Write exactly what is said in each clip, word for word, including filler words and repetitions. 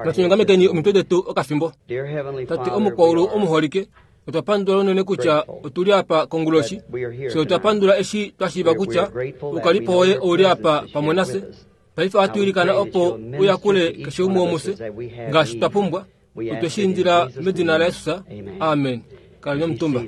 Natunyongamekeni omitwe detu okafimbo. Tate omukwaulu omuholike, otwa pandula unene kutya otuli apa konguloshi. Fye otwa pandula eshi twashiiva kutya oukalipo woye ouli apa pamwe nafye. Paife ohatu ilikana opo uyakule keshe umwe womufye ngaashi twa pumbwa. Otwe shi indila medina laJesus. Amen. Kaleni omutumba.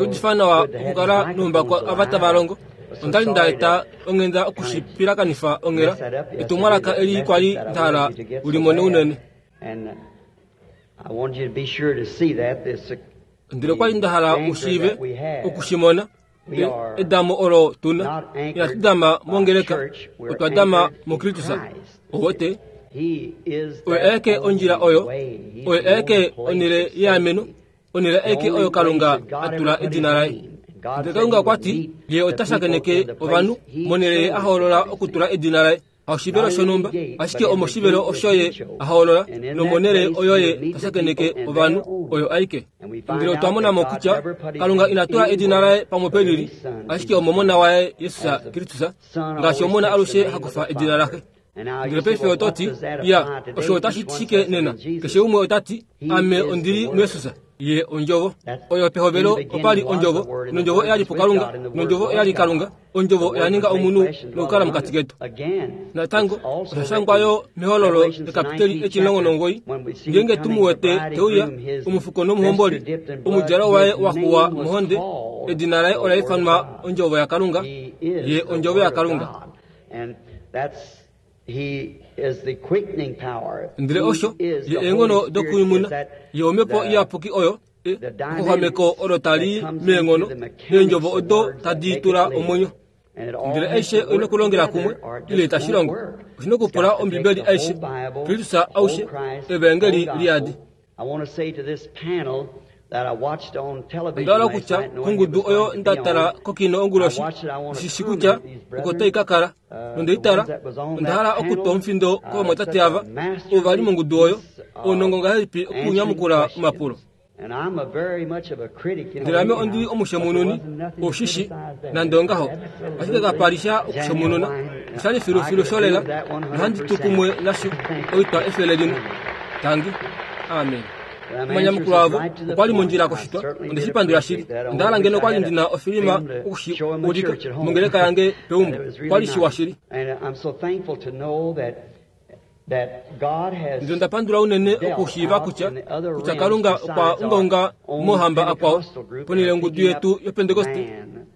Osha nawa okukala noumbako ava tava longo. Onda li nda eta onghenda okushipilakanifa onghela. Etumwalaka eli kwali nda hala ulimone unene. Ndele okwali nda hala ushiive okushimona edamo olo tuna. Inatu dama mongeleka, otwa dama muKristus. Owote oyo aeke ondjila oyo, oyo aeke onhele yeameno, onhele aeke oyo Kalunga a tula edina laye. Ndele Kalunga okwa ti ye ota shakeneke ovanhu monhele ye a hoolola okutula edina laye. Haushivelo shonhumba, ashike omoshivelo osho ye a hoolola, nomonhele oyo ye ta shakeneke ovanhu oyo aike. Ndele otwa mona mo kutya Kalunga ina tula edina laye pamwe pelili, ashike omomona waye Jesus Kristus, ngaashi omona alushe hakufa edina laxe. Ndele paife oto ti, ya, osho otashi ti shike nena? Keshe umwe ota ti, ame ondili muJesus. Ye ondjovo. Oyo pehovelo opali ondjovo, nondjovo oyali puKalunga, nondjovo oyali Kalunga. Ondjovo oya ninga omunhu nokukala mokati ketu. Natango osha shangwa yo mehololo ekapiteli etimulongo nomugoyi, ngeenge tu mu wete teuya, omufuko nomuhomboli, omudjalo waye wa xuwa mohonde, edina laye ola ifanwa Ondjovo yaKalunga. Ye Ondjovo yaKalunga. Ndele osho ye eenghono dokunyumuna, ye omhepo iyapuki oyo exwameko olo tali meenghono neendjovo odo tadi tula omwenyo. Ndele aishe oina okulongela kumwe ile itashi longo. Oshina okupula Ombibeli aishe, Kristus aushe, Evangeli liyadi. Onda hala okutya kongudu oyo nda tala kokino onguloshi, ndishi kutya oko tai ka kala, nondeitala, onda hala okutwa omufindo kovamwatate ava, ovo vali mongudu oyo, ounongo ngahelipi okunyamukula omapulo. Ndele ame ondi omushemununi, oshishi, nande ongaho, ashike kapa li sha okushemununa, oshali filufilu sholela, nohandi tu kumwe nasho oitwa efele limwe. Tangi. Amen. Omanyamukulo avo okwali mondjila koshitwa, onde shi pandula shili. Onda hala ngeno okwali ndina ofilima okushi ulika mongeleka yange peumbo, okwali shiwa shili. Ndele onda pandula unene okushiiva kutya kutya Kalunga okwa ungaunga mohamba akwao ponhele yongudu yetu yoPentekoste,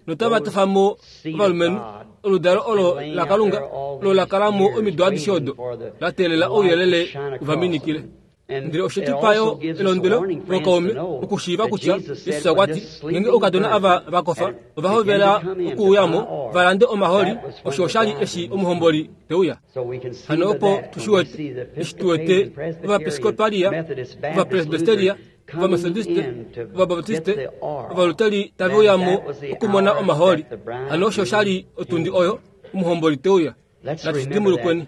notava tofa mo ovalumenhu, oludalo olo laKalunga olo la kala mo omido adishe odo, la teelela ouyelele uvaminikile. Ndele oshe tu pa yo elondwelo lokaume okushiiva kutya Jesus okwa ti, ngeenge oukadona ava va kofa ova hovela okuuya mo va lande omaholi, osho oshali eshi omuhomboli te uya. Hano opo tu shi wete, eshi tu wete Ovaepiskopalia, Ovapresbiteria, Ovametodiste, Ovabaptiste, Ovaluteri tave uya mo okumona omaholi. Hano osho oshali otundi oyo omuhomboli te uya. Natu shi dimbulukweni.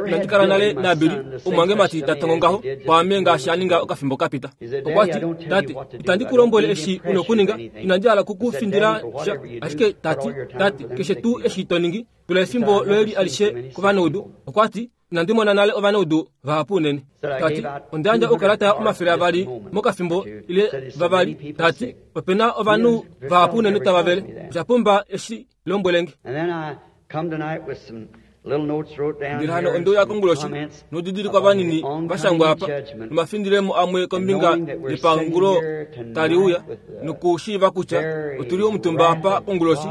Inandi kala nale naBilly, omumwangemati ta tongo ngaho kwaame ngaashi a ninga okafimbo ka pita. Okwa ti, Tate, itandi ku lombwele eshi u na okuninga, inandi hala ku ku findila sha, ashike tati, tate, keshe tuu eshi to ningi, tula efimbo loye li alishe kovanaudu. Okwa ti, inandi mona nale ovanaudu vahapu unene. Tati, onda yandja oukalata omafele avali mokafimbo ile vavali. Tati, opena ovanhu vahapu unene tava vele. Osha pumba eshi lombwelenge. Ndele hano onde uya konguloshi noudidilikwa vanini va shangwa apa, nomafindilemo amwe kombinga yepangulo tali uya, nokushiiva kutya otuli omutumba apa konguloshi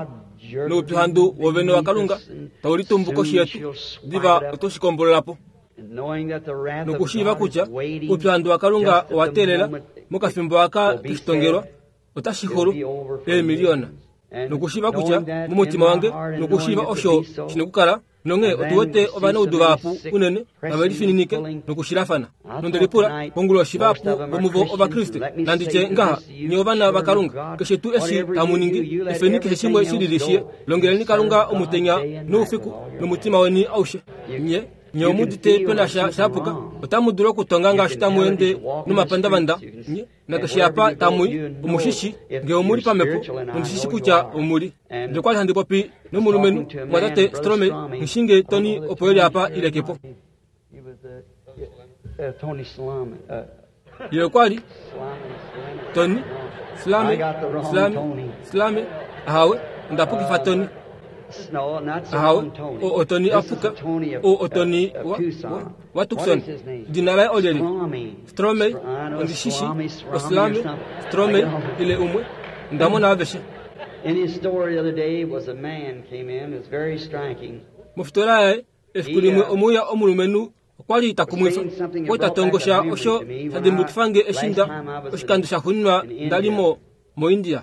noupyuhandu wovene waKalunga tau litumbu koshi yetu, diva oto shi kombolola po. Nokushiiva kutya oupyuhandu waKalunga owa teelela mokafimbo aka toshitongelwa, otashi xulu eemiliyona. Nokushiiva kutya momutima wange, nokushiiva osho shina okukala, nonghee otu wete ovanaudu vahapu unene tave lifininike nokushilafana. Nonde lipula konguloshi vahapu vomuvo Ovakriste, nanditye ngaha, nye ovana vaKalunga, keshe tuu eshi tamu ningi, efeni keshe shimwe shi lili shiye, longeleni Kalunga omutenya noufiku nomutima weni aushe. Nye Nye omudite pena sha shapuka otamu dulu okutonga ngaashi tamu ende nomapandavanda nye nakeshe apa tamui omushishi nge omuli pamhepo ondishishi kutya omuli. Ndele okwali handi popi nomulumenhu mwatate Strome ngishinge Tony opo eli apa ilekepo. Ye okwali Tony Slame Slame Slame ahawe ndapukifa Tony. Ahawe o Tony apuka o Tony wa wa Tucson dina laye olyeli Strome ondishishi oslame Strome ile umwe ndamona aveshe. In his story the other day was a man came in, it was very striking. Mofitola yaye efiku limwe omuya omulumenhu okwali takumwifa okwa tatongosha osho shadimbukifange eshinda oshikando shaxuuninwa ndalimo moIndia.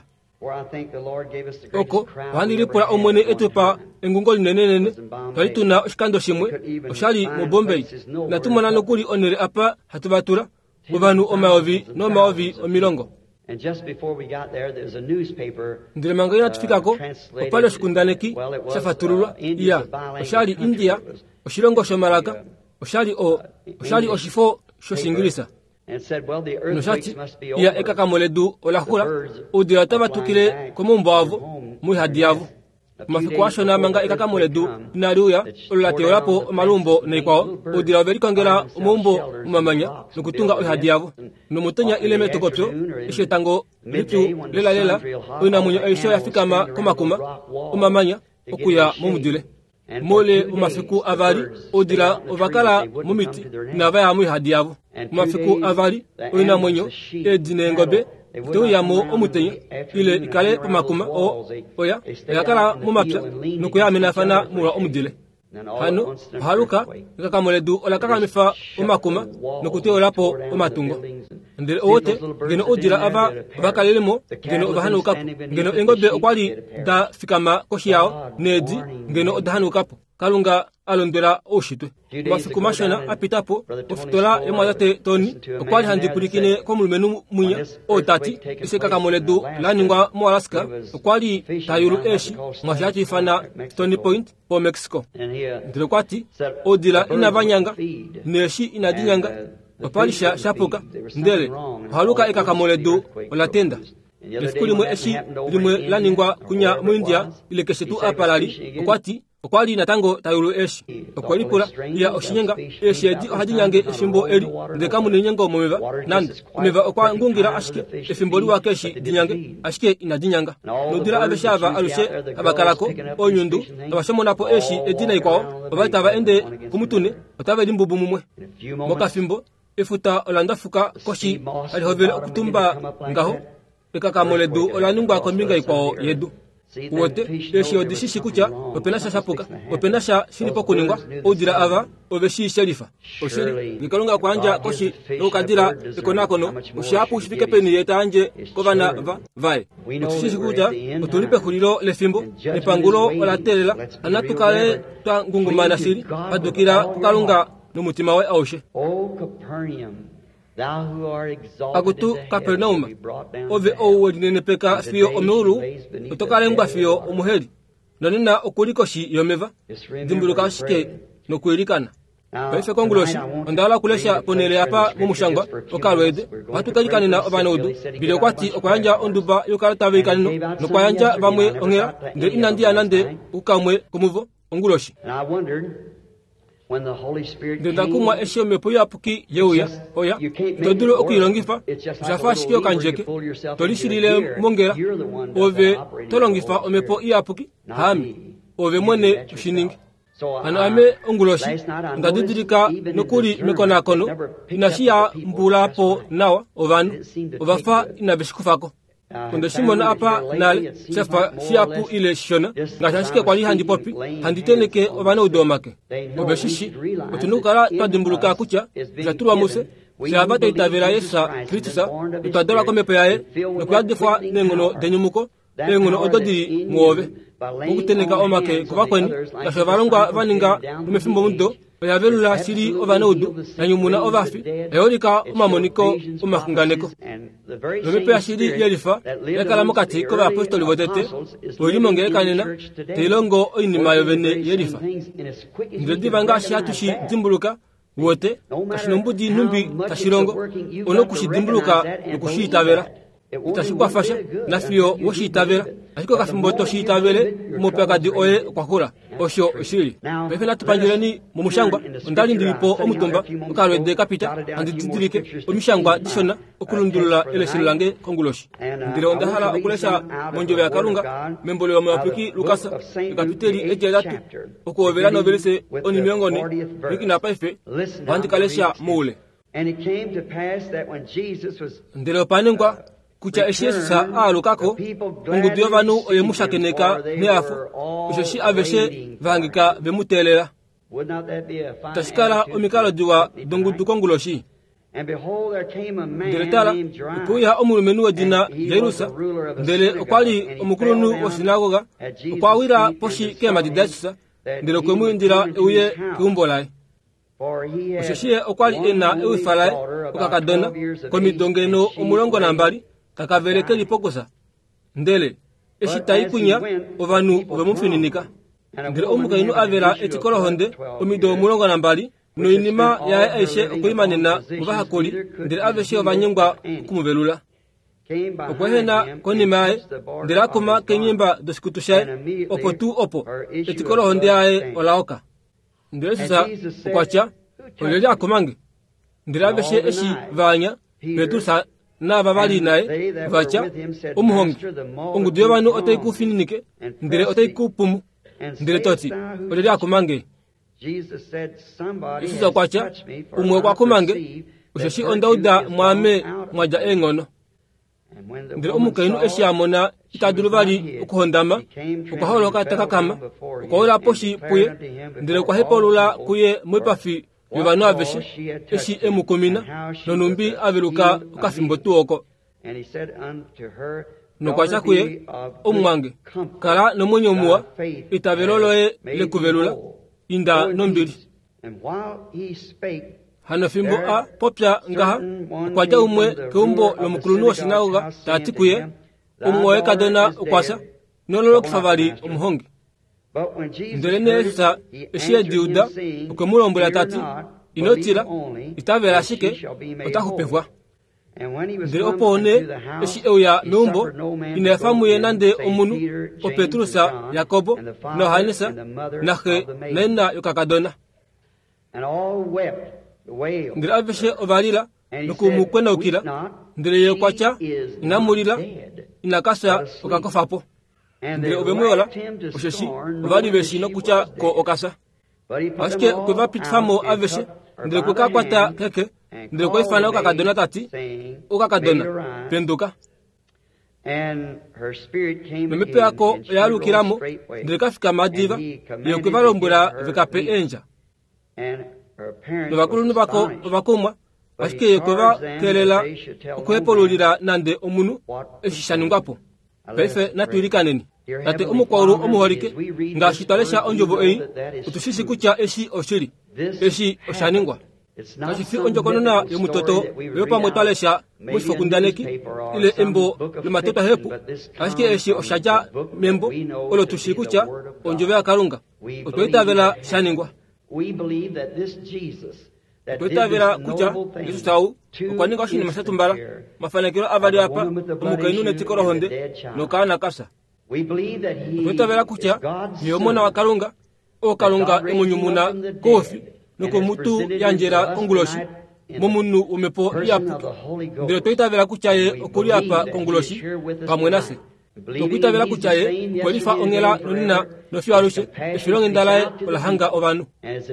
Oko ohandi lipula Omwene etupa engungo linenenene twali tuna oshikando shimwe oshali moBombay. Inatu mona nokuli onhele apa hatu vatula ovanhu omayovi nomayovi omilongo. Ndele manga inatu fikako opali oshikundaneki shafatululwa iya oshali India oshilongo shomalaka oshali o oshali oshifo shOshingilisa. Noshati iya ekakamo ledu olaxula oudila otava tukile komaumbo avo moihadi yavo. Omafiku ashona manga ekakamo ledu inali uya olo la teyolapo omalumbo naikwao oudila ove likongela omaumbo momamanya nokutunga oihadi yavo. Nomutenya ile metokopyo eshi etango lipyu lelalela oinamwenyo aishe oya fikama komakuma omamanya okuya momudile. Moule womafiku avali oudila ovakala momiti inava ya moihadi yavo. Omafiku avali oinamwenyo eedi neengobe iteuyamo omutenya ile ikale pomakuma o oya oyakala momapya nokuyaaminafana molwa omudile. Hano ohaluka ekakamo ledu ola kakamifa omakuma nokuteyolapo omatungo. Ndele owote ngeno oudila ava ovakalelemo ngeno ovahanaukapo ngeno eengobe okwali da fikama koshi yao needi ngeno oda hanaukapo. Kalunga alondwela oushitwe. Omafiku mashona apitapo ofitola yomwatate Tony okwali handi pwilikine komulumenhu mwinya oo tati eshi ekakamo ledu la ningwa moAlaska okwali tayulu eeshi mwashi hashi ifana Stony Point po Mexico. Ndele okwati oudila inava nyanga neeshi inadi nyanga opali sha shapuka ndele ohaluka ekakamo ledu ola tenda. Efiku limwe eshi limwe la ningwa kunya moIndia ile keshe tuu apa lali okwati okwali natango tayulu eeshi. Okwe lipula iya oshinyenga eeshi edi ohadi nyange efimbo eli ndele kamu nenyengo momeva nande omeva okwa ngungila ashike efimbo liwa keeshi dinyange ashike inadi nyanga. Noudila aveshe ava alushe havakalako onyundu tavashomonapo eeshi edi naikwao ovali tava ende komutune otave limbubu mumwe. Mokafimbo efuta ola ndafuka koshi tali hovele okutumba ngaho ekakamo ledu ola ningwa kombinga ikwao yedu. Uwete eeshi odishishi kutya opena sha shapuka opena sha shili pokuningwa oudila ava ove shi shelifa. Oshili ngekalunga okwa koshi nokukadila ekonakono oshihapu shifike peni ye tayandje kovana va vaye. Otushishi kutya otuli pexulilo lefimbo nepangulo ola teelela hana tukale twa ngungumana shili padukila kuKalunga nomutima waye aushe. Akutu Kapernaum, ove ou welinenepeka fiyo omeulu oto kalengwa fiyo omuheli nonena okuli koshi yomeva. Dimbuluka ashike nokwiilikana. Paife konguloshi onda hala okulesha ponhele apa momushangwa okalweede ohatu kalikanena ovanaudu. Bile okwati okwa yandja onduba yokalata veikaneno nokwa yandja vamwe onghela ndele inandi ya nande kukamwe komuvo onguloshi. Ndele ndakumwa eshi omhepo iyapuki yeuya oya ito dulu okuilongifa oshafa ashike okandjeke tolishilile mongela ove tolongifa omhepo iyapuki haame ove mwene oshiningi. Hano ame onguloshi onda didilika nokuli mekonakono inashi ya mbulapo nawa ovanhu ovafa inave shikufako. Onde shimona apa nale shafa shihapu ile shishona ngaashi ashike kwali handi popi handi teneke ovanaudu omake. Ove shishi otuna okukala twa dimbuluka kutya osha tulwa mufye fyava twa itavela Yesus Kristus notwa dalwa komhepo yaye nokuyadifwa neenghono denyumuko eenghono odo dili muove mokuteneka omake kovakweni ngaashi ovalongwa va ninga nomefimbo mudo Oya velula shili ovanaudu, ya nyumuna ovafi, oya ulika omamoniko omaxunganeko. Nomhepo yashili yelifa ya kala mokati kovayapostoli votete, oili mongeleka nena, tai longo oinima yovene yelifa. Ndele diva ngaashi hatu shi dimbuluka, wote kashi nombudi nhumbi tashi longo, ono kushi dimbuluka nokushi itavela. Itashi kwafasha nafiyo woshi itavela, ashike okafimbo toshi itavele, omaupyakadi oye okwa xula. Osho oshili. Paife natu pandjuleni momushangwa. Onda li ndili po omutumba okalwede kapita, handi didilike omishangwa dishona okulundulula eleshelo lange konguloshi. Ndele onda hala okulesha mondjovo yaKalunga membo lOmuyapuki Lukas ekapiteli etihetatu okuhovela novelise onimilongo ne nokina paife ohandi ka lesha moule. Ndele opa ningwa kutya eshi Jesus a alukako, ongudu yovanhu oye mu shakeneka nehafo, osheshi aveshe va hangika ve mu teelela. Tashi kala omikalo diwa dongudu konguloshi. Ndele tala, okwe uya omulumenhu wedina Jairus, ndele okwa li omukulunhu woshinagoga, okwa wila poshi keemhadi daJesus, ndele okwe mu indila e uye keumbo laye. Osheshi ye okwa li e na ewifa laye okakadona komido ngeno omulongo nambali, kakavele keli pokusa. Ndele eshi tai kunya, ovanhu ove mu fininika. Ndele omukainhu a vela etiko lohonde omido omulongo nambali, noinima yaye aishe okwe i manena movahakuli, ndele aveshe ova nyengwa okumuvelula. Okwa ehena konima yaye, ndele a kuma keenyemba doshikutu shaye, opo tuu opo etiko lohonde yaye ola oka. Ndele Jesus okwa tya, olyelye a kuma nge? Ndele aveshe eshi va anya, Petrus naava vali naye va tya, omuhongi, ongudu yovanhu otai ku fininike, ndele otai ku pumu, ndele to ti, olyelye a kuma nge? Jesus okwa tya, umwe okwa kuma nge, osheshi onda uda mwaame mwa dja eenghono. Ndele omukainhu eshi a mona ita dulu vali okuhondama, okwa holoka ta kakama, okwa wila poshi puye, ndele okwa hepaulula kuye moipafi yovanhu aveshe eshi e mu kumina, nonhumbi a veluka okafimbo tuu oko. Nokwa tya kuye, omumwange, kala nomwenyo muwa, eitavelo loye lekuvelula, inda nombili. Hano fimbo a popya ngaha, okwa dja umwe keumbo lomukulunhu woshinagoga ta ti kuye, omumwoye kadona okwa fya, ino vali omuhongi. Ndele nee Jesus eshi e di uda, okwe mu lombwela ta ti, ino tila, itavela ashike, ota xupifwa. Ndele opo nee eshi e uya meumbo, ina efa muye nande omunhu, oPetrus, Jakobo naJohannes, naxe naina yokakadona. Ndele aveshe ova lila nokumukwenaukila. Ndele ye okwa tya, inamu lila, ina ka fya, okakofa po. Ndele ove mu yola, osheshi ova li ve shi nokutya ko okafya. Ashike okwe va pitifa mo aveshe, ndele okwe ka kwata keke, ndele okwa ifana okakadona ta ti, okakadona, penduka. Nomhepo yako oya alukila mo, ndele ka fikama diva, ye okwe va lombwela ve ka pe eendja. Novakulunhu vako ova kumwa, ashike ye okwe va kelela okuhepululila nande omunhu eshi sha ningwa po. Paife natu ilikaneni. Tate omukwaulu omuholike, ngaashi twa lesha ondjovo ei, otu shi shi kutya eshi oshili, eshi osha ningwa. Kashi fi ondjokonona yomutoto oyo pamwe twa lesha moshifokundaneki ile embo lomatotwahepu, ashike eshi osha dja membo olo tu shi kutya ondjovo yaKalunga. Otwa itavela sha ningwa. Otwa itavela kutya Jesus ou okwa ninga oshinima sha tumbala, mafanekelo avali apa, omukainhu netiko lohonde nokaana kafya. Otwa itavela kutya ye omona waKalunga, oo Kalunga e mu nyumuna koufi nokomutu yandjela konguloshi momunhu womhepo iyapuki. Ndele otwa itavela kutya ye okuli apa konguloshi pamwe nafye. Tokwiitavela kutya ye okwe lifa onghela nonena nofiyo alushe, efilonghenda laye ola hanga ovanhu.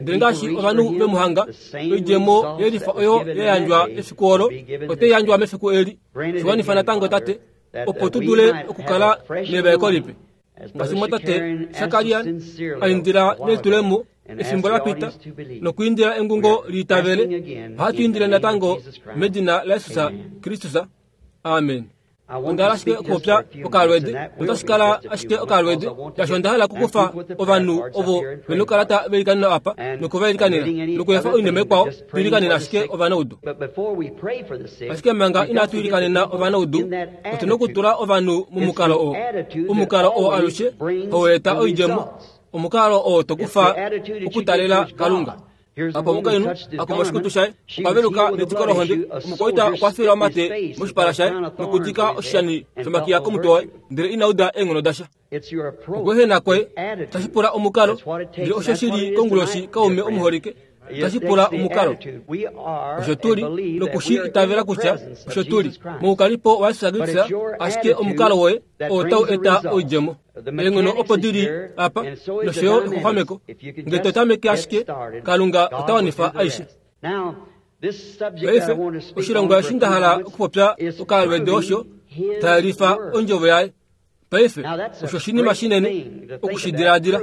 Ndele ngaashi ovanhu ve mu hanga, oidjemo yelifa oyo ya yandjwa efiku olo, otai yandjwa mefiku eli. Shiwanifa natango Tate, opo tu dule okukala nevaeko lipe. Ngaashi mwatate Shakarian a indila nelitulemo efimbo la pita nokuindila engungo liitavele, ohatu indile natango medina laJesus Kristus. Amen. Onda hala ashike okupopya okalwede, notashi kala ashike okalwede, shaashi onda hala okukufa ovanhu ovo vena okukala veilikanena apa nokuvailikanena, nokuefa oinima ikwao tuilikanena ashike ovanaudu. Ashike manga inatu ilikanena ovanaudu, otu na okutula ovanhu momukalo oo. Omukalo oo alushe hau eta oidjemo, omukalo oo tokufa okutalela Kalunga. Apa omukainhu akuma oshikutu shaye, okwa veluka netiko lohonde. Omukwaita okwa fila omate moshipala shaye nokudika oshishani shomakiya komutwe waye, ndele ina uda eenghono dasha. Okweehena kwoye tashi pula omukalo, ndele osho shili konguloshi kaume omuholike, tashi pula omukalo. Osho tuli nokushi itavela kutya osho tuli moukalipo waJesus Kristus, ashike omukalo woye oo tau eta oidjemo. Eenghono opo dili apa nosho yo exuxameko. Ngee to tameke ashike, Kalunga ota wanifa aishe. Paife oshilongo eshi nda hala okupopya okalwede osho tayelifa ondjovo yaye. Paife osho oshinima shinene okushidiladila,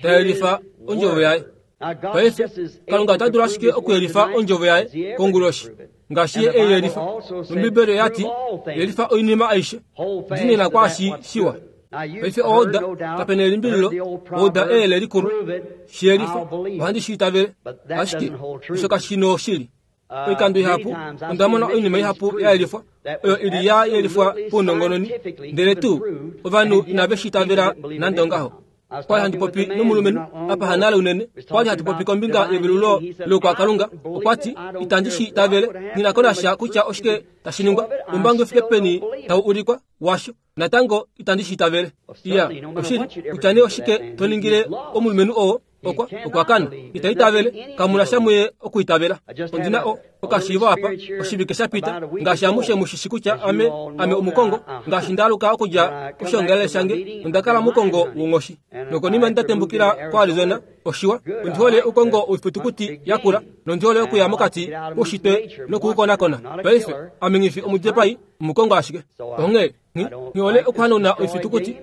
tayelifa ondjovo yaye. Paife Kalunga ota dulu ashike okuyelifa ondjovo yaye konguloshi ngaashi ye ei yelifa. Nombibeli oya ti yelifa oinima aishe, dinina kwaashi shiwa. Paife oda kapena elimbililo, oda eyele likulu shiyelifa, ohandi shi itavele, ashike osho kashi noshili. Oikando ihapu onda mona oinima ihapu ya yelifwa oyo ili ya yelifwa paunongononi, ndele tuu ovanhu inave shi itavela nande ongaho. Kwali handi popi nomulumenhu apa hanale unene, kwali hatu popi kombinga yevelulo lokwakalunga. Okwa ti itandi shi itavele, nghi ko nasha kutya oshike tashi ningwa, umbangi ufike peni tau ulikwa washo, natango itandi shi itavele. Iya, oshili kutya nee oshike to ningile omulumenhu oo okwa okwa kana ita itavele, kamuna sha muye okuitavela. Ondina o okashiivo apa oshivike sha pita, ngaashi amushe mushishi kutya ame ame omukongo, ngaashi ndaaluka okudja koshiongalele shange, onda kala mukongo wonghoshi. Nokonima ndatembukila koArizona, oshiwa, ondi hole ukongo oifitukuti yakula, nondi hole okuya mokati koushitwe nokuukonakona. Paife ame nghifi omudipai, omukongo ashike. Onghee nghi hole okuhanauna oifitukuti,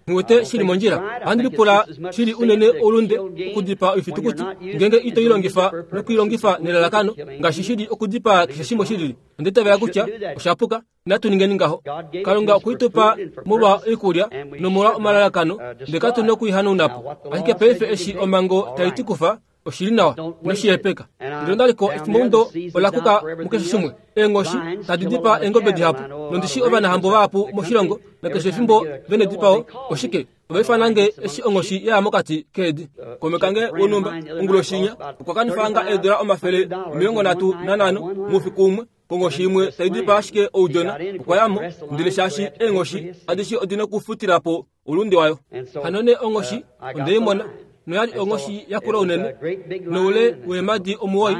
nghi wete shili mondjila. Ohandi lipula shili unene oulunde okudipaa oifitukuti ngeenge ito i longifa nokuilongifa nelalakano, ngaashi shili okudipaa keshe shimwe shilili. Onda itavela kutya osha puka, inatu ningeni ngaho. Kalunga okwe i tupa molwa oikulya nomolwa omalalakano, ndele katu na okuihanauna po. Ashike paife eshi omhango tai ti kufa, oshili nawa, inoshi hepeka. Ndele ondaliko efimbo ola kuka mukeshe shimwe. Eenghoshi tadi dipaa eengobe dihapu, nondishi ovanahambo vahapu moshilongo, nakeshe efimbo vene dipao. Oshike ova ifanange eshi onghoshi yaya mokati keedi. Kaume kange wonhumba onguloshinya okwa kanifanga eedula omafele omilongo nhatu nanhano moufiku umwe konghoshi imwe tai dipaa ashike oudjona. Okwa yamo, ndele shaashi eenghoshi adishe odina okufutila po oulunde wayo. Hano nee onghoshi ondeimona, noyali onghoshi yakula unene, noule weemadi omuwoi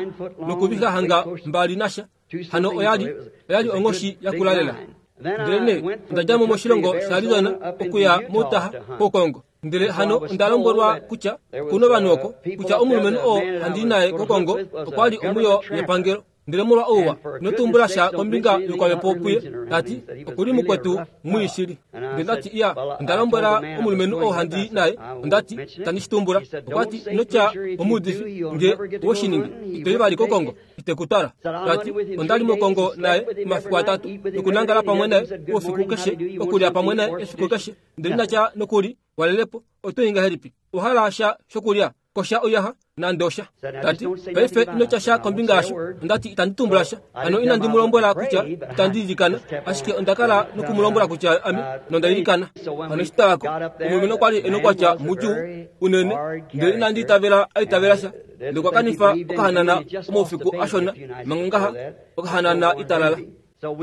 nokuvixa hanga mbali nasha. Hano oyali oyali onghoshi yakula lela. Ndele nee onda dja mo moshilongo shaArizona okuya moUtah kokongo. Ndele hano onda lombwelwa kutya kuna ovanhu oko, kutya omulumenhu oo handi naye kokongo okwa li omuyo yepangelo. Ndele molwa ouwa ino tumbula sha kombinga yokwamhepo puye, tati okuli mukwetu mwii shili. Ndele ndati iya, onda lombwela omulumenhu oo handi naye, ondati itandi shi tumbula. Okwa ti ino tya omuudifi, nge owe shi ningi ito i vali kokongo, ite ku twala. Tati ondali mokongo naye omafiku atatu, nokunangala pamwe naye oufiku keshe, okulya pamwe naye efiku keshe, ndele inatya nokuli walelepo, oto i ngahelipi? Owa hala sha shokulya? Kosha oiyaxa nande osha. Tati paife ino tya sha kombinga yasho. Ondati itandi tumbula sha. Hano inandi mu lombwela kutya itandi ilikana, ashike onda kala noku mu lombwela kutya ame nonda ilikana. Hano eshi twayako, omulumenhu okwa li e nokwatya mudjuu unene, ndele inandi itavela a itavela sha. Ndele okwa kanifa okahanana omaufiku ashona manga ngaha, okahanana italala.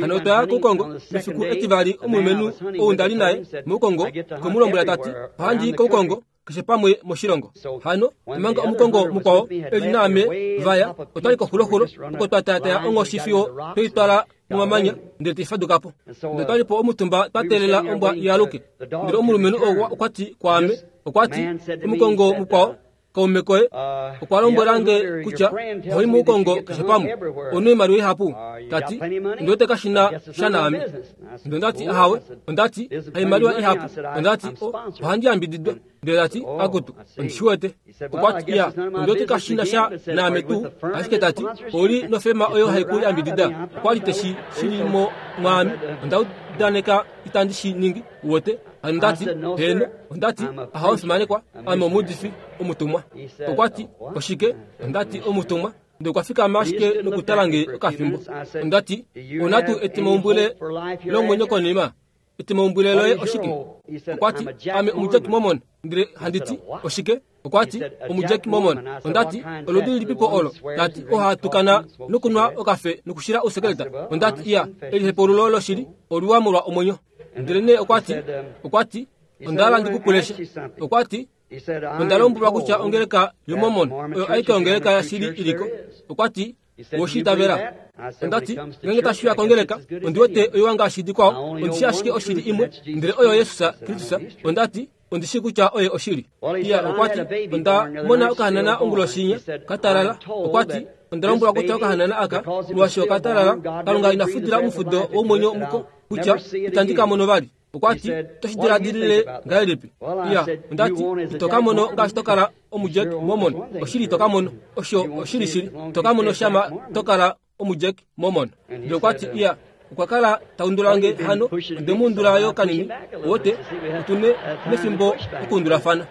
Hano otwaya koukongo mefiku etivali. Omulumenhu ou ndali naye moukongo okwe mu lombwela tati ohandi i koukongo keshe pamwe moshilongo. Hano omanga omukongo mukwao eli naame vaya, otwali koxuloxulo oko twa taataya onghoshi fiyo tweitwala momamanya, ndele taifaduka po. Ndele twali po omutumba twa teelela ombwa i aluke. Ndele omulumenhu ou okwa ti kwaame, okwa ti omukongo mukwao Kaume koye okwa lombwela nge kutya oho muukongo keshe pamwe onu oimaliwa ihapu. Tati ndiwete kashina sha naame. Ndele ondati ahawe, ondati haimaliwa ihapu, ondati ohandi yambididwa. Ndele tati akutu ondishiwete. Okwati iya ondiwete kashina sha naame tuu, ashike tati ouli nofema oyo haiku yambidida. Okwali teshi shilimo mwaame, onda udaneka itandi shi ningi uwete. Ondati heno, ondati ahawe omufimanekwa, ame omuudifi omutumwa. Okwati oshike? Ondati omutumwa. Ndele okwa fikama ashike nokutala nge okafimbo. Ondati ona tuu etimaumbwile lomwenyo konima? Etimaumbwile loye oshike? Okwati ame omuJack Mormon. Ndele handiti oshike? Okwati omuJack Mormon. Ondati oludi lilipipo olo? Tati ohatukana nokunwa okafe nokushila ousekeleta. Ondati iya elihepululo loshili oluwa molwa omwenyo. Ndele nee okwati okwati ondala ndikupulesha. Okwati onda lombwelwa kutya ongeleka yoMormon oyo aike ongeleka yashili iliko. Okwati woshiitavela. Ondati ngenge tashiya kongeleka ondiwete oiwa ngaashi dikwao, ondishi ashike oshili imwe, ndele oyo Jesus Kristus. Ondati ondishi kutya oye oshili. Iya okwati onda mona okahanana onguloshinya katalala. Okwati onda lombwelwa kutya okahanana aka molwaashi okatalala, Kalunga ina futila omufudo womwenyo muko kutya itandi ka mono vali. Okwati otoshi diladilile ngahelipi? Iya ondati ito ka mono ngaashi tokala omuJack Mormon. Oshili ito ka mono, osho oshili shili ito ka mono shama tokala omuJack Mormon. Ndele okwati iya okwa kala taundulange hano ondemuundula yo kanini wote otune nefimbo okuundulafana.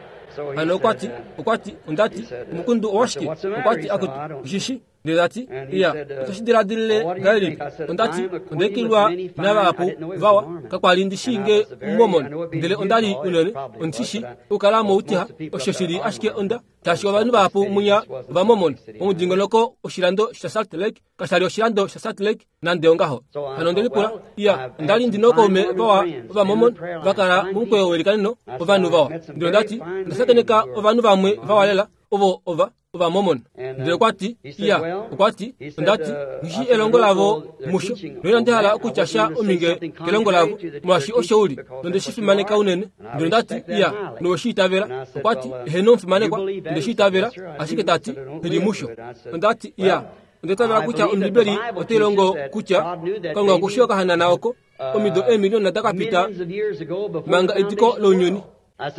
Hano okwati okwati ondati omukundu owashike? Okwati akutu oshishi. Ndele tati iya otoshi diladilile ngahelipi? Ondati ondeekilwa navahapu vawa kakwali ndishi nge Mormon, ndele ondali unene ondishishi okukala moutiha osho shili ashike onda tashi ovanhu vahapu munya vaMormon omudingonoko oshilando sha Salt Lake kashali oshilando sha Salt Lake nande ongaho. Hano ondelipula iya ondali ndina ookaume vawa ovaMormon vakala momukweyo welikaneno ovanhu vawa. Ndele ondati ondashakeneka ovanhu vamwe vawa lela ovo ova ovaMormon. Ndele okwati iya okwati ondati nghishi elongo lavo musho noinandi hala okutya sha ominge kelongo lavo molwaashi osho uli nondeshi fimaneka unene. Ndele ondati iya noweshiitavela. Okwati eheno omufimanekwa ondeshiitavela, ashike tati nghili musho. Ondati iya ondetavela kutya Ombibeli otai longo kutya Kalunga okushi okahanana oko omido eemiliona dakapita manga ediko lounyuni.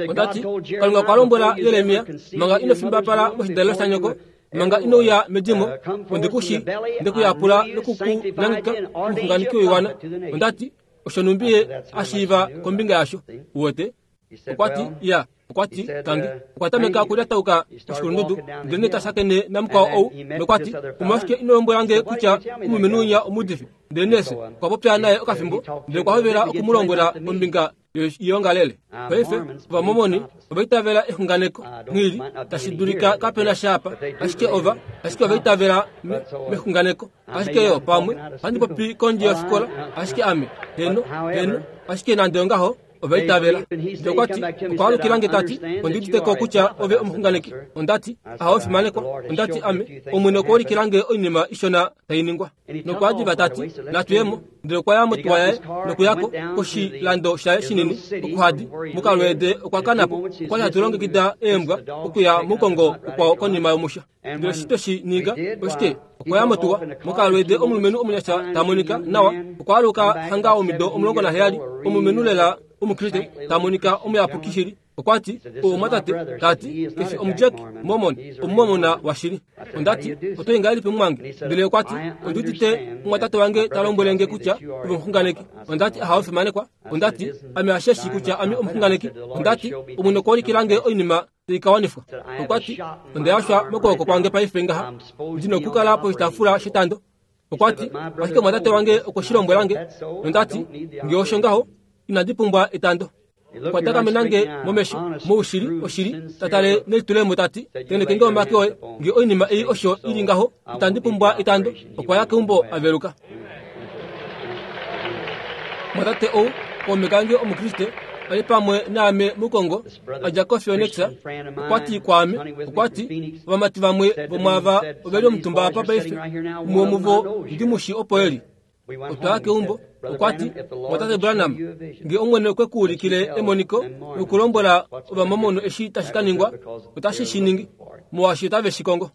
Ondati Kalunga okwa lombwela Jeremia manga ino fimbapala moshidalelo shanyoko, manga inouya medimo, ondikushi ndekuyapula nokukunangika omuxunganeki woiwana. Ondati osho numbiye ashiiva kombinga yasho uwete. Okwati iya okwati kange okwa tameka okulyatauka oshikulundudu, ndele nee tashakene namukwao ou nokwati omolwashike ino lombwela nge kutya omulumenhu winya omuudifi? Ndele neese okwa popya naye okafimbo, ndele okwa hovela okumulombwela kombinga yoiongalele. Paife ovaMormoni ovaitavela exunganeko nghili tashi dulika kapena sha apa, ashike ova ashike ovaitavela mexunganeko. Ashike yo pamwe ohandi popi kondje yofikola, ashike ame heno heno ashike nande ongaho ovaitavela. Ndele okwati okwa alukilange tati ondiuditeko kutya ove omuxunganeki. Ondati ahawe fimanekwa. Ondati ame Omwene okwa ulikilange oinima ishona tai ningwa. Nokwa diva tati natuyemo. Ndele okwa ya motuwa yaye nokuyako koshilando shaye shinini okuhadi mukalweede okwa kanapo. Okwali hatu longekida eembwa okuya muukongo ukwao konima yomusha. Ndele eshi tweshi ninga oshike? Okwa ya motuwa mukalweede omulumenhu omunyasha ta monika nawa. Okwa aluka hanga omido omulongo naheyali, omulumenhu lela omukriste ta monika omuyapuki shili. Okwati omwatate tati kefi omuJack Mormon, omumormona washili. Ondati oto ngahelipi mumwange? Ndele okwati ondiudite omwatate wange ta lombwele nge kutya ove omuxunganeki. Ondati ahawe fimanekwa. Ondati ame asheshi kutya ame omuxunganeki. Ondati Omwene okwa ulikilange oinima tai ka wanifwa. Okwati ondayashwa mokwooko kwange paife ngaha ndina okukala poshitaafula shetando. Okwati ashike omwatate wange okwe shi lombwelange. Ondati nge osho ngaho inandi pumbwa etando. Okwa takamenange momesho moushili oshili tatale nelitulemo tati tenekenge omake oye nge oinima ei osho ili ngaho itandi pumbwa etando. Okwa ya keumbo aveluka. Mwatate ou kaume kange omukriste ali pamwe naame mukongo adja koPhoenix. Okwati kwaame okwati ovamati vamwe vomwaava oveli omutumba apa paife umwe womuvo ndimushi opo eli. Otwaya keumbo, okwa ti, Mwatate Branham, nge Omwene okwe ku ulikile emoniko nokulombwela Ovamomono eshi tashi ka ningwa, otashi shi ningi, molwaashi otave shi kongo.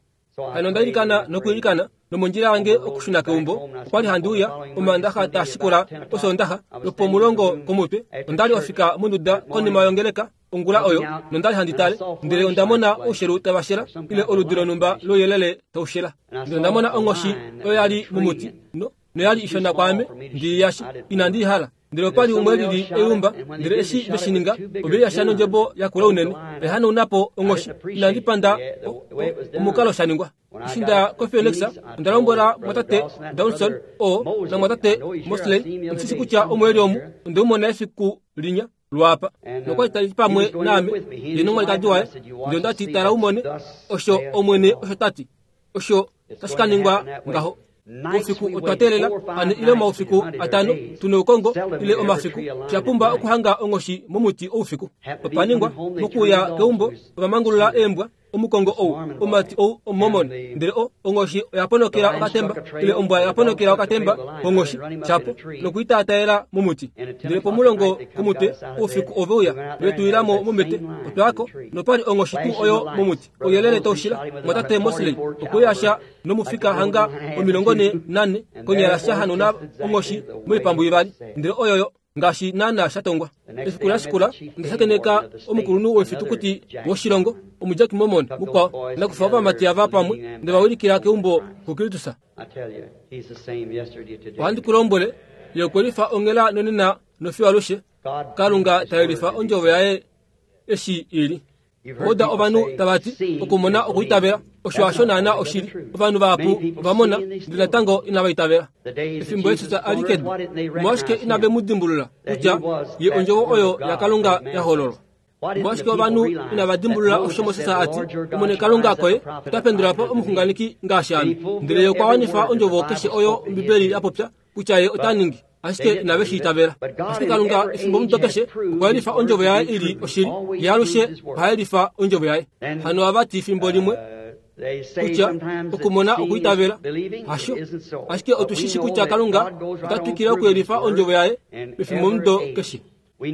Hano onda ilikana nokuilikana, nomondjila yange okushuna keumbo, okwali handi uya Omaandaxa taa shikula Osoondaxa lwopomulongo komutwe. Onda li ofika monduda konima yongeleka ongula oyo, nondali handi tale, ndele onda mona oushelu tava shela, ile oludi lonhumba louyelele tau shela. Ndele onda mona onghoshi oyo ya li momuti, no noyali ishona kwaame, ndi yashe, inandi i hala. Ndele opali umwe lili eumba, ndele eshi veshi ninga, ove yasha nondjebo yakula unene, oya hanauna po onghoshi. Inandi panda omukalo sha ningwa. Eshi ndaya koPhoenix, onda lombwela mwatate Dawson oo namwatate Mosley, ondi shi kutya omo eli omu, onde mu mona efiku linya lwaapa. Nokwali tali pamwe naame, ye nomwalikadi waye. Ndele onda ti, tala umone, osho Omwene osho ta ti, osho tashi ka ningwa ngaho. Oufiku otwa teelela ane ile omaufiku atano tuna oukongo ile omafiku, sha pumba okuhanga onghoshi momuti oufiku. Opa ningwa mokuya keumbo, ova mangulula eembwa, omukongo ou, omumati ou Omumormon, ndele o onghoshi oya ponokela okatemba, ile ombwa oya ponokela okatemba konghoshi, shapo, nokuitaataela momuti. Ndele pomulongo komutwe oufiku ove uya, ve tu ilamo mombete, otwayako, nopali onghoshi tuu oyo momuti, ouyelele taushila. Mwatate Mosley okwe yasha nomufika hanga omilongo ne nane, konyala sha hanauna onghoshi moipambu ivali, ndele oyoyo ngaashi naana sha tongwa. Efiku la shikula onda shakeneka omukulunhu wefitukuti woshilongo, omuJack Mormon mukwao, nakufa ovamati ava pamwe, nde va wilikila keumbo kuKristus. Ohandi ku lombwele, ye okwe lifa onghela nonena nofiyo alushe. Kalunga ta yelifa ondjovo yaye eshi ili. Oda ovanhu tava ti okumona okuitavela, osho hasho naana oshili. Ovanhu vahapu ova mona, ndele natango inava itavela. Efimbo Jesus a li kedu, omolwashike inave mu dimbulula kutya ye ondjovo oyo yaKalunga ya hololwa? Omolwashike ovanhu inava dimbulula osho Moses a ti, Omwene Kalunga koye ota pendula po omuxunganeki ngaashi ame, ndele ye okwa wanifa ondjovo keshe oyo Ombibeli ya popya kutya ye ota ningi, ashike inave shi itavela. Ashike Kalunga efimbo mudo keshe okwa yelifa ondjovo yaye ili oshili, ye alushe oha yelifa ondjovo yaye. Hano ava ti fimbo limwe kutya okumona okuitavela hasho, ashike otu shi shi kutya Kalunga ota twikile okuyelifa ondjovo yaye mefimbo mudo keshe.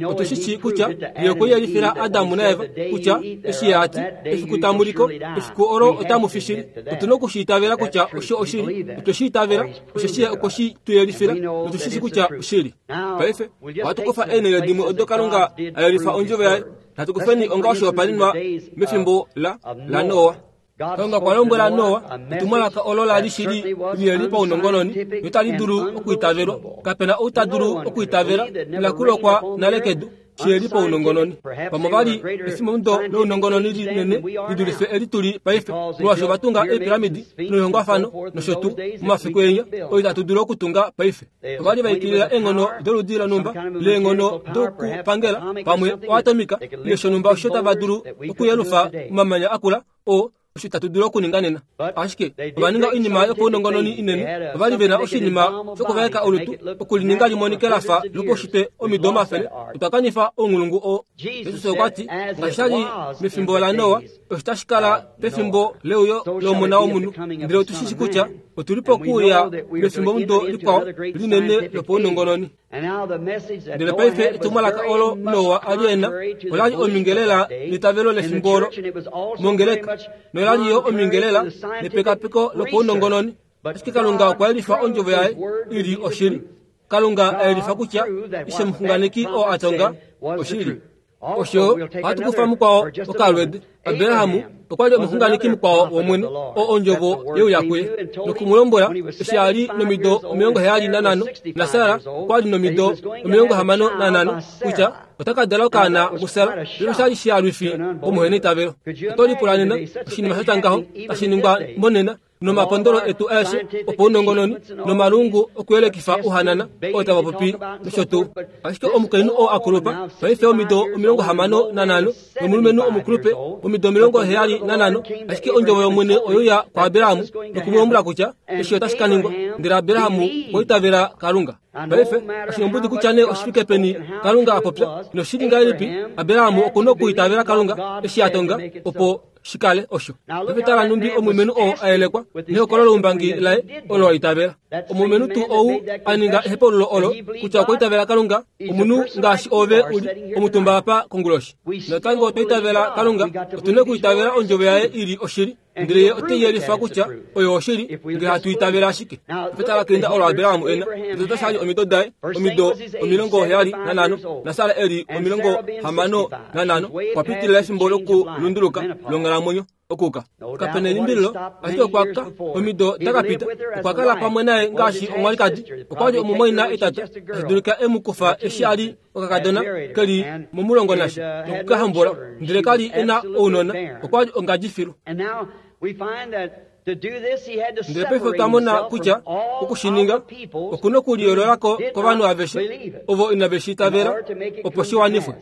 Otu shi shi kutya ye okwe yelifila Adamu naEva kutya eshi ye a ti, efiku tamu liko, efiku olo otamu fi shili. Otu na okushi itavela kutya osho oshili, otwe shi itavela, osheshi ye okwe shi tu yelifila, notu shi shi kutya oshili. Paife ohatu kufa eenhele dimwe odo Kalunga a yelifa ondjovo yaye, natu kufeni onga oshihopaenenwa mefimbo la laNoa. Kalunga okwa lombwela Noa etumwalaka olo la li shili liheli paunongononi notali dulu okuitavelwa. Kapena ou ta dulu okuitavela la kulokwa nale kedu shiheli paunongononi. Pamwe vali efimbomudo lounongononi linene li dulife eli tuli paife, molwaashi ova tunga eepiramidi noihongwafano nosho tuu momafiku enya oyo itatu dulu okutunga paife. Ova li va ikilila eenghono doludi lonhumba leenghono dokupangela, pamwe oatomika ile shonhumba osho tava dulu okuyelufa omamanya akula oo osho itatu dulu okuninga nena. Ashike ova ninga oinima yopaunongononi inene, ova li ve na oshinima shokuvaeka olutu okulininga limonike la fa lopaushitwe omido omafele. Otwa kanifa ounghulungu oo. Jesus okwa ti, ngaashi sha li mefimbo laNoa, osho tashi kala pefimbo leuyo lOmona wOmunhu. Ndele otu shi shi kutya otu li pokuuya mefimbomudo likwao linene lopaunongononi. Ndele paife etumwalaka olo Noa a li e na ola li omingelela netavelo lefimbo olo mongeleka, nola li yo omingelela nepekapeko lopaunongononi. Ashike Kalunga okwa yelifa ondjovo yaye ili oshili. Kalunga a yelifa kutya eshi omuxunganeki oo a tonga oshili. Osho ohatu kufa mukwao okalwede. Abrahamu okwa li omuxunganeki mukwao wOmwene, oo ondjovo ye uya kuye noku mu lombwela eshi a li nomido omilongo heyali nanhano, naSara okwa li nomido omilongo hamano nanhano, kutya ota ka dala okaana muSara. Ndele osha li shialwifi komuheneitavelo. Oto lipula nena oshinima sha tya ngaho tashi ningwa monena nomapondolo etu aeshe opaunongononi nomalungu okuyelekifa ouhanana oo tava popi nosho tuu. Ashike omukainhu oo a kulupa paife omido omilongo hamano nanhano nomulumenhu omukulupe omido omilongo heyali nanhano, ashike ondjovo yOmwene oye uya kuAbraham noku mu lombwela kutya eshi otashi ka ningwa, ndele Abraham okwa itavela Kalunga. Paife oshinombudi kutya nee oshifike peni Kalunga a popya noshili ngahelipi, Abraham oku na okuitavela Kalunga eshi a tonga opo shikale osho. Paife tala numbi omulumenhu oo a yelekwa nehokololo loumbangi laye olo a itavela. Omulumenhu tuu ou a ninga ehepaululo olo kutya okwa itavela Kalunga, omunhu ngaashi ove uli omutumba apa konguloshi. Natango otwa itavela Kalunga, otu na okuitavela ondjovo yaye ili oshili, ndele ye ote yelifa kutya oyo oshili ngee hatu itavela ashike. Paife tala keinda olo Abraham ena, otete shali omido daye, omido omilongo heyali nanhano, naSara eli omilongo hamano nanhano, okwa pitilila efimbo lokulunduluka longhalamwenyo okuka. Kapena elimbililo, ashike okwa ka omido dakapita, okwa kala pamwe naye ngaashi omwalikadi, okwa li omumwaina etata, tashi dulika e mu kufa eshi a li okakadona keli momulongo nasha nokukahambola, ndele kali e na ounona, okwa li ongadji filu. Ndele paife otwa mona kutya okushininga okuna okuliyoololako kovanhu aveshe ovo inave shi itavela opo shi wanifwe.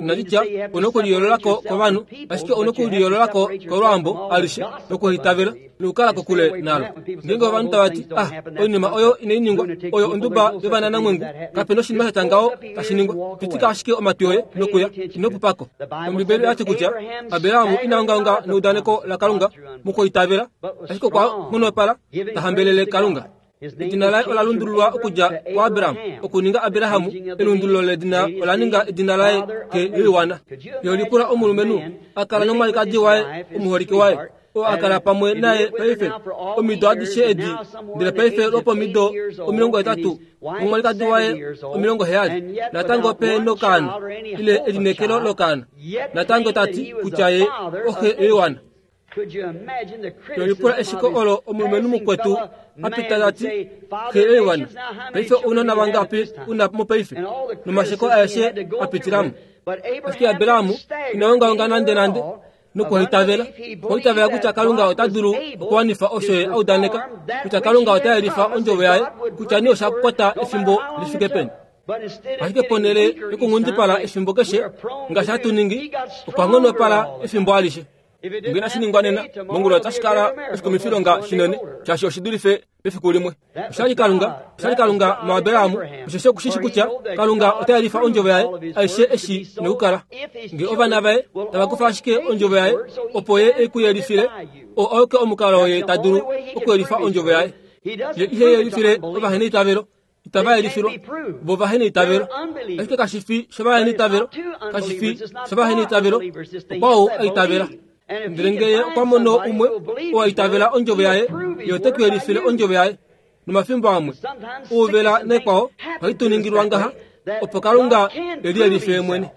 Inaditya una okuliyoololako kovanhu, ashike una okuliyoololako kolwaambo alishe nokuitavela nokukala kokule nalo. Ngeenge ovanhu tava ti, ah, oinima oyo inai ningwa, oyo onduba yovananamwengu, kapena oshinima sha tya ngaho tashi ningwa, pitika ashike omatwi oye nokuya, ino pupako. Ombibeli oyati kutya Abraham ina ongaonga neudaneko laKalunga mokuitavela, ashike okwa nghonopala ta hambelele Kalunga. Edina laye ola lundululwa okudja kuAbram okuninga Abraham. Elundululo ledina ola ninga edina laye ke yoiwana. Yolipula omulumenhu a kala nomwalikadi waye omuholike waye oo a kala pamwe naye paife omido adishe edi, ndele paife lwopomido omilongo hetatu omwalikadi waye omilongo heyali, natango pe nokaana ile elineekelo lokaana, natango tati kutya ye oxe yoiwana. Yolipula eshiko olo omulumenhu mukwetu apita tati xe yoiwana, paife ounona vangapi una mopaife, nomasheko aeshe apitilamo. Ashike Abraham ina ongaonga nande nande nokuitavela, okwaitavela kutya Kalunga ota dulu okuwanifa osho ye a udaneka, kutya Kalunga ota yelifa ondjovo yaye, kutya nee osha kwata efimbo li fike peni. Ashike ponhele yokunghundipala efimbo keshe ngaashi hatu ningi, okwa nghonopala efimbo alishe. Ngee inashi ningwa nena, mongula otashi kala oshikumifilonga shinene, shaashi oshi dulife pefiku limwe. Oshali Kalunga, oshali Kalunga muAbraham, osheshi okushishi kutya Kalunga ota yelifa ondjovo yaye aishe eshi nokukala. Ngee ovana vaye tava kufa ashike ondjovo yaye opo ye e ku yelifile, oo auke omukalo ye ta dulu okuyelifa ondjovo yaye. Ye ihe yelifile ovaheneitavelo, itava yelifilwa vo vaheneitavelo. Ashike kashi fi shovaheneitavelo, kashi fi shovaheneitavelo, okwao a itavela. Ndele ngee okwa mono umwe oo a itavela ondjovo yaye, ye ote ku yelifile ondjovo yaye. Nomafimbo amwe ouvela nekwao ohai tu ningilwa ngaha opo Kalunga e liyelife mwene.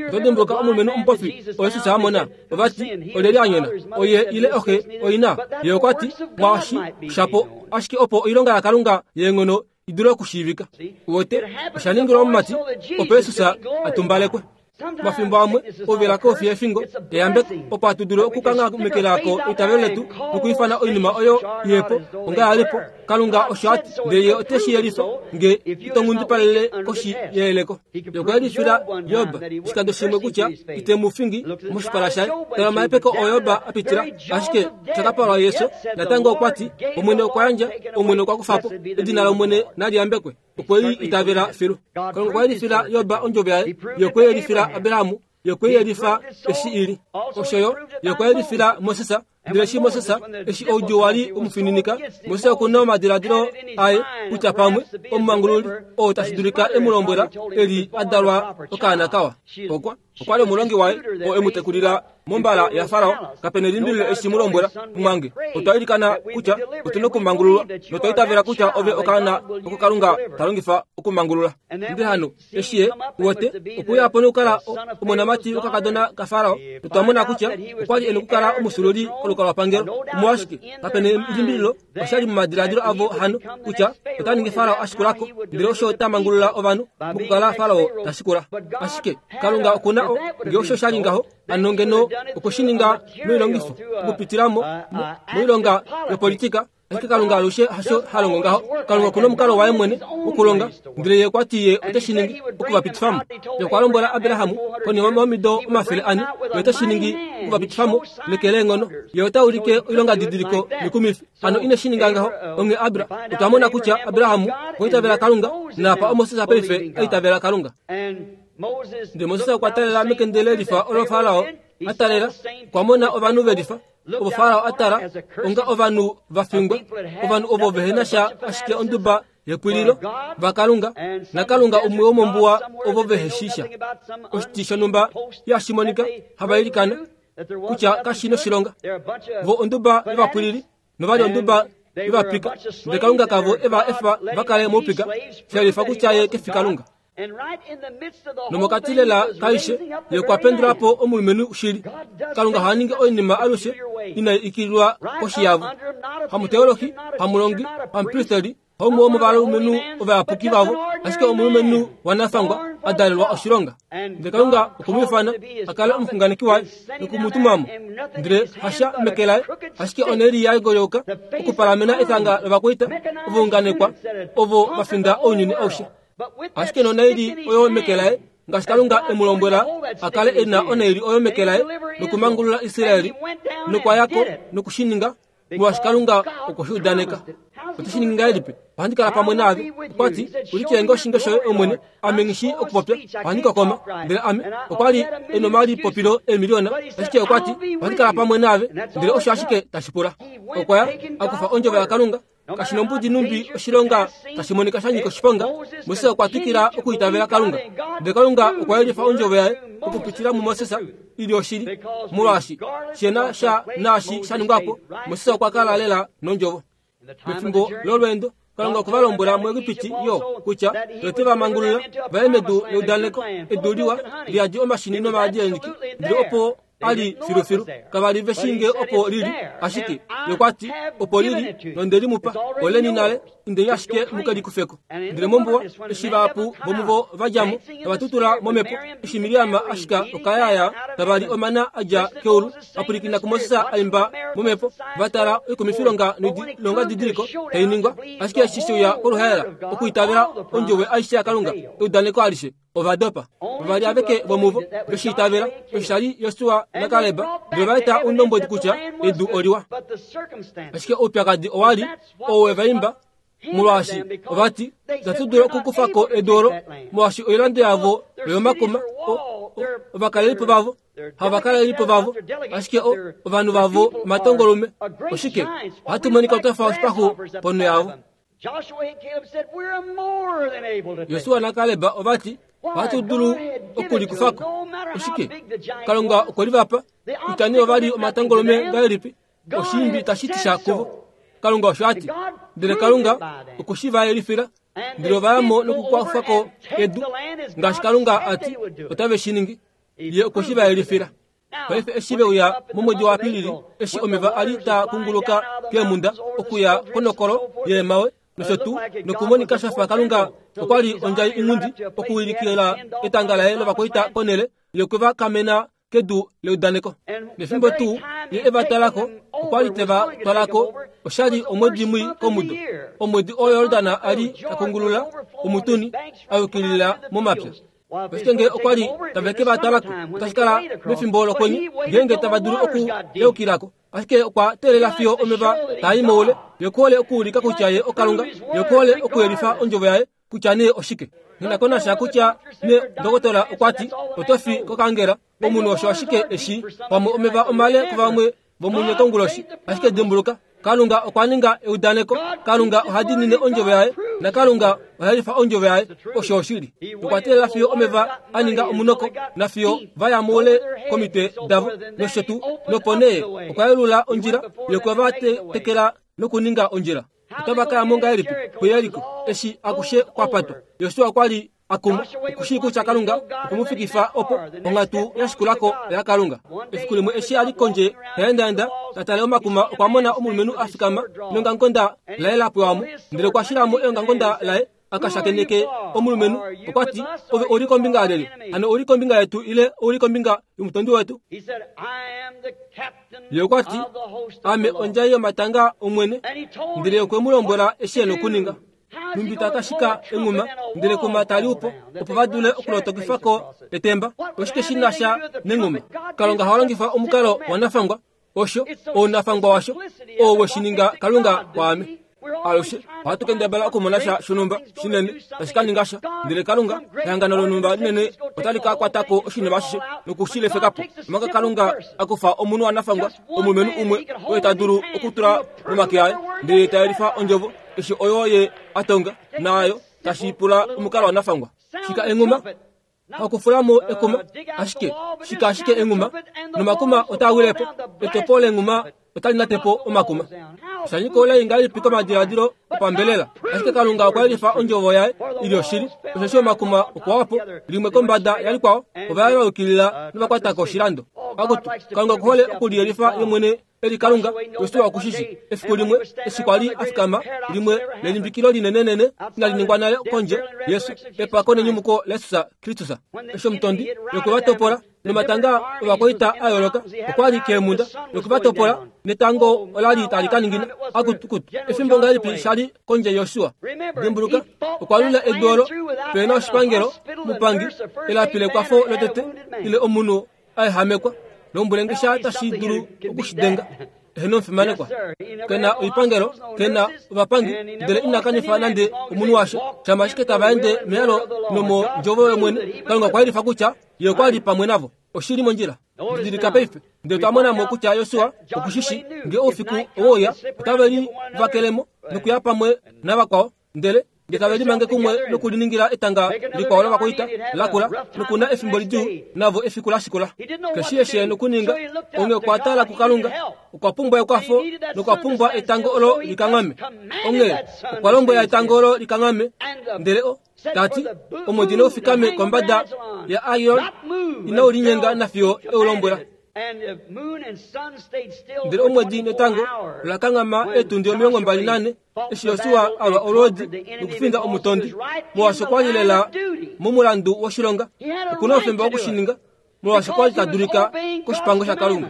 Oto dimbuluka omulumenhu omupofi oo Jesus a mona? Ovati olyelye a nyona, oye ile oxe oina? Ye okwa ti, mwaashi shapo ashike opo oilonga yaKalunga yeenghono i dule okushiivika. Uwete, osha ningilwa omumati opo Jesus a tumbalekwe. Mafimbo amwe ouvela kofi yefingo eyambeko opo hatu dulu okukanghamekela ko eitavelo letu nokuifana oinima oyo ihepo onga yalipo. Kalunga osho ati, ndele ye ote shi yelifa nge ito nghundipalele koshi yeyeleko. Ye okwa yelifila Job oshikando shimwe kutya ite mu fingi moshipala shaye. Tala omahepeko oo Job a pitila, ashike osha ka palwa Yesu. Natango okwa ti, Omwene okwa yandja, Omwene okwa kufa po, edina lOmwene nali yambekwe. Okwe li itavela filu. Kalunga okwa yelifila Job ondjovo yaye, ye okwe yelifila Abraham, ye okwe yelifa eshi ili. Osho yo, ye okwa yelifila Moses, ndele eshi Moses, eshi oudjuu wa li umufininika, Moses okuna omadiladilo aye kutya pamwe omumangululi oo tashi dulika e mu lombwela eli a dalwa okaana kawa. Okwa okwa li omulongi waye oo e mu tekulila mombala yaFarao. Kapena elimbililo eshi mu lombwela, mumwange, otwa ilikana kutya otu na okumangululwa, notwa itavela kutya ove okaana oko Kalunga ta longifa okumangulula. Ndele hano eshi ye uwete okuya po nokukala omonamati wokakadona kaFarao, notwa mona kutya okwa li e nokukala omusululi kolukalwapangelo. Omolwashike, kapena elimbililo osha li momadiladilo avo hano kutya ota ningi Farao a shikulako, ndele osho ota mangulula ovanhu mokukala Farao ta shikula. Ashike Kalunga okuna o, ngee osho sha li ngaho, hano ngeno okwe shi ninga noilongifo okupitila mo moilonga yopolitika. Ashike Kalunga alushe hasho ha longo ngaho. Kalunga okuna omukalo waye mwene wokulonga, ndele ye okwa ti ye ote shi ningi okuvapitifamo. Ye okwa lombwela Abraham konima yomido omafele ane, ye ote shi ningi okuvapitifamo neke leenghono. Ye ota ulike oilongadidiliko mikumifi. Hano ine shi ninga ngaho. Onghee Abra, otwa mona kutya Abraham okwa itavela Kalunga, naapa oMoses paife a itavela Kalunga. Ndele Moses okwa talela mekende lelifa olo Farao a talela okwa mona ovanhu velifa ovo Farao a tala onga ovanhu va fingwa ovanhu ovo vehena sha ashike onduba yepwililo vakalunga nakalunga umwe womombuwa ovo veheshisha oshiti shonhumba yashimonika havailikana kutya kashi noshilonga vo onduba yovapwilili novali onduba yovapika ndele kalunga kavo eva efa vakale moupika shelifa kutya ye kefi kalunga nomokati lela kaishe ye okwa pendulapo omulumenhu shili kalunga haningi oinima alushe inai ikililwa koshi yavo hamuteolohi hamulongi hamupristeli haumwe womovalumenhu ovayapuki vavo ashike omulumenhu wanafangwa a dalelwa oshilonga ndele kalunga okumwiifana a kale omuxunganeki waye nokumutumamo ndele hasha meke laye ashike oneli ya golyouka okupalamena etanga lovakwaita ovaunganekwa ovo vafinda ounyuni aushe ashike nonaili oyo meke laye ngaashi kalunga e mu lombwela a kale e na onaili oyo meke laye nokumangulula Israeli nokwayako nokushininga molwaashi kalunga okwe shi udaneka ote shi ningi ngahelipi ohandi kala pamwe naave okwati ulikilenge oshinge shoye omwene ame nghishi okupopya ohandi kokoma ndele ame okwali e nomalipopilo eemiliona ashike okwati ohandi kala pamwe naave ndele osho ashike tashi pula okwaya akufa ondjovo yakalunga kashi nombudi numbi oshilonga tashi monika sha nyika oshiponga Moses okwa twikila okuitavela kalunga ndele kalunga okwa yelifa ondjovo yaye okupitila muMoses ili oshili molwaashi shena sha naashi sha ningwapo Moses okwa kala lela nondjovo mefimbo lolweendo kalunga okwa lombwela muEgipiti yo kutya ote va mangulula vaye medu leudaneko edu liwa liyadi omashini nomaadi eenyiki ndele opo ali filufilu kavali veshinge opo lili ashike yokwati opo lili nonde limupa oleni nale indeni ashike mukelikufeko ndele mombuwa eshi vahapu vomuvo vadjamo tava tutula momepo eshi Miriam ashika okayaya tavali omana adja keulu vapulikina kuMoses aimba momepo vatala oikumifilonga noilonga didiliko tainingwa ashike eshi sheuya koluhaela okuitavela ondjovo aishe yakalunga eudaneko alishe ovadopa vavali aveke vomuvo veshiitavela osho shali Yosua naKaleb ndele vaeta oundombwedi kutya edu oliwa ashike oupyakadi owali oo wevaimba molwaashi ovati itatu dulu okukufako edu olo molwaashi oilando yavo oyomakuma ovakalelipo vavo havakalelipo vavo ashike ovanhu vavo omatongolume oshike ohatu monika twafa oshipaxu ponho yavo Yosua naKaleb ovati ohatu dulu okulikufako oshike kalunga okwe livapa kutya nee ovali omatongolume ngahelipi oshiimbi tashi ti sha kuvo kalunga osho ati ndele kalunga okwe shi va yelifila ndele ovayamo nokukwafako edu ngaashi kalunga ati otave shi ningi ye okwe shi va yelifila paife eshi veuya momwedi waApilili eshi omeva ali taa kunguluka keemhunda okuya konokolo yeemawe nosho tuu nokumonika shafa kalunga okwali ondjai inghundi okuwilikila etanga laye lovakwaita konele yokuva kamena kedu leudaneko nefimbo tuu ye eva talako okwali teva twalako oshali omwedi mwi komudo omwedi oo Yordan ali akungulula omutuni ayukilila momapya ashike ngee okwali tave ke va talako otashi kala mefimbo lokwenye ngeenge tava dulu okuyeukilako ashike okwa teelela fiyo omeva taa moule ye okuhole okuulika kutya ye okalunga ye okuhole okuyelifa ondjovo yaye kutya nee oshike nginakonasha kutya ne ndokotola okwati oto fi kokangela omunhu osho ashike eshi pamwe omeva omale kuvamwe vomunye konguloshi ashike dimbuluka kalunga okwa ninga eudaneko kalunga oha diinine ondjovo yaye nakalunga oha yelifa ondjovo yaye osho oshili okwa teelela fiyo omeva a ninga omunoko nafiyo vaya moule komitwe davo nosho tuu nopo nee okwa yelula ondjila yokwe va tekela nokuninga ondjila otava kaya mo ngahelipi kuYeriko eshi akushe kwapatwa Yosua okwali akuma okushii kutya kalunga okumufikifa opo onghatu yashikulako yakalunga efiku limwe eshi ali kondje taendaenda tatale omakuma okwa mona omulumenhu a fikama neongamukonda laye la pwewamo ndele okwa shilamo eongamukonda laye akashakeneke omulumenhu okwati ove ouli kombinga yalyelye hano ouli kombinga yetu ile ouli kombinga yomutondi wetu ye okwati ame ondjai yomatanga omwene ndele okwe mu lombwela eshi e nokuninga numbi takashika enghuma ndele kuma tali upo opo va dule okulotokifako etemba oshike shi na sha nenghuma kalunga ha longifa omukalo wanafangwa osho ounafangwa washo oo we shi ninga kalunga kwaame Alushe ohatu kendabala okumona sha shonhumba shinene tashi ka ninga sha, ndele Kalunga ehangano lonhumba linene otali ka kwata ko oshinima ashishe nokushilefeka po. Omanga Kalunga akufa omunhu wanafangwa, omulumenhu umwe oye ta dulu okutula momake aye, ndele ta yelifa ondjovo eshi oyo ye atonga naayo tashi pula omukalo wanafangwa. Shika enghuma hakufulamo ekuma, ashike shika ashike enghuma nomakuma otaa wilepo, etopo lenghuma otali natepo omakuma. Shanyika ola ingalipi komadiladilo opambelela, ashike Kalunga okwa yelifa ondjovo yaye ili oshili, osheshi omakuma okwa wapo limwe kombada yalikwao, ova yukilila novakwatako oshilando. Akutu Kalunga okuhole okuliyelifa ye mwene eli Kalunga, Josua okushishi efiku limwe eshi kwali afikama limwe lelimbikilo linenenene inali ningwa nale kondje Yesu epako nenyumuko laJesus Kristus. Eshi omutondi yoku va topola nomatanga ovakwaita a yooloka okwali keemhunda yoku va topola netango olali tali ka ningina. Akutukutu efimbo ngahelipi shali kondje Josua. Dimbuluka okwa lula edu olo pena oshipangelo mupangi elapi lekwafo lotete ile omunhu aehamekwa lombwele tashi dulu okushidenga eheno omufimanekwa. Kena oipangelo, kena ovapangi, ndele ina kanifa nande omunhu washo. Shama ashike tava ende meyalo nomondjovo yomwene, Kalunga okwa yelifa kutya ye okwa li pamwe navo. Oshili mondjila. Didilika paife, ndele twa mona mo kutya Josua okushishi nge oufiku owouya otave li vakelemo nokuya pamwe navakwao, ndele nge tave limange kumwe nokuliningila etanga likwao lovakwaita lakula nokuna efimbo lidjuu navo efiku la shikula. Keshi eshi nokuninga, onge okwa tala kuKalunga, okwa pumbwa ekwafo nokwa pumbwa etango olo likanghame. Onge okwa lombwela etango olo likanghame, ndele o tati omwedi noufikame kombada ya Aion inau linyenga nafiyo eulombwela. Ndele omwedi netango ola kanghama eetundi omilongo mbali nane eshi Josua alwa olwoodi nokufinda omutondi, molwaashi okwa li lela momulandu woshilonga. Okuna oufemba wokushininga molwaashi okwa li ta dulika koshipango shaKalunga.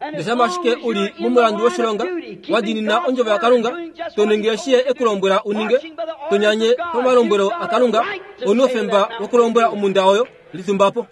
Ndele shama ashike uli momulandu woshilonga, wa diinina ondjovo yaKalunga, to ningi eshi ye ekulombwela uninge, to nyanye pomalombwelo aKalunga, ouna oufemba wokulombwela omhunda oyo litumbapo.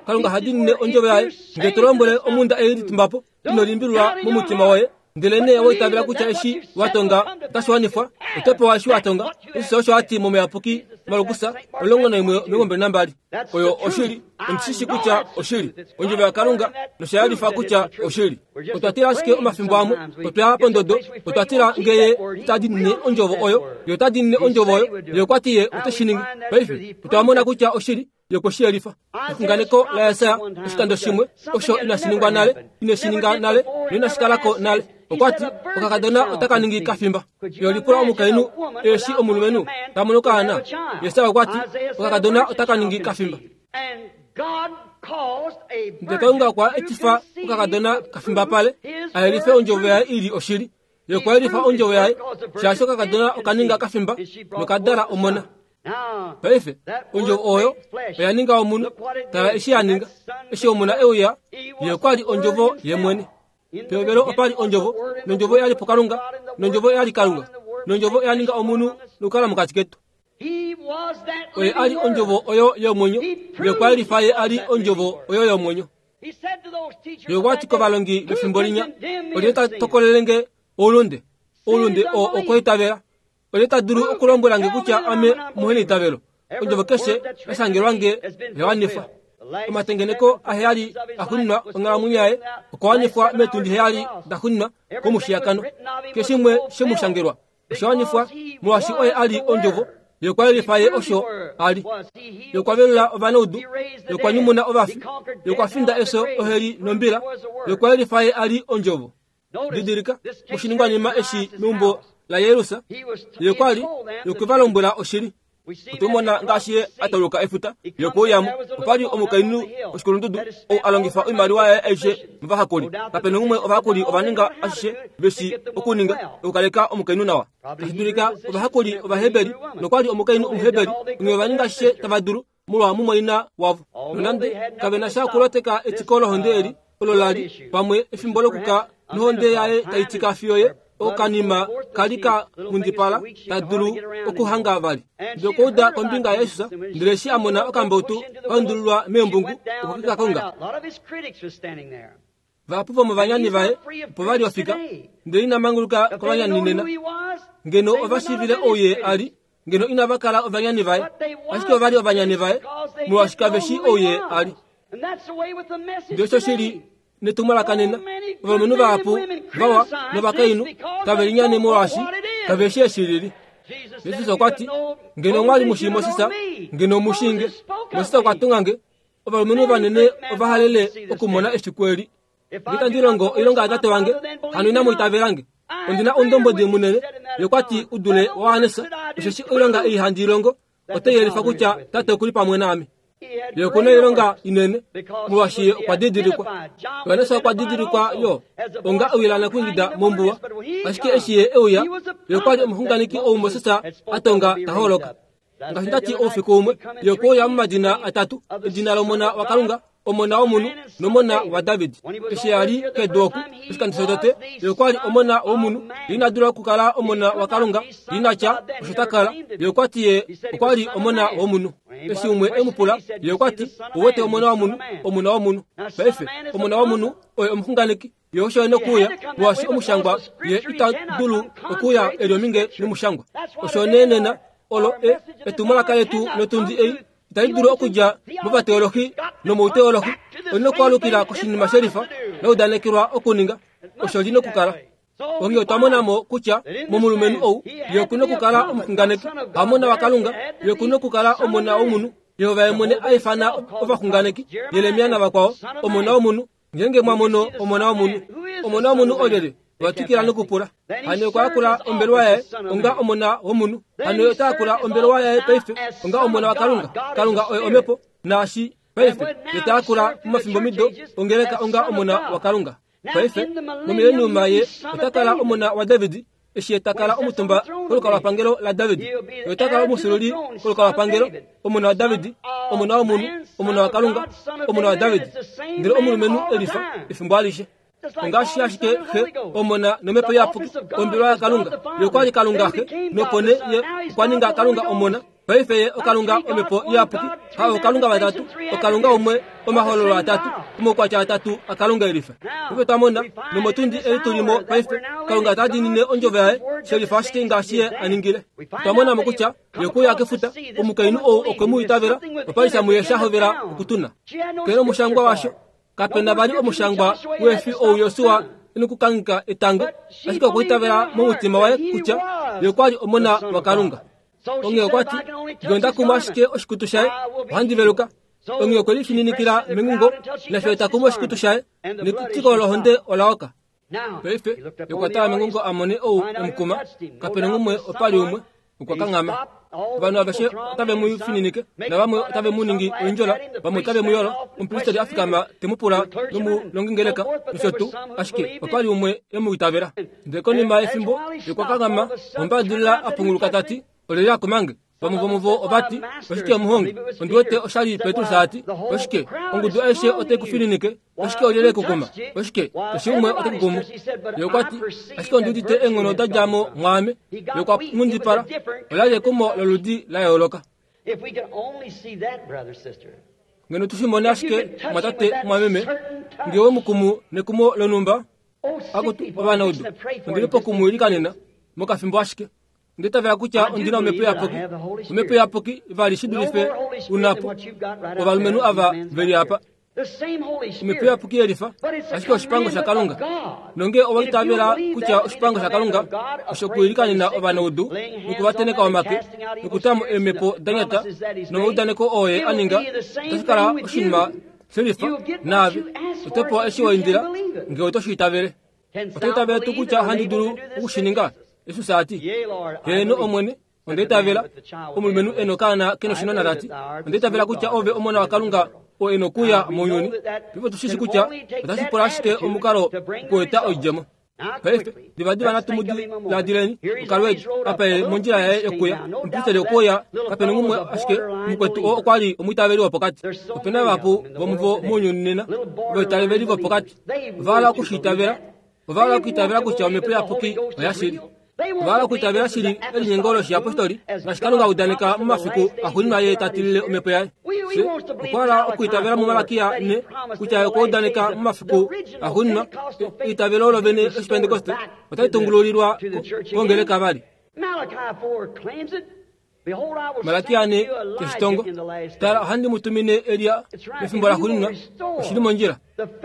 Kalunga ha diinine ondjovo yaye. Nge to lombwele omhunda ei litumbapo, ino limbililwa momutima woye, ndele nee wa itavela kutya eshi wa tonga otashi wanifwa, oto pewa eshi wa tonga. Jesus osho ati momuyapuki Markus omulongo naimwe omilongo mbali nambali. Oyo oshili, ondishishi kutya oshili ondjovo yaKalunga nosha yelifa kutya oshili. Otwa tila ashike omafimbo amwe, otwa ya pondodo, otwa tila ngeye ita diinine ondjovo oyo, ye ota diinine ondjovo oyo, ye okwa ti ye ote shi ningi. Paife otwa mona kutya oshili ye okwe shi yelifa. Exunganeko laJesaja oshikando shimwe osho inashi ningwa nale, ineshi ninga nale noinashi kalako nale. Okwa ti okakadona otaka ningi kafimba. Yo lipula omukainhu eshi omulumenhu ta mono okaana. Jesaja okwa ti okakadona otaka ningi kafimba. Ndele Kalunga okwa etifa okakadona kafimbapale a yelife ondjovo yaye ili oshili. Ye okwa yelifa ondjovo yaye shaashi okakadona okaninga kafimba nokadala omona. Paife ondjovo oyo oya ninga omunhu. Tala eshi ya ninga. Eshi omona euya, ye okwa li ondjovo ye mwene. Pehovelo opa li ondjovo, nondjovo oya li puKalunga, nondjovo oya li Kalunga, nondjovo oya ninga omunhu nokukala mokati ketu. Oye a li ondjovo oyo yomwenyo, ye okwa yelifa ye a li ondjovo oyo yomwenyo. Ye okwa ti kovalongi vefimbo linya, olye ta tokolele nge oulunde? Oulunde oo okwaitavela. Olye ta dulu okulombwela nge kutya ame omuheneitavelo? Ondjovo keshe ya shangelwa nge oya wanifwa. Omatengeneko aheyali axuuninwa onghalamwenyo yaye okwa wanifwa meetundi heyali daxuuninwa komushiyakano. Keshe shimwe shemushangelwa osha wanifwa molwaashi oye a li ondjovo. Ye okwa yelifa ye osho a li. Ye okwa velula ovanaudu, ye okwa nyumuna ovafi, ye okwa finda efyo, oheli nombila. Ye okwa yelifa ye a li ondjovo. Didilika moshiningwanima eshi meumbo laJairus, ye okwa li ye okwe va lombwela oshili. Otwe mona ngaashi ye a tauluka efuta, ye okwe uyamo. Opa li omukainhu oshikulundudu ou a longifa oimaliwa yaye aishe movahakuli. Kapena umwe ovahakuli ova ninga ashishe veshi okuninga okukaleka omukainhu nawa. Tashi dulika ovahakuli Ovaheberi nokwa li omukainhu Omuheberi, onghee ova ninga ashishe tava dulu molwa mumwaina wavo. Nonande kave na sha okuloteka etiko lohonde eli olo la li pamwe efimbo lokuka nohonde yaye tai tika fiyo ye okanima kali ka nghundipala ta dulu okuhanga vali. Ndele okwa uda kombinga yaJesus, ndele eshi a mona okambautu ka undululwa meembungu, okwe ke ka konga. Vahapu vomovanyani vaye opo vali ofika ndele ina manguluka kovanyani nena. Ngeno ova shiivile ou ye a li, ngeno inava kala ovanyani vaye, ashike ova li ovanyani vaye molwaashi kave shii ou ye a li. Ndele osho shili netumwalaka nena. Ovalumenhu vahapu vawa novakainhu tave linyane molwaashi kave shii eshi lili. Jesus okwa ti, ngeno omwa li mu shii Moses, ngeno mu shii nge. Moses okwa tunga nge. Ovalumenhu vanene ova halele okumona efiku eli. Nge itandi longo oilonga yatate wange, hano inamu itavela nge. Ondi na oundombwedi munene, ye okwa ti u dule waJohannes, osheshi oilonga ei handi i longo otai yelifa kutya Tate oku li pamwe naame. Ye oku na oilonga inene, molwaashi ye okwa didilikwa. Johannes okwa didilikwa yo onga ewilana kuingida mombuwa, ashike eshi ye e uya, ye okwa li omuxunganeki ou Moses a tonga ta holoka. Ngaashi nda ti oufiku umwe, ye okwe uya momadina atatu, edina lOmona waKalunga, Omona womunhu nomona waDavid. Eshi a li kedu oku, oshikando shotete, ye okwa li omona womunhu, ye ina dula okukala omona waKalunga, ye ina tya osho ta kala. Ye okwa ti ye okwa li omona womunhu. Eshi umwe e mu pula, ye okwa ti, ouwete omona womunhu, omona womunhu. Paife, omona womunhu oye omuxunganeki. Ye osho e nokuuya, molwaashi omushangwa ye ita dulu okuuya e li ominge nomushangwa. Osho nee nena olo e etumwalaka letu lotundi ei itali dulu okudja movateolohi nomouteolohi, oli nokwaalukila koshinima shelifa la udanekelwa okuninga, osho li nokukala. Onghee otwa mona mo kutya momulumenhu ou ye oku nokukala omuxunganeki, hamona waKalunga, ye oku nokukala omona womunhu. Jehova ye mwene a ifana ovaxunganeki, Jeremia navakwao, omona womunhu. Ngeenge mwa mono omona womunhu, omona womunhu olyelye? Ova twikila nokupula. Hano okwa yakula ombelewa yaye onga omona womunhu. Hano ye ota yakula ombelewa yaye paife onga omona waKalunga. Kalunga oye omhepo, naashi paife ye ta yakula momafimbomido ongeleka onga omona waKalunga. Paife momileniuma ye ota kala omona waDavid, eshi ye ta kala omutumba kolukalwapangelo laDavid. Ye ota kala omufyuululi kolukalwapangelo, omona waDavid, omona womunhu, omona waKalunga, omona waDavid. Ndele omulumenhu elifa efimbo alishe. Ongaashi ashike Xe, Omona nOmhepo Iyapuki, ombelewa yaKalunga. Ye okwa li Kalunga Xe, nopo nee Ye okwa ninga Kalunga Omona. Paife Ye oKalunga Omhepo Iyapuki, ha ookalunga vatatu, oKalunga umwe, omahololo atatu, omaukwatya atatu aKalunga elifa. Paife twa mona, nomotundi ei tu li mo paife, Kalunga ta diinine ondjovo yaye, shelifa ashike ngaashi Ye a ningile. Otwa mona mo kutya Ye okwe uya kefuta, omukainhu ou okwe mu itavela, opa li sha muye sha hovela okutuna. Kele omushangwa washo, kape na vali omushangwa wefi ou Josua e nokukangheka etango, ashike okwa itavela momutima waye kutya ye okwa li omona waKalunga. Onghee okwa ti, nge onda kuma ashike oshikutu shaye, ohandi veluka. Onghee okwe lifininikila mengungo, nafyo ta kumu oshikutu shaye, netitiko lohonde ola oka. Paife ye okwa tala mengungo a mone ou e mu kuma, kape na umwe, opa li umwe, okwa kanghama. Ovanhu aveshe otave mu fininike, navamwe otave mu ningi oindjola, vamwe otave mu yolo. Omupristeli a fikama te mu pula nomulongingeleka nosho tuu, ashike opa li umwe e mu itavela. Ndele konima yefimbo ye okwa kanghama, ombadilila a punguluka ta ti, olyelye a kuma nge? Vamwe vomuvo ova ti, oshike omuhongi? Ondi wete osha li Petrus a ti, oshike ongudu aishe otai ku fininike? Oshike olyelye ku kuma? Oshike keshe umwe ote ku kumu? Ye okwa ti, ashike ondi udite eenghono da dja mo mwaame. Ye okwa nghundipala. Ola li ekumo loludi la yooloka. Ngeno tu shi mone ashike, mwatate, mwameme, nge we mu kumu nekumo lonhumba, akutu ovanaudu, ondi li poku mu ilikanena mokafimbo ashike. Onda itavela kutya ondi na Omhepo Iyapuki. Omhepo Iyapuki vali shi dulife unapo ovalumenhu ava ve li apa. Omhepo Iyapuki yelifa, ashike oshipango shaKalunga. Nonge owa itavela kutya oshipango shaKalunga osho kuilikanena ovanaudu nokuvateneka omake nokutamo eemhepo da nyata nomaudaneko oo ye a ninga, otashi kala oshinima shelifa naave. Oto pewa eshi wa indila nge oto shi itavele. Oto itavele tuu kutya ohandi dulu oku shi ninga? Jesus a ti, Heeno Omwene, onda itavela. Omulumenhu e nokaana ke noshinona ta ti, onda itavela kutya ove Omona waKalunga oo e nokuuya mounyuni. Paife otu shi shi kutya otashi pula ashike omukalo okueta oidjemo. Paife, divadiva natu mu diladileni okalweedi apa e mondjila yaye yokuya. Omupristeli okwe uya, kape nomumwe ashike mukwetu oo okwa li omwiitaveli wopokati. Ope na vahapu vomuvo mounyuni nena, ovaitaveli vopokati. Ova hala oku shi itavela. Ova hala okuitavela kutya Omhepo Iyapuki oya shili. Ova hala okuitavela shili elinyengo loshiyapostoli ngaashi Kalunga a udaneka momafiku axuuninwa Ye ta tilile Omhepo yaye. Okwa okuitavela mumalakia ne kutya okwa udaneka momafiku axuuninwa eitavelo olo vene lOshipentekoste otali tungululilwa kongeleka vali. Malakia ne keshitongo tala ohandi mu tumine Elia mefimbo laxuuninwa oshili mondjila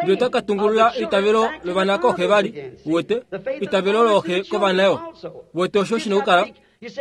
ndele ota ka tungulula eitavelo lovana kooxe vali uwete eitavelo looxe kovana yo uwete osho shina okukala.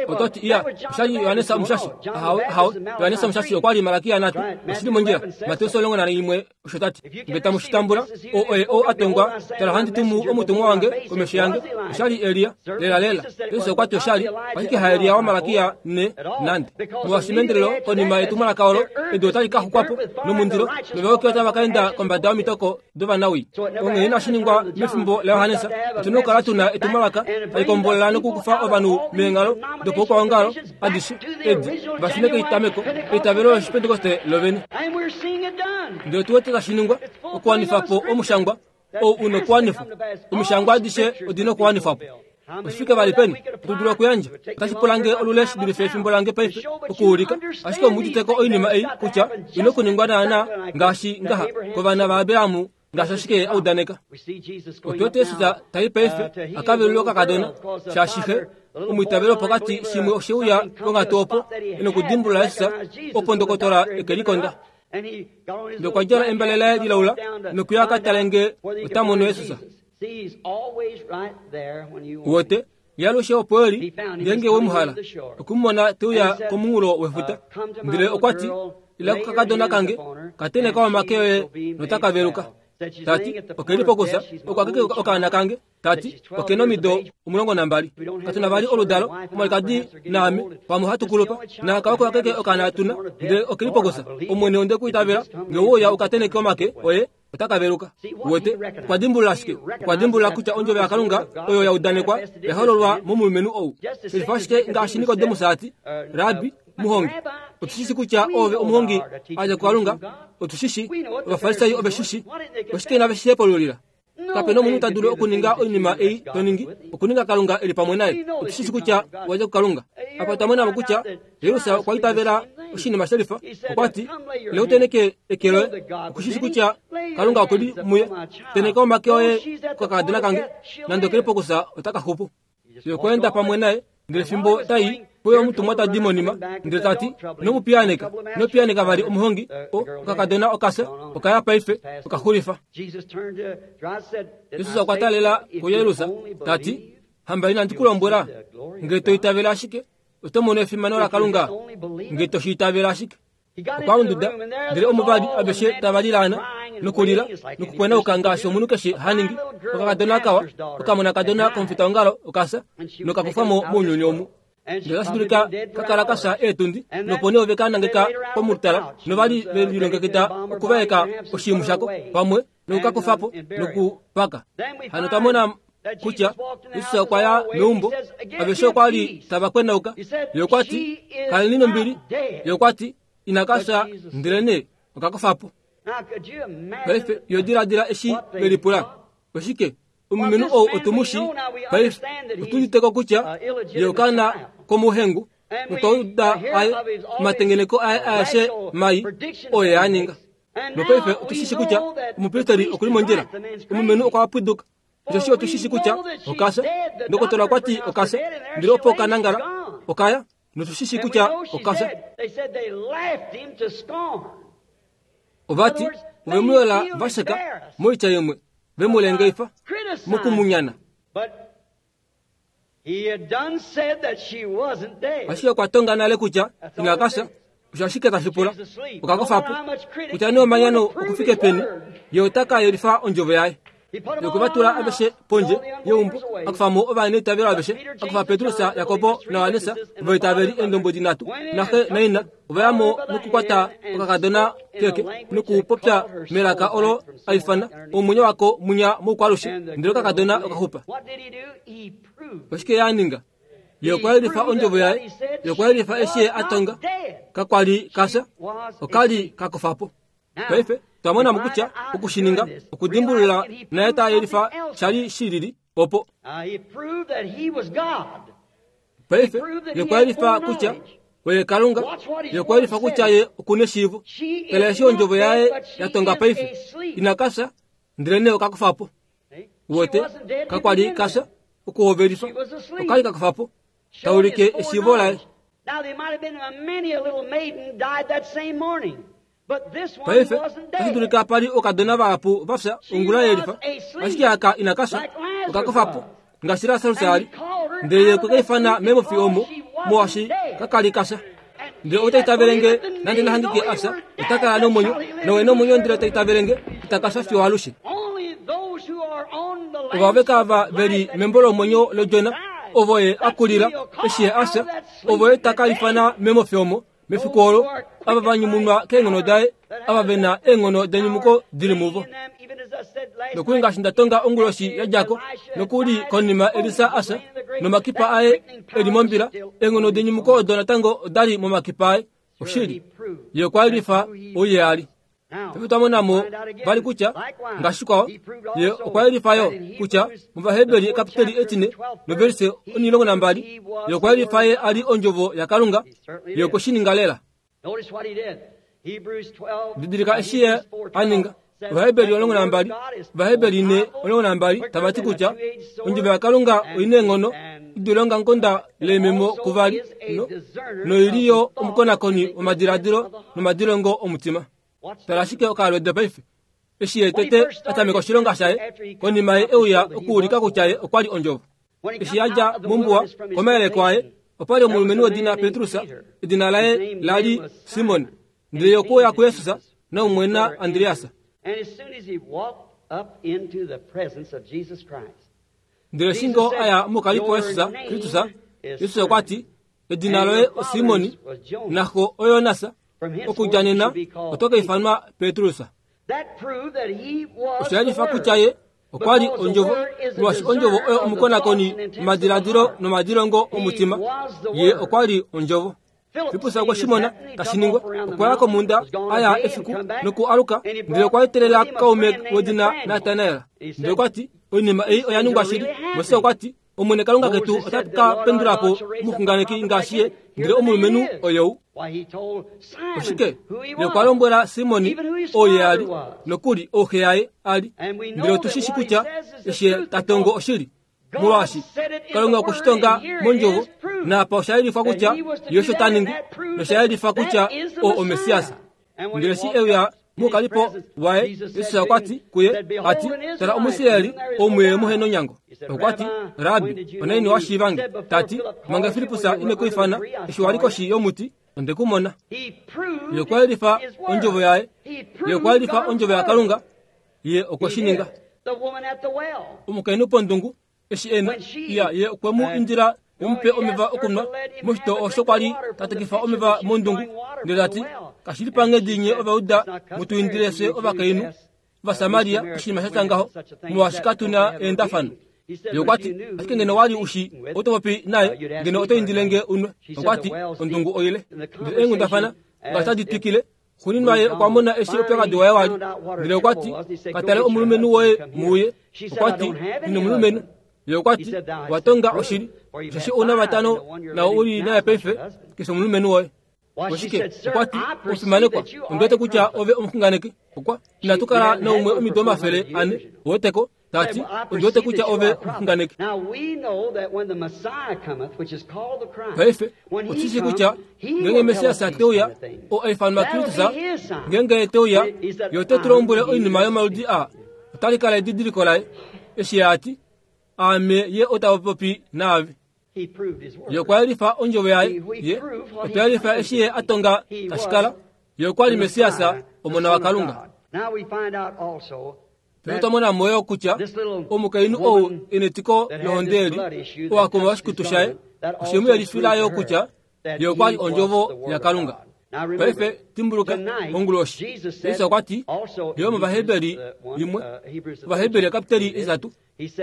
Ototi iya oshali Yohanesa Omushashi ahawe ahawe Yohanesa Omushashi okwa li Malakia nhatu oshili mondjila Mateus omulongo naimwe osho tati nge tamu shi tambula o oye ou a tongwa tala ohandi tumu omutumwa wange komesho yange oshali Elia lela lela Jesus okwa ti oshali ashike haElia waMalakia ne nande molwaashi meendelelo konima yetumwalaka olo edu otali ka xukwa po nomundilo novayuki otava ka enda kombada yomitoko dovanawii. Onghee inashi ningwa mefimbo laJohannes otuna okukala tuna etumwalaka tali kombolela nokukufa ovanhu meenghalo dopaukwaongalo adishe edi vashune keitameko eitavelo lOshipentekoste lovene. Ndele otu wete tashi ningwa okuwanifa po omushangwa ou una okuwanifwa. Omishangwa adishe odina okuwanifwa po. Oshifike vali peni otu dulu okuyandja otashi pula nge olule shi dulife efimbo lange paife okuulika ashike omuuditeko oinima ei kutya ina okuningwa naana ngaashi ngaha kovana vaAbraham ngaashi ashike a udaneka. Otu wete Jesus tai paife a ka velule okakadona shaashi xe omwiitavelo pokati shimwe oshe uya ponghatu opo e nokudimbulula Jesus opo ndokotola eke likonda. Ndele okwa djala embale laye lilaula nokuya a ka tale nge ota mono Jesus. Uwete ye alushe opo eli ngeenge we mu hala okumumona te uya komunghulo wefuta. Ndele okwa ti ila kokakadona kange kateneka omake oye notaka veluka. Tati okeli pokusa oko akeke okaana kange. Tati okena omido omulongo nambali katuna vali oludalo omwalikadi naame pamwe hatu kulupa naaka oko akeke okaana tuna ndele okeli pokusa omwene onde kuitavela nge ouya ukateneke omake oye otaka veluka. Uwete okwa dimbulula ashike okwa dimbulula kutya ondjovo yaKalunga oyo ya udanekwa yahololwa momulumenhu ou. Shelifa ashike ngaashi Nikodemus ati Rabbi muhongi otushishi kutya ove omuhongi a dja kuKalunga otushishi Ovafarisai ove shishi oshike inave shi hepululila. Kapena omunhu ta dulu okuninga oinima ei to ningi okuninga Kalunga eli pamwe naye. Otushishi kutya owa dja kuKalunga. Apa otwa mona mo kutya Jairus okwa itavela oshinima shelifa. Okwa ti ila uteneke eke loye okushishi kutya Kalunga okuli muye. Teneka omake oye kokakadona kange nande okeli pokusa otaka xupu. Ye okwa enda pamwe naye ndele fimbo tai poyo omutumwa ta di monima ndele tati ino ino piyaneka vali omuhongi okakadona okafya okaya paife okaxulifa. Jesus okwa talela kuJairus tati hamba inandi ku lombwela nge to itavela ashike oto mono efimano laKalunga nge to shi itavela ashike. Okwa unduda ndele omuvali aveshe tava lilaana nokulila nokukwenauka ngaashi omunhu keshe ha ningi. Okakadona kawa okamonakadona komufitaongalo okafya nokakufa mo mounyuni omu. Ndele otashi dulika ka kala ka fya eetundi nopo nee ove ka nangeka pomutala novali ve lilongekida okuvaeka oshiimhu shako pamwe nokukakufa po nokupaka. Hano otwa mona kutya Jesus okwa ya meumbo aveshe okwa li tava kwenauka. Ye okwa ti kaleni nombili. Ye okwa ti ina ka fya ndele nee okakufa po. Paife yo diladila eshi ve lipula oshike omulumenhu ou otumushi paife otuditeko kutya ye okaana komuhengu notwa uda aye omatengeneko aye aeshe mai oye a ninga. Nopaife otushishi kutya omupristeri okuli mondjila omulumenhu okwa pwiduka osheshi otushishi kutya okafya. Ndokotola okwa ti okafya ndele opo okanangala okaya notushishi kutya okafya. Ovati ove mu yola vasheka moitya imwe ve mu lengeifa mokumunyana. Ashike okwa tonga nale kutya ina ka fya osho ashike tashi pula okakufa po kutya nee omanyano okufike peni ye ota ka yelifa ondjovo yaye. Okwe va tula aveshe pondje yeumbo akufa mo ovaneitavelo aveshe akufa Petrus Jakobo naJohannes ovaitaveli eendombwedi nhatu naxe naina ova ya mo nokukwata okakadona keke nokupopya melaka olo a ifana omwenyo wako munya moukwalushe ndele okakadona okaxupa. Oshike ye a ninga? Ye okwa yelifa ondjovo yaye. Ye okwa yelifa eshi ye a tonga kakwali ka fya okali ka kufa po. Paife otwa mona mo kutya okushininga okudimbulula naye ta yelifa shali shilili opo. Paife ye okwa yelifa kutya Oye Kalunga ye okwa yelifa kutya ye okuna eshiivo. Tala eshi ondjovo yaye ya tonga paife ina kafya ndele nee okakufa po. Uwete kakwali kafya okuhovelifa okali kakufa po taulike eshiivo laye. Paife otashi dulika pali okadona vahapu vafya ongula yelifa, ashike aka ina kafya okakufa po ngaashi Lasarus ali. Ndele ye okwe kaifana memofi omo molwaashi kakali kafya. Ndele ou ta itavelenge nande nahangike afya ota kala nomwenyo, nowe nomwenyo ndele ta itavelenge ita kafya fiyo alushe. Ovaveka ava veli membo lomwenyo lodjona ovo ye akulila eshi ye afya, ovo ye taka ifana memofi omo mefiku olo ava va nyumunwa keenghono daye, ava vena eenghono denyumuko dili muvo. Nokuli ngaashi nda tonga onguloshi ya djako, nokuli konima Elisa afya nomakipa aye eli mombila, eenghono denyumuko odo natango odali momakipa aye. Oshili ye okwa yelifa ouye ali. Paife twa mona mo vali kutya ngaashi kwao ye okwa yelifa yo kutya mOvaheberi kapiteli etine novelise omulongo nambali ye okwa yelifa ye ali ondjovo yaKalunga, ye okwe shi ninga lela. Didilika eshi ye a ninga. Ovaheberi omulongo nambali, Ovaheberi ne omulongo nambali tava ti kutya ondjovo yaKalunga oina eenghono idule ongamukonda leememo kuvali no, noili yo omukonakoni womadiladilo nomadilongo omutima. Tala ashike okalwede paife eshi ye tete a tameka oshilonga shaye konima ye euya okuulika kutya ye okwa li ondjovo. Eshi a dja mombuwa komayeleko aye opali omulumenhu wedina Petrus, edina laye lali Simon, ndele ye okwe uya kuJesus naumwena Andreas. Ndele eshi ngoo aya mokalipo waJesus Kristus, Jesus okwa ti, edina loye oSimon, naxo oJonas, okudja nena oto ka ifanwa Petrus. Osha yelifa kutya ye okwa li ondjovo, molwaashi ondjovo oyo omukonakoni womadiladilo nomadilongo omutima. Ye okwa li ondjovo. Filippus okwe shi mona tashi ningwa, okwa ya komhunda a ya efiku noku aluka, ndele okwa etelela kaume wedina Natanael. Ndele okwa ti, oinima ei oya ningwa shili. Moses okwa ti, Omwene Kalunga ketu ota ka pendula po omuxunganeki ngaashi ye, ndele omulumenhu oyou. Oshike? Ye okwa lombwela Simon oo ye ali, nokuli ouxe yaye ali. Ndele otu shi shi kutya eshi ye ta tongo oshili, molwaashi Kalunga okwe shi tonga mondjovo, naapa osha yelifwa kutya ye osho ta ningi, nosha yelifa kutya oo oMessias. Ndele eshi euya mokalipo waye, Jesus okwa ti kuye, a ti, tala Omuisraeli omuye muhe nonyango. Okwa ti, Rabbi, onaini wa shiivange? Ta ti, manga Filippus ine ku ifana, eshi wali koshi yomuti, onde ku mona. Ye okwa yelifa ondjovo yaye, ye okwa yelifa ondjovo yaKalunga, ye okwe shi ninga. Omukainhu pondungu, eshi ena iya, ye okwe mu indila emupe omeva okunwa moshitoo osho kwali ta tekifa omeva mondungu, ndele ta ti, kashi li panghedi nye Ovauda mutu indile fye ovakainhu Ovasamaria oshinima sha tya ngaho, molwaashi katu na eendafano. Ye okwa ti, ashike ngeno wali ushi oto popi naye, ngeno oto indile nge unwe. Okwa ti, ondungu oile. Ndele eenghundafana ngaashi tadi twikile, xuuninwa ye okwa mona eshi oupyakadi waye wali. Ndele okwa ti, ka tale omulumenhu woye muuye. Okwa ti, ino omulumenhu. Ye okwa ti, wa tonga oshili, osheshi ouna vatano nao uli naye paife, keshe omulumenhu woye. Oshike? Okwa ti, omufimanekwa, ondi wete kutya ove omuxunganeki. Okwa, inatu kala naumwe omido omafele ane, oweteko, ta ti, ondi wete kutya ove omuxunganeki. Paife, otu shi kutya ngeenge Messias te uya, oo a ifanwa Kristus, ngeenge ye te uya, ye ote tu lombwele oinima yomaludi aa. Otali kala edidiliko laye, eshi ye a ti, aame ye ota popi naave. Ye okwa yelifa ondjovo yaye, ye okwa yelifa eshi ye a tonga tashi kala, ye okwa li Messias, omona waKalunga. Paife otwa mona mo yo kutya omukainhu ou e netiko lohonde eli, oo a kuma oshikutu shaye, oshe mu yelifila yo kutya ye okwa li ondjovo yaKalunga. Paife dimbuluka onguloshi, Jesus okwa ti yo mOvaheberi imwe, Ovaheberi kapiteli etitatu,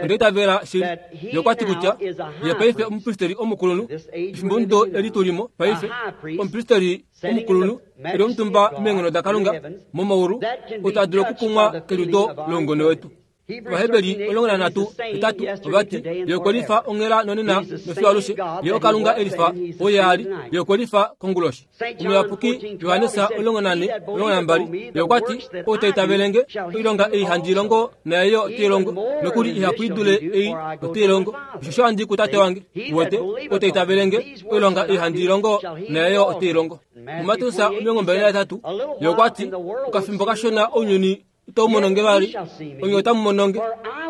onda itavela shili. Ye okwa ti kutya ye paife omupristeri omukulunhu, efimbo mudo eli tulimo paife, omupristeri omukulunhu eli omutumba meenghono daKalunga momaulu, ou ta dulu okukumwa keliudo loungone wetu. Ovaheberi omulongo nanhatu hetatu ovati ye okwe lifa onghela nonena nofiyo alushe ye okalunga elifa oye ali ye okwe lifa konguloshi. Omuyapuki Johannes omulongo nane omulongo nambali ye okwati ou ta itavelenge oilonga ei handi longo naye yo ote i longo nokuli ihapu i dule ei ote i longo osheshi ohandi kutate wange. Uwete ou ta itavelenge oilonga ei handi longo naye yo ote i longo. MuMateus omilongo mbali nahetatu ye okwati okafimbo kashona ounyuni itau mononge vali onye otamu mononge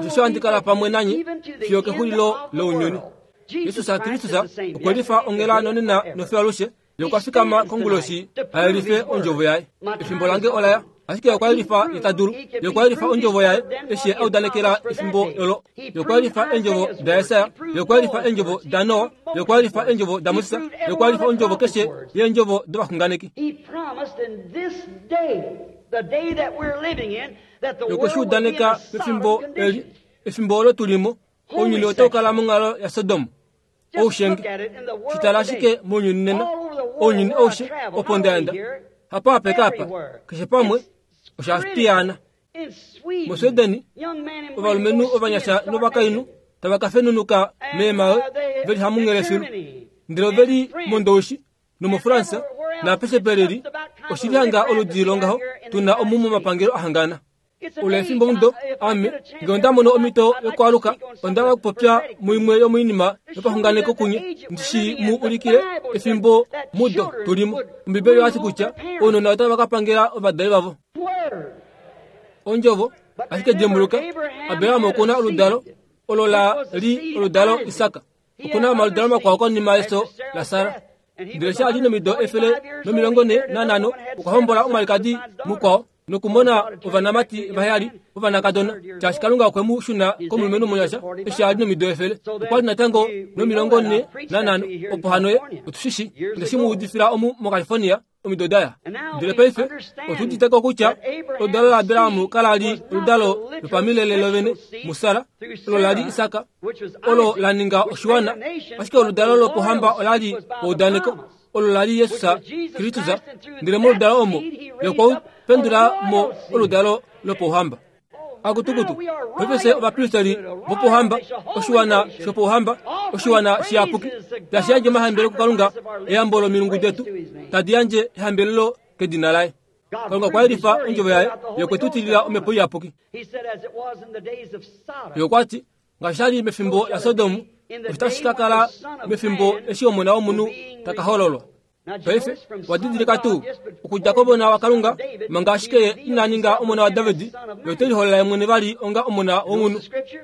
osheshi ohandi kala pamwe nanye fiyo kexulilo lounyuni. Jesus Kristus okwe lifa onghela nonena nofiyo alushe ye okwa fikama konguloshi ayelife ondjovo yaye. Efimbo lange olaya ashike okwa yelifa ye ta dulu. Ye okwa yelifa ondjovo yaye eshi a udanekela efimbo olo. Ye okwa yelifa eendjovo daJesaja, ye okwa yelifa eendjovo daNoa, ye okwa yelifa eendjovo daMoses, ye okwa yelifa ondjovo keshe yeendjovo dovaxunganeki. Ye okwe shi udaneka pefimbo eli, efimbo olo tulimo, ounyuni otau kala monghalo yaSodom oushenge. Shitala ashike mounyuni nena, ounyuni aushe opo ndaenda hapa apeka apa keshe pamwe osha tiyana. MoSweden ovalumenhu ovanyasha novakainhu tava ka fenunuka meemawe veli hamunghele filu ndele oveli mOndoushi nomoFransa naapeshe pelili oshili hanga oludi longaho tuna omu momapangelo ahangana. Oule efimbo mudo ame ngee onda mono omhito yokwaaluka onda hala okupopya muimwe yomoinima yopaxunganeko kunye ndishi mu ulikile efimbo mudo tulimo. Ombibeli oyati kutya ounona otava ka pangela ovadali vavo. Ondjovo ashike dimbuluka Abraham okuna oludalo olo la li oludalo Isak. Okuna omaludalo makwao konima yeso laSara. Ndele eshi ali nomido efele nomilongo ne nanhano okwa hombola omwalikadi mukwao nokumona ovanamati vaheyali vovanakadona shaashi Kalunga okwe mu shuna komulumenhu omunyasha eshi ali nomido efele. Okwa li natango nomilongo ne nanhano opo hano ye otushishi onde mu udifila omu moCalifornia omido daya. Ndele paife otuuditeko kutya oludalo laAbraham kala li oludalo lopamilele lovene muSara olo la li Isak olo la ninga oshiwana, ashike oludalo lopohamba ola li eudaneko olo la li Jesus Kristus. Ndele moludalo omo ye okwa pendula mo oludalo lopouhamba. Akutukutu paife ovapristeri vopouhamba, oshiwana shopouhamba, oshiwana shiyapuki tashi yandje omahambelelo kuKalunga, eyambo lomilungu detu tadi yandje ehambelelo kedina laye. Kalunga okwa yelifa ondjovo yaye, ye okwe tu tilila omhepo iyapuki. Ye okwati ngaashi sha li mefimbo laSodom osho tashi ka kala mefimbo eshi Omona wOmunhu ta ka hololwa. Paife wadidilika tuu okudja komona waKalunga manga ashike ye ina ninga omona waDavid, ye ote liholola ye mwene vali onga omona womunhu.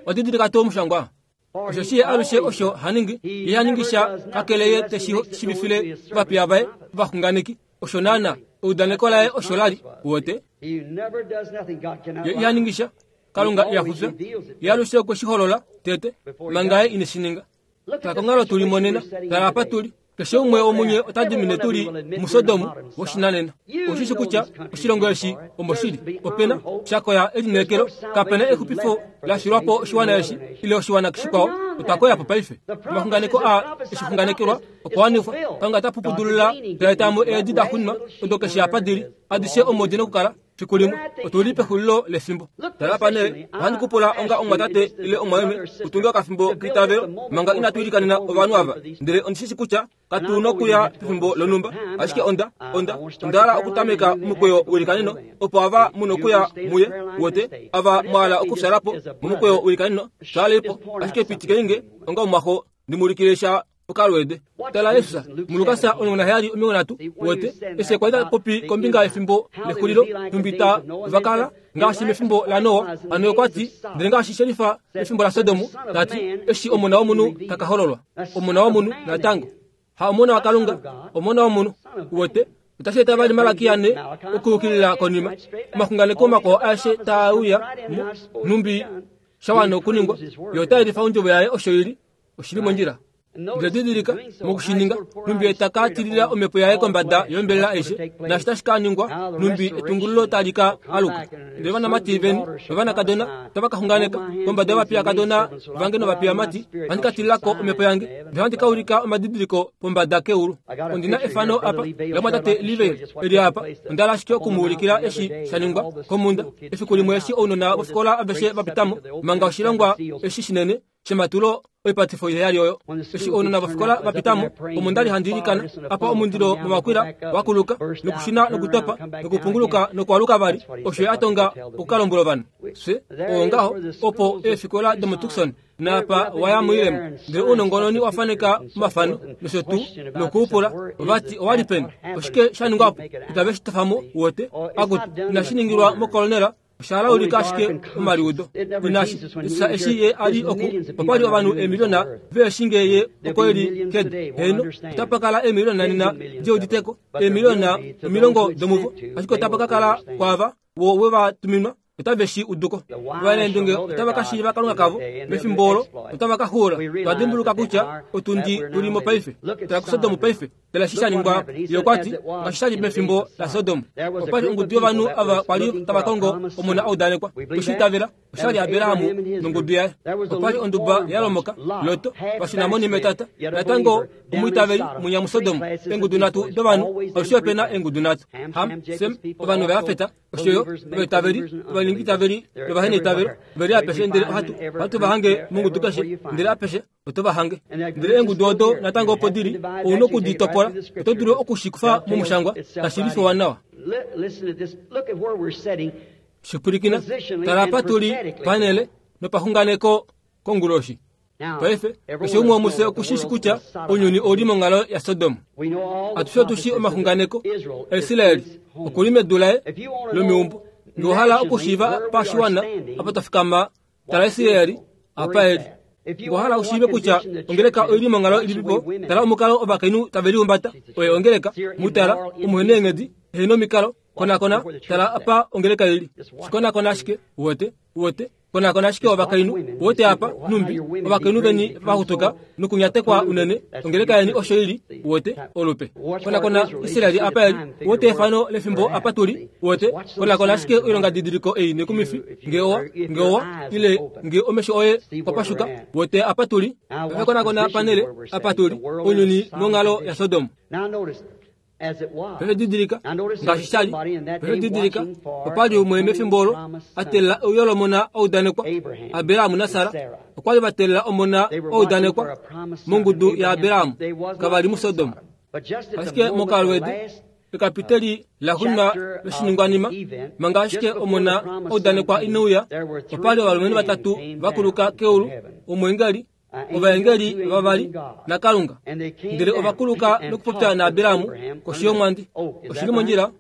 Wadidilika tuu omushangwa? Osheshi ye alushe osho haningi, ye haningi sha kakele ye teshi shiivifile ovapiya vaye ovaxunganeki. Osho naana eudaneko laye osho la li. Uwete? Ye iha ningi sha, Kalunga iha fufya. Ye alushe okwe shi holola tete manga ye ine shi ninga. Tala konghalo tuli monena, tala apa tuli. Keshe umwe womunye ota dimine tuli muSodom woshinanena. Oshishi kutya oshilongo eshi omoshili opena shakoya elineekelo, kapena exupifo la shilwapo oshiwana eshi ile oshiwana shikwao. Otwa koya po paife. Omaxunganeko a eshixunganekelwa okwa wanifwa. Kalunga ta pupudulula taetamo eedi da xunwa odo keshe apa dili adishe omo dina okukala fiku limwe. Otuli pexulilo lefimbo. Tala apa nee, ohandi kupula onga omwatate ile omwameme utunge okafimbo keitavelo manga inatu ilikanena ovanhu ava. Ndele ondishishi kutya katu nokuya pefimbo lonhumba, ashike onda onda onda hala okutameka omukweyo welikaneno opo ava muno okuya muye. Uwete ava mwahala okufyalapo momukweyo welikaneno twalelipo, ashike pitikeinge onga omwaxo ndimuulikile sha okalweede. Tala Jesus muLukas omulongo naheyali omilongo nhatu. Uwete eshi kwa li ta popi kombinga yefimbo lexulilo nhumbi ta vakala ngaashi mefimbo laNoa. Hano okwa ti ndele ngaashi shelifa mefimbo laSodom, tati eshi Omona wOmunhu ta ka hololwa. Omona wOmunhu natango ha omona waKalunga, omona womunhu. Uwete otashi eta vali Malakia ne okuyukilila konima omaxunganeko makwao aeshe taa uya nhumbi sha wana okuningwa. Ye ota yelifa ondjovo yaye osho ili oshili mondjila. Ndele didilika mokushininga numbi etaka tilila omhepo yaye kombada yombelela aishe naashi tashi ka ningwa numbi etungululo tali ka aluka. Ndele ovanamati veni novanakadona otava ka xunganeka kombada yovapiyakadona vange novapiyamati ohandi ka tililako omhepo yange ndele ohandi ka ulika omadidiliko pombada keulu. Ondina efano apa lamwatate Livale eli apa onda hala ashike okumuulikila eshi sha ningwa komhunda efiku limwe eshi ounona vofikola aveshe vapitamo manga oshilongwa eshi shinene shematulo oipatifo iheyali oyo. Eshi ounona vofikola vapitamo omo ndali handi ilikana apa omundilo momakwila wakuluka nokushina nokutopa nokupunguluka nokwaluka vali osho a tonga okukalombwela ovanhu. Fye oongaho opo eefikola domoTucson naapa waya muilemo ndele ounongononi wafaneka omafano nosho tuu nokuupula ovati owali peni oshike sha ningwapo itave shi tofamo wote akuti inashi ningilwa mokolonela osha laulika ashike omaliudo. Inashi isa eshi ye ali oku okwali ovanhu eemiliona veeshinge ye oko eli kedu heno otapa kala eemiliona nena diuditeko eemiliona omilongo domuvo ashike otapa ka kala kwava wo we vatuminwa otave shi uduko. Ovanaendunge otava ka shiiva Kalunga kavo mefimbo olo otava ka xuula. Twadimbuluka kutya otundi tulimo paife tala kuSodom paife tala eshi sha ningwa. Ye okwati ngaashi sha li mefimbo laSodom okwali ongudu yovanhu ava kwali tava kongo omona audanekwa. Tweshi itavela oshali Abrahamu nongudu yaye. Okwali onduba yalomoka Loto vashinamoni metata natango omwiitaveli munya muSodom. Eengudu nhatu dovanhu alushe opena eengudu nhatu Ham, Sem ovanhu vayafeta oshoyo ovaitaveli ovaningitaveli novaheneitavelo veli apeshe ndele ohatu ohatu vahange mongudu keshe ndele apeshe oto vahange. Ndele eengudu odo natango opo dili ouna okuditopola oto dulu okushikufa momushangwa tashi lifiwa nawa. Shipwilikina tala apa tuli panele nopaxunganeko konguloshi. Paife keshe umwe womufye okushishi kutya ounyuni ouli monghalo yaSodom. Atushe otushi omaxunganeko aIsraeli okuli medu laye lomeumbo. Ngee owahala okushiiva pashiwana apa twafikama tala Israeli apa eli. Ngee owahala ushiive kutya ongeleka oili monghalo ilipipo tala omukalo ovakainhu tave lihumbata oye ongeleka mutala omuhena eenghedi ehena omikalo konakona tala apa ongeleka ili. Shikonakona ashike uwete uwete konakona ashike ovakainhu uwete apa numbi ovakainhu veni vaxutuka nokunyatekwa unene ongeleka yeni osho ili uwete olupe. Konakona Israeli apa eli uwete efano lefimbo apa tuli uwete konakona ashike oilongadidiliko ei nekumifi ngee owa ngee owa ile ngee omesho oye okwapashuka uwete apa tuli. Paife konakona panele apa tuli ounyuni monghalo yaSodom. Paife didilika ngaashi shali. Paife didilika opali umwe mefimbo olo a teelela euyo lomona audanekwa. Abrahamu naSara okwali va teelela omona audanekwa mongudu yaAbrahamu kavali muSodom. Ashike mokalwedu ekapiteli laxuuninwa loshiningwanima manga ashike omona audanekwa ineuya opali ovalumenhu vatatu vakuluka keulu omweengeli ovaengeli vavali naKalunga ndele ovakuluka nokupopya naAbrahamu koshi yomwandi. Oshili mondjila.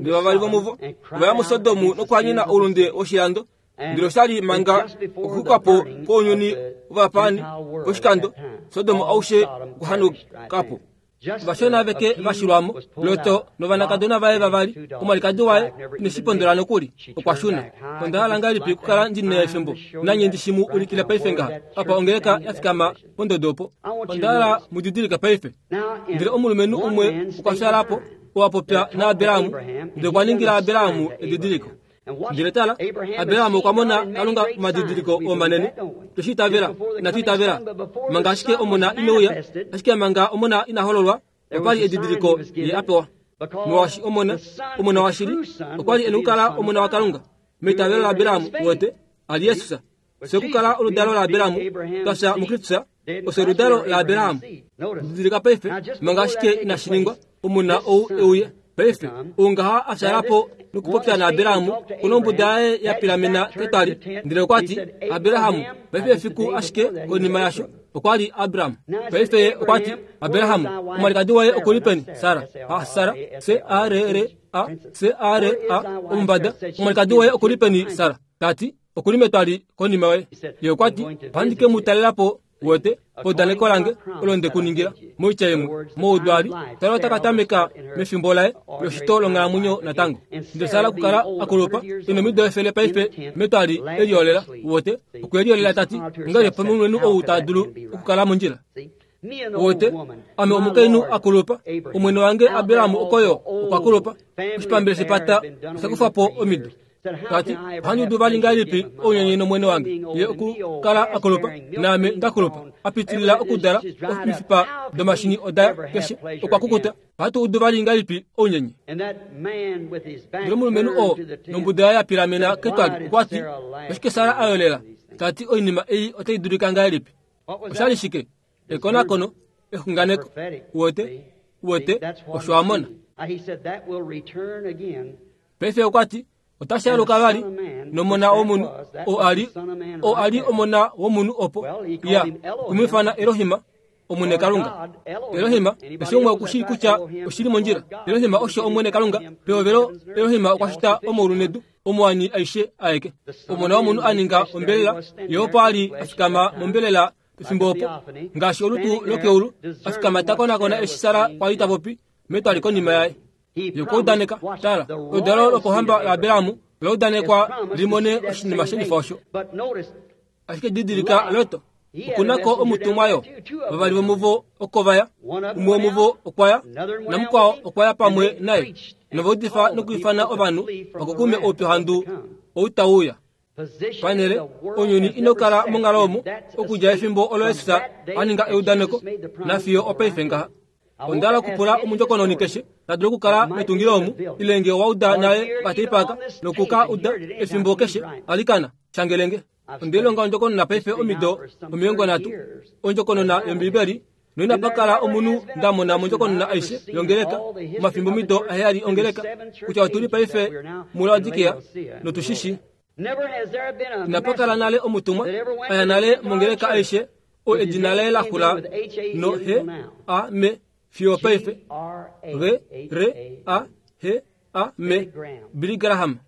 Ndele vavali vomuvo ovaya muSodomu nokuhanyena oulunde woshilando ndele oshali manga okuxukapo kwounyuni wovapaani poshikando Sodom aushe okuhanukapo. Ovashona aveke vashilwamo Loto novanakadona vaye vavali omwalikadi waye ineshipondola nokuli okwashuna. Onda hala ngahelipi okukala ndina efimbo nanye ndishimu ulikile paife ngaha apa ongeleka yafikama pondodo opo. Onda hala mudidilike paife. Ndele omulumenhu umwe okwa fyalapo oo apopya naAbrahamu ndele okwa ningila Abrahamu edidiliko. Ndele tala Abrahamu okwa mona Kalunga omadidiliko omanene. Tweshi itavela inatu itavela manga ashike omona ineuya ashike manga omona ina hololwa opali edidiliko ye apewa. Molwaashi omona omona washili okwali ena okukala omona waKalunga meitavelo laAbrahamu uwete ali Jesus. Fye okukala oludalo laAbrahamu twafya muKristus ofye oludalo laAbrahamu. Didilika paife manga ashike inashi ningwa omona ou euya paife oungaha afyalapo nokupopya naAbrahamu kuna ombuda yaye yapilamena ketwali ndele okwati Abrahamu paife efiku ashike konima yasho okwali Abraham. Paife ye okwati Abrahamu omwalikadi waye okuli peni Sara a Sara C A R R A C A R A omumbada omwalikadi waye okuli peni Sara tati okuli metwali konima yoye. Ye okwati ohandi ke mu talelapo Wete paudaneko lange olo nde ku ningila moitya imwe moudwali Sara ota ka tameka mefimbo laye loshito longhalamwenyo natango. Ndele Sara okukala akulupa ina omido efele paife metwali eliolela. Wote okwe liolela tati ongahelipi omulumenhu ou ta dulu okukala mondjila? Wote ame omukainhu akulupa, omwene wange Abraham okoyo okwa kulupa, oshipambele shepata osha kufa po omido. Tati ohandi udu vali ngahelipi ounyenye nomwene wange ye okukala akulupa naame ndakulupa apitilila okudala omifipa domashini oda keshe okwa kukuta. Ohatu udu vali ngahelipi ounyenye? Ndele omulumenhu oo nombuda yaye ya pilamena ketwali okwa ti oshike Sara a yolela? Tati oinima ei otai dulika ngahelipi? Oshali shike? Ekonakono, exunganeko. Wote wote osho a mona. Paife okwa ti otashi aluka vali nomona womunhu oo ali oo ali omona womunhu opo ya okumwiifana Elohim omwene Kalunga. Elohim eshi umwe okushii kutya oshili mondjila. Elohim osho omwene Kalunga. Pehovelo Elohim okwa shita omaulu nedu, omuwani aishe aeke. Omona womunhu a ninga ombelela, ye opo a li a fikama mombelela pefimbo opo ngaashi olutu lokeulu a fikama ta konakona eshi Sara kwa li ta popi metwali konima yaye. Ye okwa udaneka, tala, oludalo lopohamba laAbraham ola udanekwa limone oshinima shelifa osho. Ashike didilika Lot okunako omutumwa yo vavali vomuvo oko vaya, umwe womuvo okwa ya namukwao okwa ya pamwe naye, nova udifa nokwiifana ovanhu vakukume oupyuhandu ou tau uya. Panele ounyuni ino kala monghalo omo okudja efimbo olo Jesus a ninga eudaneko nafiyo opaife ngaha. Onda hala okupula omundjokononi keshe ta dulu okukala metungilo omu ile nge owa uda nale okateipa noku ka uda efimbo keshe alikana shangelenge. Onde lilonga ondjokonona paife omido omilongo nhatu, ondjokonona yOmbiibeli, noinapa kala omunhu nda mona mondjokonona aishe yongeleka omafimbo omido aheyali ongeleka kutya otuli paife muLaodikea notu shi shii. Inapa kala nale omutumwa a ya nale mongeleka aishe o edina laye la xula no H A M fiyo paife G R A H A M Billy Graham.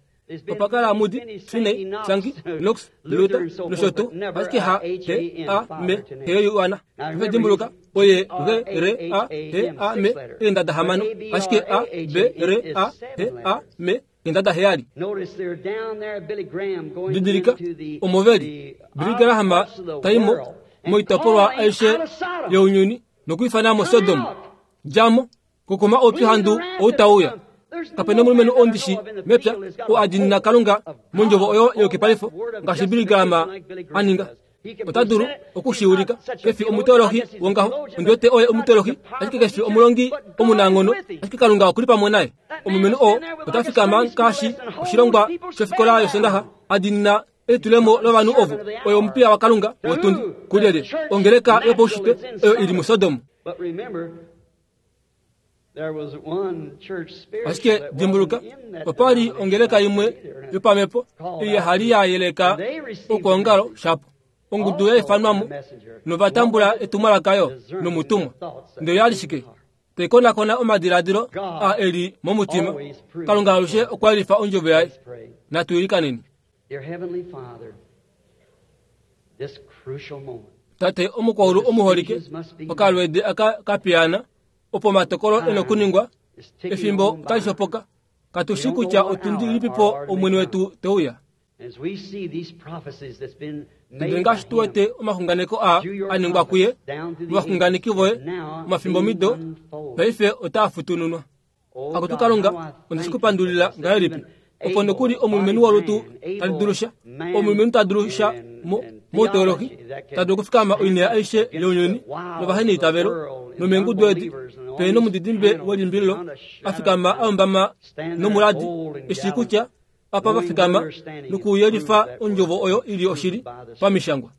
Opa kala Moody, Finney, Sankey, Knox, Luther nosho tuu, ashike H A M H Paife dimbuluka oye G R A H A M eendada hamano, ashike A B R A H A M eendada heyali. Didilika omoveli Billy Graham taimo moitopolwa aishe younyuni nokwiifana mo Sodom. Djamo kukuma oupyuhandu ou tau uya. Kapena omulumenhu oo ndishi mepya oo a diinina Kalunga mondjovo oyo yeyukipalifo ngaashi Billy Graham a ninga. Ota dulu oku shi ulika. Kefi omuteolohi wongaho, ondi wete oye omuteolohi, ashike kefi omulongi omunanghono, ashike Kalunga okuli pamwe naye. Omulumenhu oo ota fikama ngaashi oshilongwa shofikola yosondaxa a diinina elitulemo lovanhu ovo. Oye omupiya waKalunga wotundi kulyelye ongeleka yopaushitwe oyo ili muSodom. Ashike dimbuluka, opa li ongeleka imwe yopamhepo ei hali ya yeleka okwoongalo shapo. Ongudu ya ifanwamo nova tambula etumwalaka yo nomutumwa. Ndele oya li shike? Tai konakona omadiladilo a eli momutima. Kalunga alushe okwa yelifa ondjovo yaye. Natu ilikaneni. Tate omukwaulu omuholike, okalweede aka kapiyaana opo omatokolo e na okuningwa efimbo otali shopoka. Katu shi kutya otundi ilipipo omwene wetu te uya. Ndele ngaashi tu wete omaxunganeko a a ningwa kuye movaxunganeki voye omafimbo omido paife otaa futununwa. Akutu Kalunga, onde shi kupandulila ngahelipi opo nokuli omulumenhu wolutu tali dulu sha, omulumenhu ta dulu sha mouteolohi ta dulu okufikama oinima aishe younyuni novaheneitavelo nomeengudu edi pene nomudidimbe welimbililo a fikama a ombama nomuladi eshi kutya apa va fikama nokuyelifa ondjovo oyo ili oshili pamishangwa.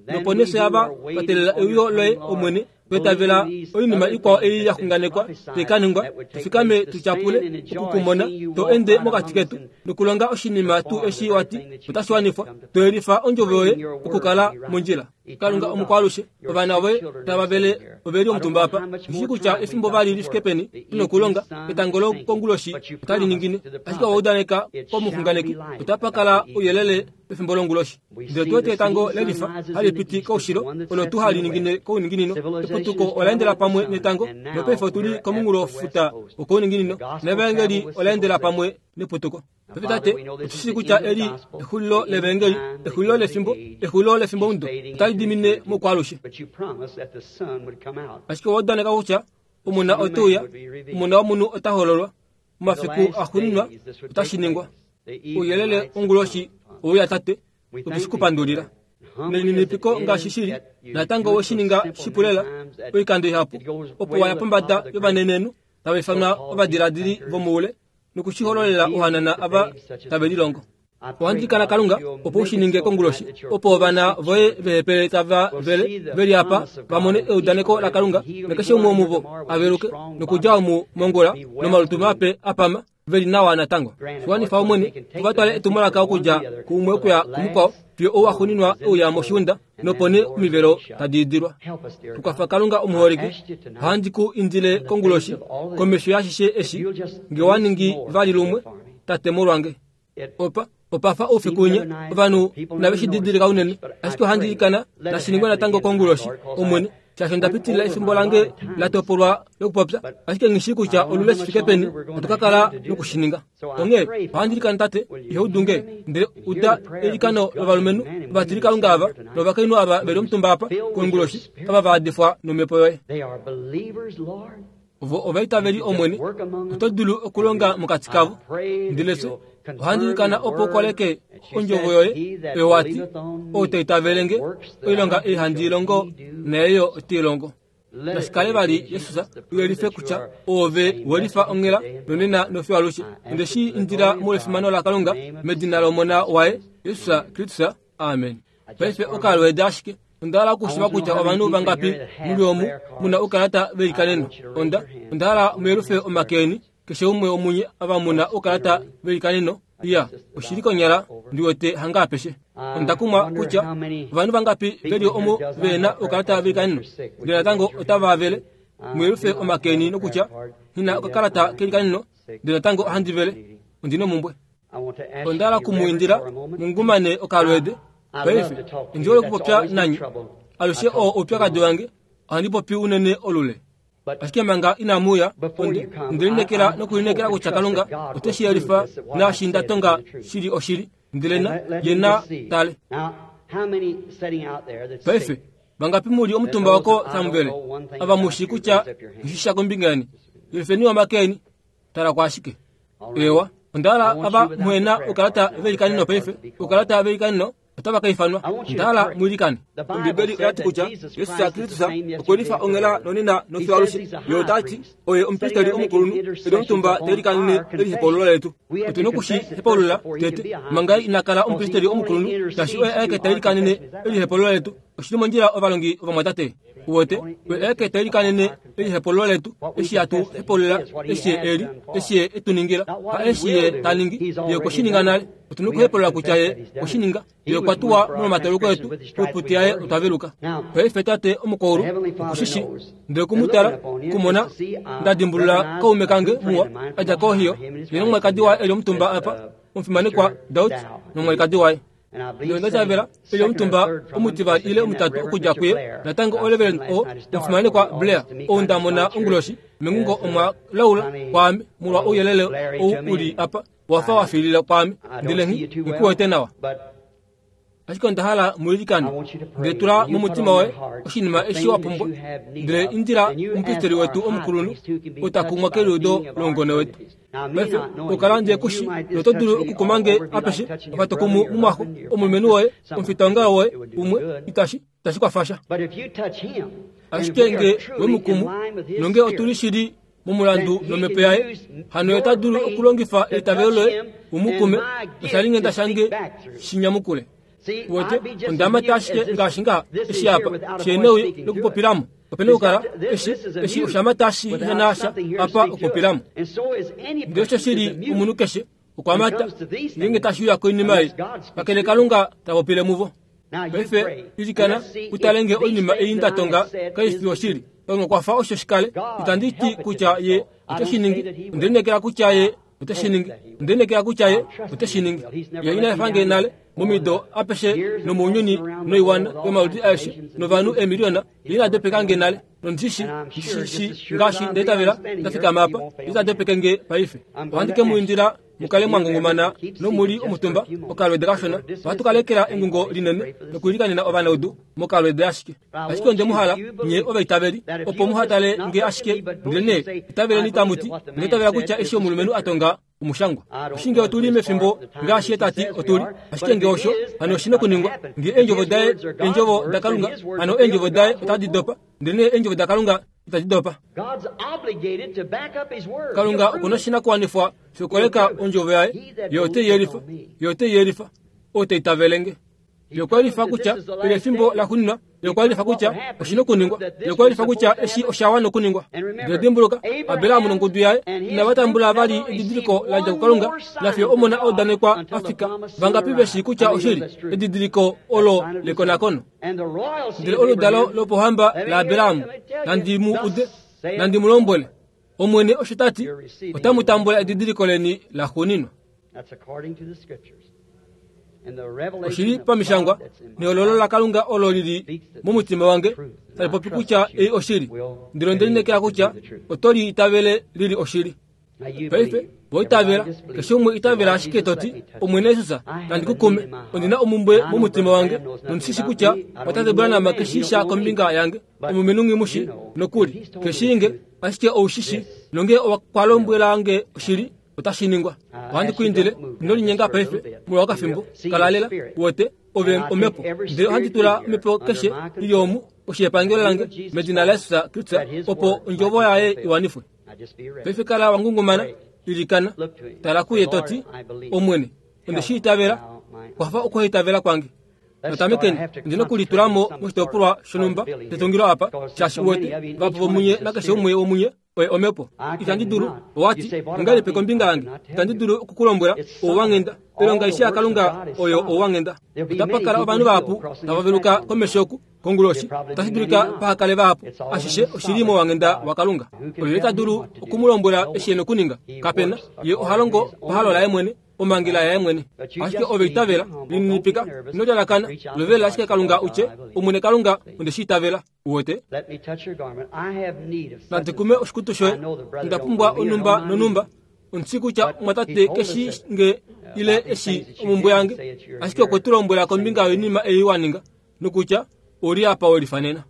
Nopo nee fye ava twa teelela euyo loye Omwene, twetavela oinima ikwao ei ya xunganekwa tai ka ningwa, tu fikame tu tyapule okukumona to ende mokati ketu nokulonga oshinima tuu eshi wati otashi wanifwa, to yelifa ondjovo yoye okukala mondjila. Kalunga omukwalushe ovana voye tava vele oveli omutumba apa ndishi kutya efimbo vali lifike peni tinokulonga etango lokonguloshi otali ningine ashike owaudaneka komuxunganeki otapa kala ouyelele pefimbo longuloshi ndele tuwete etango lelifa hali piti koushilo olo tu hali ningine kouninginino eputuko olaendela pamwe netango nopaife otuli komunghulofuta wokouninginino nevaengeli olaendela pamwe neputuko. Paife tate otushi kutya eli exulilo levaengeli exulilo lefimbo exulilo lefimbo mudo otali dimine mokwalushe ashike owaudaneka kutya omuna oteuya omuna womunhu ota hololwa momafiku axuuninwa otashi ningwa ouyelele wonguloshi ouya tate otushi kupandulila nelininipiko ngaashi shili natango weshininga shipulela oikando ihapu opo waya pombada yovanenenhu tava ifanwa ovadiladili vomoule nokushihololela ohanana ava tave lilongo. Ohandikana Kalunga opo ushininge konguloshi opo ovana voye vehepele tava vele veli apa vamone eudaneko la Kalunga nakeshe umwe womuvo aveluke nokudja omu mongula nomalutu mape apama veli nawa natango. Shiwanifa omwene ovatwale etumwalaka okudja kuumwe okuya kumukwao fiyo ouwaxuuninwa euya moshiunda nopo nee omivelo tadi idilwa. Tukwafa Kalunga omuholike ohandi ku indile konguloshi komesho yashishe eshi nge wa ningi vali lumwe tate molwange. Opa opafa oufiku winya ovanhu inave shi didilika unene ashike ohandi ikana nashiningwe natango konguloshi omwene shaashi onda pitilila efimbo lange la topolwa lokupopya ashike nghishi kutya olule shifike peni otukakala nokushininga. Onghee ohandi ilikana tate ihaudunge ndele uda eilikano lovalumenhu ovatilikalunga ava novakainhu ava veli omutumba apa konguloshi ava vaadifwa nomhepo yoye. Ovo ovaitaveli omwene oto dulu okulonga mokati kavo ndele fye ohandi ilikana opo ukoleke ondjovo yoye oyo wati ou ta itavelenge oilonga ei handi ilongo nayeyo ote ilongo. Nashikale vali Jesus uyelife kutya oove welifa onghela nonena nofiyo alushe. Onde shi indila molwefimano laKalunga medina lOmona waye Jesus Kristus, amen. Paife okalweede ashike onda hala okushiva kutya ovanhu vangapi muli omu muna oukalata velikaneno. Onda onda hala muyelufe omake eni keshe umwe womunye ava muna oukalata velikaneno. Iya oshili konyala ndiwete hanga apeshe. Onda kumwa kutya ovanhu vangapi veli omu vena oukalata velikaneno ndele natango otava vele muyelufe omake eni nokutya hina okakalata kelikaneno ndele natango ohandi vele ondina omumbwe. Onda hala okumuindila mungumane okalweede. Paife ndihole okupopya nanye alushe oo oupyakadi wange ohandi popi unene olule. Ashike manga inamuuya onde lineekela nokulineekela kutya Kalunga ote shi yelifa naashi nda tonga shili oshili ndele na ye na tale. Paife vangapi muli omutumba wako samuvele ava mushi kutya ngishisha kombinga yeni yelifeni omake eni tala kwaashike. Ewa onda hala ava muhena oukalata velikaneno paife oukalata velikaneno otava ka ifanwa onda hala muilikane. Ombibeli oyati kutya Jesus Kristus okwelifa onghela nonena nofiyo alushe. Ye otati oye omupristeli omukulunhu eli omutumba telikanene elihepaulo letu. Otuna okushi hepaulula tete manga ina kala omupristeli omukulunhu shaashi oye aeke telikanene elihepaulo letu. Oshili mondjila ovalongi ovamwatate uwete oye aeke telikanene elihepaulo letu eshi hatu hepaulula eshi ye eli eshi ye etuningila ha eshi ye taningi ye okweshininga nale. Otuna okuhepaulula kutya ye okweshininga ye okwa tuwa molwomatauluko etu oiputi yaye otwaveluka. Paife tate omukoulu okushishi ndele okumutala kumona nda dimbulula kaume kange muwa adja kOhio ye nomwalikadi waye eli omutumba apa omufimanekwa Daud nomwalikadi waye. Ndele onda tavela eli omutumba omutivali ile omutatu okudja kuye natango oreverend o omufimanekwa Blair ou nda mona onguloshi mengungo omwa laula kwaame molwa ouyelele ou uli apa wafa wafilila kwaame ndele ngikuwete nawa. Ashike onda hala muilikane ndele tula momutima woye oshinima eshi wa pumbwa ndele indila omupristeli wetu omukulunhu otakumwa keliudo longone wetu. Paife okala ndje kushi noto dulu okukumange apeshe apatokumu mumwaxo omulumenhu woye omufitaongalo woye umwe itashi itashi kwafasha. Ashike nge wemukumu nonge otuli shili momulandu nomhepo yaye hano ota dulu okulongifa eitavelo loye umukume oshalinghenda shange shinyamukule. Wote ondamata ashike ngaashi ngaha eshi apa sheneuye lokupopilamo opena okukala eshi eshi oshamata shihenasha apa okupopilamo. Ndele osho shili omunhu keshe okwamata ngenge tashiuya koinima ei kakele Kalunga tapopile muvo. Paife ilikana utale nge oinima ei nda tonga kai fi oshili. Kalunga kwafa osho shikale. Itandi ti kutya ye ote shi ningi. Onde lineekela kutya ye ote shi ningi. Onde lineekela kutya ye ote shi ningi. Ye ina efa nge nale momido apeshe nomounyuni noiwana yomaludi aeshe novanhu eemiliona. Ye ina dopeka nge nale. Nondishi ndishi ngaashi ndaitavela ndafikama apa ita dopeke nge paife. Ohandi ke mu indila mukale mwangungumana nomuli omutumba okalwede kashona. Ohatu kalekela engungo linene nokuilikanena ovanaudu mokalwede ashike. Ashike onde muhala nye ovaitaveli opo muhatale nge ashike, ndele itaveleni tamuti ndaitavela kutya eshi omulumenhu atonga omushangwa. Oshinge otuli mefimbo ngaashi ye tati otuli. Ashike nge osho hano oshina okuningwa. Nge eendjovo daye eendjovo daKalunga, hano eendjovo daye otadi dopa, ndele eendjovo daKalunga itadi dopa. Kalunga okuna oshinakuwanifwa shokoleka ondjovo yaye. Ye ote yelifa, ye ote yelifa, ote itavelenge. Ye okwa yelifa kutya eli efimbo laxuuninwa. Ye okwa yelifa kutya oshina okuningwa. Ye okwa yelifa kutya eshi osha wana okuningwa. Ndele dimbuluka, Abraham nongudu yaye inava tambula vali edidiliko la dja kuKalunga, nafiyo omona a udanekwa a fika. Vangapi veshi kutya oshili edidiliko olo lekonakono? Ndele oludalo lopohamba laAbraham, nandi mu ude, nandi mu lombwele, Omwene osho ta ti, otamu tambula edidiliko leni laxuuninwa. Oshili pamishangwa nehololo laKalunga olo lili momutima wange tali popi kutya ei oshili. Ndele onde lineekela kutya oto li itavele lili oshili. Paife voitavela, keshe umwe itavela ashike toti, Omwene Jesus, nandi kukume, ondina omumbwe momutima wange, nondishishi kutya watate Branham keshisha kombinga yange, omulumenhu nghimushi nokuli keshiinge, ashike oushishi, nonge okwa lombwela nge oshili, otashi ningwa. Ohandi ku indile, ino linyenga paife molwa okafimbo, kalalela, wote, ove omhepo. Ndele ohandi tula omhepo keshe ili omu, oshepangelo lange, medina laJesus Kristus, opo ondjovo yaye iwanifwe. Paife kala wangungumana, ilikana, tala kuye toti, Omwene, onde shi itavela, kwafa okuhaitavela kwange. Notamekeni, ondina okulitulamo moshitopolwa shonhumba shetungilo apa, shaashi uwete, vahapu vomunye nakeshe umwe womunye oye omhepo. Itandi dulu, owati, ongahelipi kombinga yange? Itandi dulu okukulombwela ouwanghenda. Oilonga aishe yaKalunga oyo ouwanghenda. Otapa kala ovanhu vahapu tava veluka komesho oku konguloshi, otashi dulika pahakale vahapu. Ashishe oshili mouwanghenda waKalunga. Olyelye ta dulu okumulombwela eshi e na okuninga? Kapena. Ye oha longo pahalo laye mwene, omhangela yaye mwene. Ashike ove itavela, lininipika, ino lyalakana, lovela ashike Kalunga utye, Omwene Kalunga, onde shi itavela. Uwete? Nandi kume oshikutu shoye, onda pumbwa onhumba nonhumba. Ondishi kutya omwatate keshi nge ile eshi omumbwe yange, ashike okwe tu lombwela kombinga yoinima ei wa ninga, nokutya oli apa we lifanena.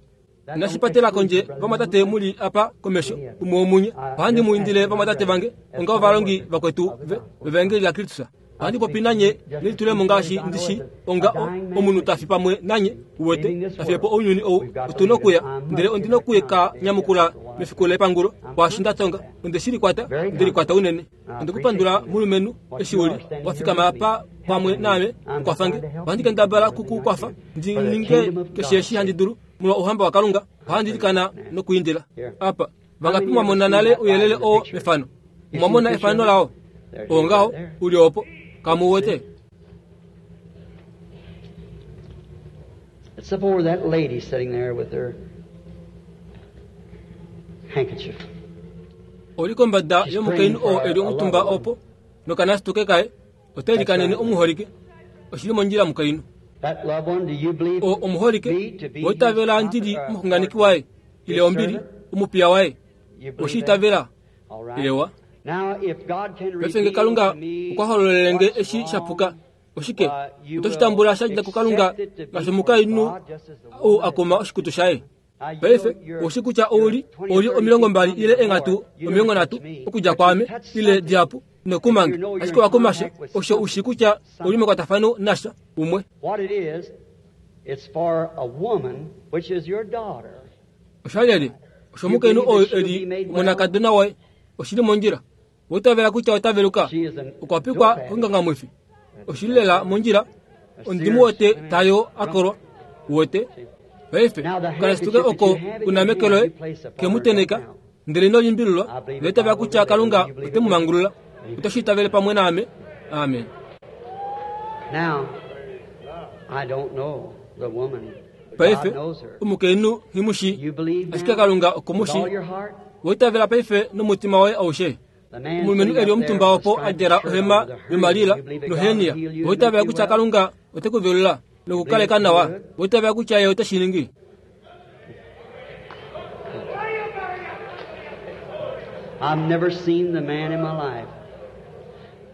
Inashi patela kondje vamwatate muli apa komesho, umwe womunye. Ohandi mu indile vamwatate vange, onga ovalongi vakwetu vevaengeli laKristus. Ohandi popi nanye nelitulemo ngaashi ndishi onga omunhu ta fi pamwe nanye, uwete, ta fiye po ounyuni ou, otu nokuya, ndele ondi nokuya ka nyamukula mefiku lepangulo kwaashi nda tonga. Onde shi likwata, onde likwata unene. Onde kupandula mulumenhu eshi uli wa fikama apa pamwe naame ukwafa nge. Ohandi kendabala kuku kwafa ndi ninge keshe eshi handi dulu molwa ouhamba waKalunga. Ohandi ilikana nokuindila. Apa vangapi mwamona nale ouyelele oo mefano? Omwamona efano lao? Oo ngaho uli opo. Kamu wete? It's up over that lady sitting there with her handkerchief. Oli kombada yomukainhu oo eli omutumba opo nokanasituke kaye, ote likanene omuholike. Oshili mondjila mukainhu. That loved one, do you believe O omuholike, me to be oitavela ndili omuxunganeki waye, ile ombili, omupiya waye. You believe that? Oshiitavela? All right. Ewa. Now, if God can Paife nge reveal Kalunga to me okwa hololele nge what's eshi sha puka, wrong, oshike uh, you oto shi tambula will sha dja kuKalunga accept it to be ngaashi from omukainhu God, just as the ou woman a koma oshikutu shaye. Now, you Paife know you're- oushi kutya ouli you're ouli omilongo mbali ile enghatu You don't omilongo nhatu touch me, okudja but kwaame you touch ile something. dihapu nokumange, You know you're ashike in wa kumasha contact with osho ushi kutya ouli mekwatafano nasha umwe. What it is, it's for a woman, which is your daughter. Oshalyelye osho omukainhu oo eli omonakadona waye oshili mondjila. Oitavela kutya ota veluka, She is an okwa pikwa kongangamwifi. Oshili lela mondjila, ondimu wote tayo akolwa wote. Paife okanasituke oko una meke loye kemuteneka, ndele ino limbililwa, ndoitavela kutya Kalunga ote mu mangulula. Oto shi itavele pamwe naame. Amen. Now, I don't know. The woman. Paife God knows her. omukainhu nghimushi You believe ashike now Kalunga with okumushi all your heart? woitavela paife nomutima woye aushe The man omulumenhu sitting eli up omutumba there with opo the striped a djala shirt on ohema with a hernia, yomalila you believe that God nohenia will heal you and woitavela make you kutya well? Kalunga ote ku velula nokukaleka nawa woitavela kutya ye ote shi ningi I've never seen the man in my life.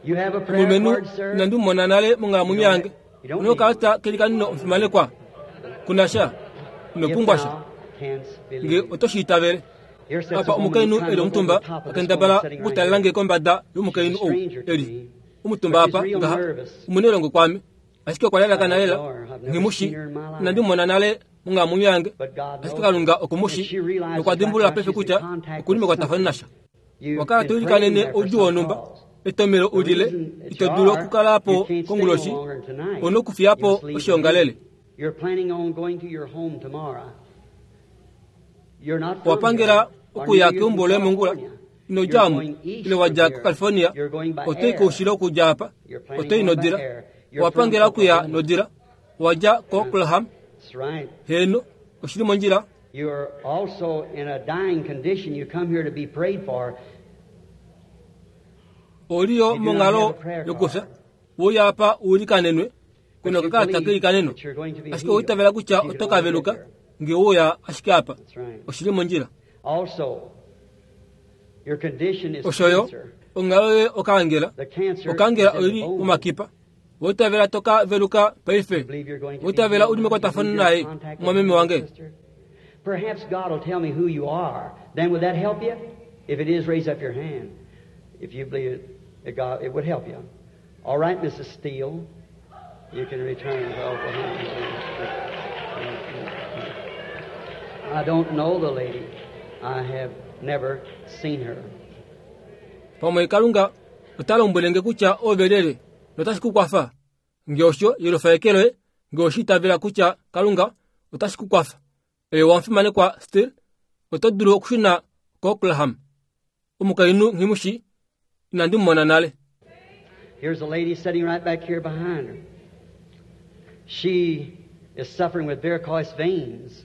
You have a prayer omulumenhu card, sir? inandi mu mona nale monghalamwenyo yange onokalata kelikanino omufimanekwa kunasha ino If pumbwa sha thou canst nge believe. oto shi itavele Here sits a apa woman omukainhu trying eli to look omutumba over the top of this akendabala woman sitting right okutalela here. nge kombada yomukainhu ou eli omutumba apa ngaha omunelongo kwame ashike okwa lalakana lela nghimushi inandi mu mona nale monghalamwenyo yange But God ashike knows Kalunga her. okumushi And she realizes nokwa right dimbulula now paife she's in kutya contact okuli with mekwatafano something. nasha You've wakala been to ilikanene praying there for oudjuu some wonhumba cause. etomelo The ulile reason that ito you dulu are, okukala po you can't stay no konguloshi longer tonight. ono okufiyapo You must leave oshiongalele the meeting. You're planning on going to your home tomorrow. You're not from wapangela here, or okuya neither you keumbo from loye mongula California. ino You're djamu going east ile wadja from here. kuCalifornia You're going by otoyi air. koushilo okudja apa You're planning otoyi on going by nodila air. You're wapangela from okuya Oklahoma. nodila wadja koOklahoma That's right. heno oshili mondjila You're also in a dying condition. You come here to be prayed for. oliyo You do not monghalo have a prayer yokufya card. wuya apa uilikanenwe But kuna you kakalata believe kelikaneno that you're going to be ashike healed. oitavela kutya If you oto can ka only veluka get there. nge wuya ashike apa That's right. oshili mondjila Also, your condition is oshoyo cancer. onghalo yoye okaangela The cancer okaangela is in oili the bone. momakipa woitavela toka veluka paife You believe you're going to be woitavela healed? uli mekwatafano You believe you're naye in contact with mwameme me, wange sister? Perhaps God will tell me who you are. Then would that help you? If it is, raise up your hand. If you believe it, that God, it would help you. All right, Missus Steele, you can return to Oklahoma. I don't know the lady. I have never seen her. Pamwe Kalunga ota lombwelenge kutya ove lyelye notashi ku kwafa nge osho yelufa eke loye nge oshi itavela kutya Kalunga otashi ku kwafa ewe wamufimanekwa Steele oto dulu okushuna koOklahoma omukainhu nghimushi inandi mu mona nale Here's a lady sitting right back here behind her. She is suffering with varicose veins.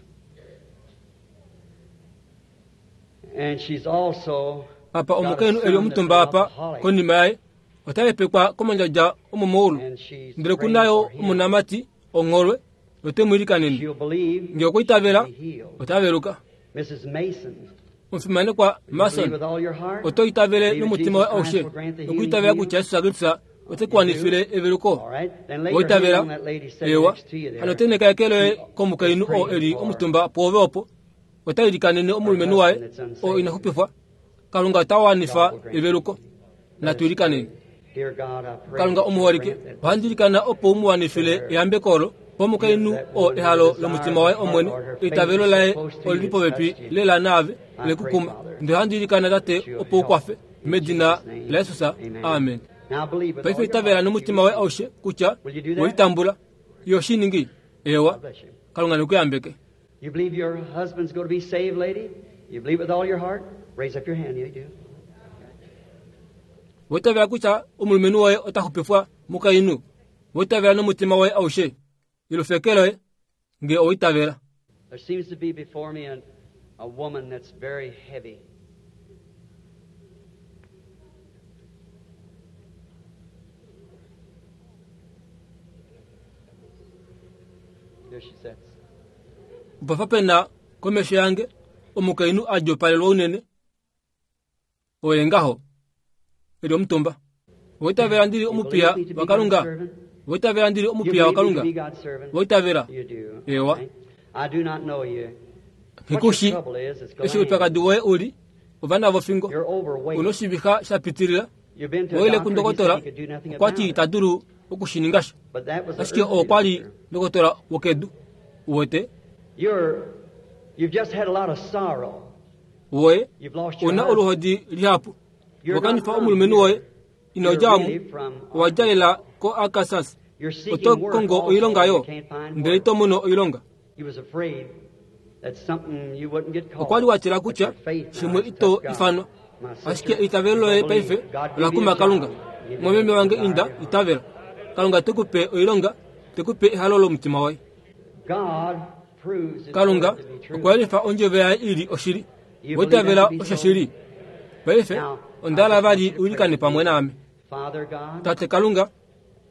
And she's also apa got a omukainhu eli son that's omutumba an apa alcoholic. konima yaye ota lepekwa komandjadja omomaulu And she's ndele praying kunayo for him. omonamati ongholwe note mu ilikanene She'll believe nge okwa itavela she'll be healed. ota veluka Missus Mason, omufimanekwa you believe Mason with all your heart? oto itavele Believe that nomutima Jesus woye Christ aushe will grant the healing nokuitavela to you? kutya Jesus Kristus ote ku wanifile eveluko All right. Then lay your hand woitavela on that lady sitting ewa next to you there. hano teneka eke loye komukainhu oo eli omutumba pwoove opo ota ilikanene omulumenhu waye oo ina xupifwa Kalunga ota wanifa eveluko natu ilikaneni Dear God, I pray Kalunga that you omuholike grant that ohandi ilikana opo u mu wanifile eyambeko olo pomukainhu oo ehalo lomutima waye omwene eitavelo laye olili popepi lela naave lekukuma ndele ohandi ilikana tate opo u kwafe medina laJesus amen Now believe with paife all your itavela heart. nomutima waye aushe kutya welitambula iyo shiningi ewa God bless you. Kalunga nekuyambeke You believe your husband's going to be saved, lady? You believe with all your heart? Raise up your hand. You do. woitavela kutya omulumenhu woye ota xupifwa mukainhu woitavela nomutima woye aushe yelufa eke loye nge owaitavela There seems to be before me an, a woman that's very heavy. There she sits. opafa pena komesho yange omukainhu a djoopalelwa unene oye ngaho eli omutumba woitavela ndili You omupiya believe me to be wa God's Kalunga servant? woitavela ndili You omupiya wa believe me to Kalunga be God's servant? woitavela You do. Ewa. Right? I do not know you. What your ngikushi trouble is, it's eshi glands. oupyakadi woye uli ovana vofingo You're overweight. una oshivixa sha pitilila You've been to a woile doctor, he said kundokotola he could do nothing okwati about it. ita dulu okushininga sha But that was the ashike earthly oo kwali doctor. ndokotola wokedu uwete You're, you've just had a lot of sorrow. woye You've lost your una husband. oluhodi lihapu You're not wakanifa from omulumenhu here. woye ino You're djamu really from owadjalela ko Arkansas You're seeking oto work kongo also, oilonga and yo you can't find ndele work. ito mono oilonga You was afraid that something you wouldn't get called. okwa li watila But kutya your faith now shimwe has ito touched God. ifanwa My sister, ashike eitavelo loye you believe. paife God give ola you kuma a Kalunga job. Give you mwameme a wange desire inda of your heart. itavela Kalunga tekupe oilonga tekupe ehalo lomutima waye Kalunga okwa yelifa ondjovo yaye ili oshili. Oitavela oshoshili. Paife onda hala vali uilikane pamwe naame. Tate Kalunga,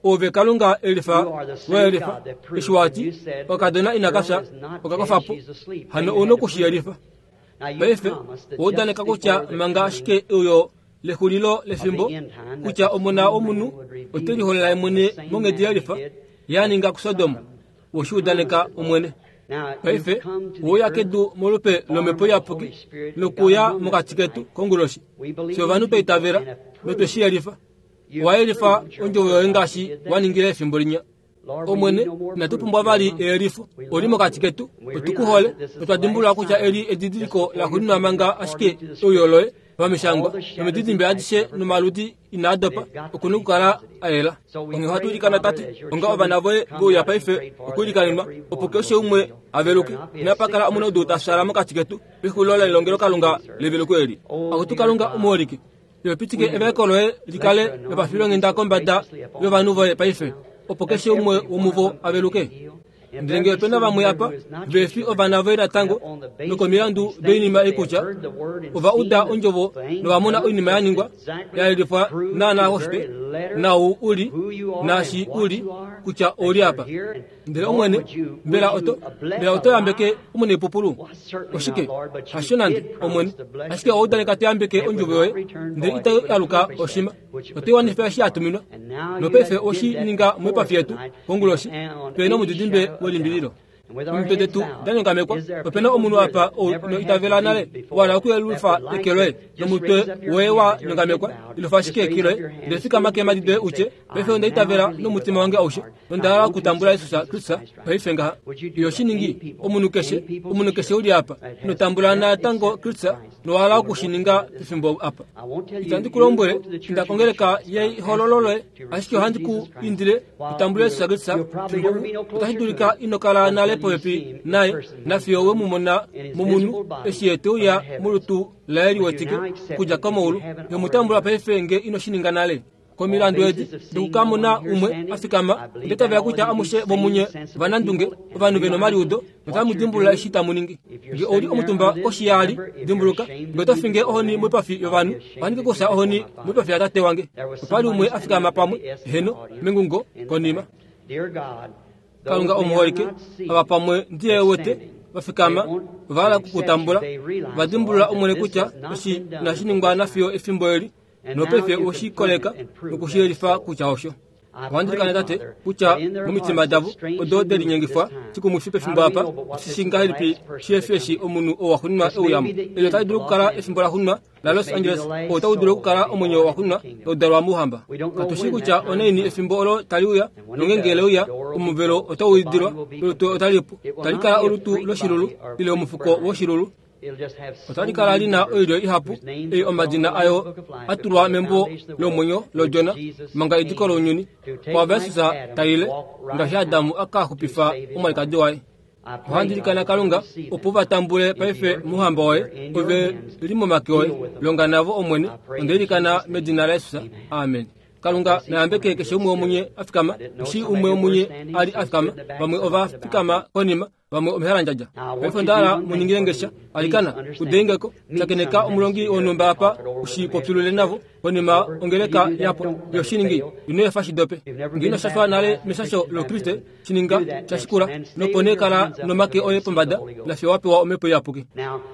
ove Kalunga elifa welifa eshi wati okadona inakafya okakofapo hano una okushiyelifa. Paife oudaneka kutya manga ashike uyo lexulilo lefimbo kutya omona womunhu ote liholola mwene monghedi yelifa ya ninga kuSodom, woshiudaneka Omwene. Paife ouya kedu molupe lomhepo iyapuki nokuya mokati ketu konguloshi. Fye ovanhu twa itavela notwe shi yelifa. Owa yelifa ondjovo yoye ngaashi wa ningile efimbo linya. Omwene, inatu pumbwa vali eyelifo. Oli mokati ketu, otu ku hole, notwa dimbulula kutya eli edidiliko laxuuninwa manga ashike euyo loye pamishangwa nomididimbe adishe nomaludi inaa dopa okuna okukala a yela. Onghee ohatu ilikana Tate, onga ovana voye veuya paife okuilikanenwa, opo keshe umwe a veluke. Inapa kala omunaudu ta fyaala mokati ketu pexulilo lelongelokalunga leveluko eli. Akutu Kalunga omuholike, yopitike evaeko loye likale lopafilonghenda kombada yovanhu voye paife, opo keshe umwe womuvo a veluke. Ndele ngee opena vamwe apa vefi ovana voye natango nokomilandu doinima ei kutya ova uda ondjovo novamona oinima ya ningwa ya yelifwa naanaa koshitwe nau uli naashi uli kutya ouli apa. Ndele Omwene, mbela oto mbela oto yambeke omunepupulu? Oshike hasho nande Omwene, ashike owa udaneka to yambeke ondjovo yoye ndele itayi aluka oshima, oto wanifa eshi ya tuminwa. Nopaife oshi ninga moipafi yetu konguloshi pena omudidimbe welimbililo. Omitwe detu da nyongamekwa. Opena omunhu apa ou ino itavela nale wala okuyelufa eke loye nomutwe woye wa nyongamekwa, ilufa ashike eke loye ndele fikama keemhadi doye utye, paife onda itavela nomutima wange aushe nonda hala okutambula Jesus Kristus paife ngaha. Iyo shi ningi omunhu keshe, omunhu keshe uli apa ino tambula natango Kristus nowahala okushininga pefimbo apa. Itandi ku lombwele inda kongeleka yehololo loye, ashike ohandi ku indile utambule Jesus Kristus fimbo otashi dulika ino kala nale popepi naye nafiyo we mu mona momunhu eshi ye te uya molutu laye liwetike okudja komaulu. Nomutambula paife nge ino shi ninga nale. Komilandu edi dokukamona umwe a fikama, ndetavela kutya amushe vomunye vanandunge ovanhu vena omaliudo notamu dimbulula eshi tamu ningi. Nge ouli omutumba koshiyaali, dimbuluka nge oto finge ohoni moipafi yovanhu, ohandi ke kufya ohoni moipafi yatate wange. Opali umwe a fikama pamwe heno mengungo konima. Kalunga omuholike, ava pamwe ndiye wete vafikama ovahala okukutambula, vadimbulula Omwene kutya eshi inashi ningwa nafiyo efimbo eli, nopaife oshikoleka nokushiyelifa kutya osho. Ohandi ilikana Tate kutya momitima davo odo de linyengifwa shikumwifi pefimbo apa, oshi ngahelipi shihefi eshi omunhu oo waxuuninwa euyamo. Eli otali dulu okukala efimbo laxuuninwa la Los Angeles, oo otau dulu okukala omwenyo waxuuninwa tau mouhamba. Katushi kutya onaini efimbo olo tali uya, nongenge leuya omuvelo otau idilwa, olutu otali pu, otali kala olutu loshilulu ile omufuko woshilulu. Otali kala lina oilyo ihapu ei omadina ayo a tulwa membo lomwenyo lodjona manga ediko lounyuni kwa Jesus taile ngaashi Adamu aka xupifa omwalikadi waye. Ohandi ilikana Kalunga opo va tambule paife mouhamba woye, ove li momake oye, longa navo Omwene. Onda ilikana medina laJesus, amen. Kalunga nayambeke keshe umwe womunye a fikama, eshi umwe womunye ali a fikama, vamwe ova fikama konima, vamwe omehalandjadja. Paife onda hala muningile ngesha alikana udengeko shakeneka omulongi wonhumba apa ushipopyulule navo konima ongeleka yapo yoshiningi ino efa shidope. Nge ino shashwa nale meshasho lokriste shininga shashikula nopo nee kala nomake oye pombada nafiyo wapewa omhepo iyapuki.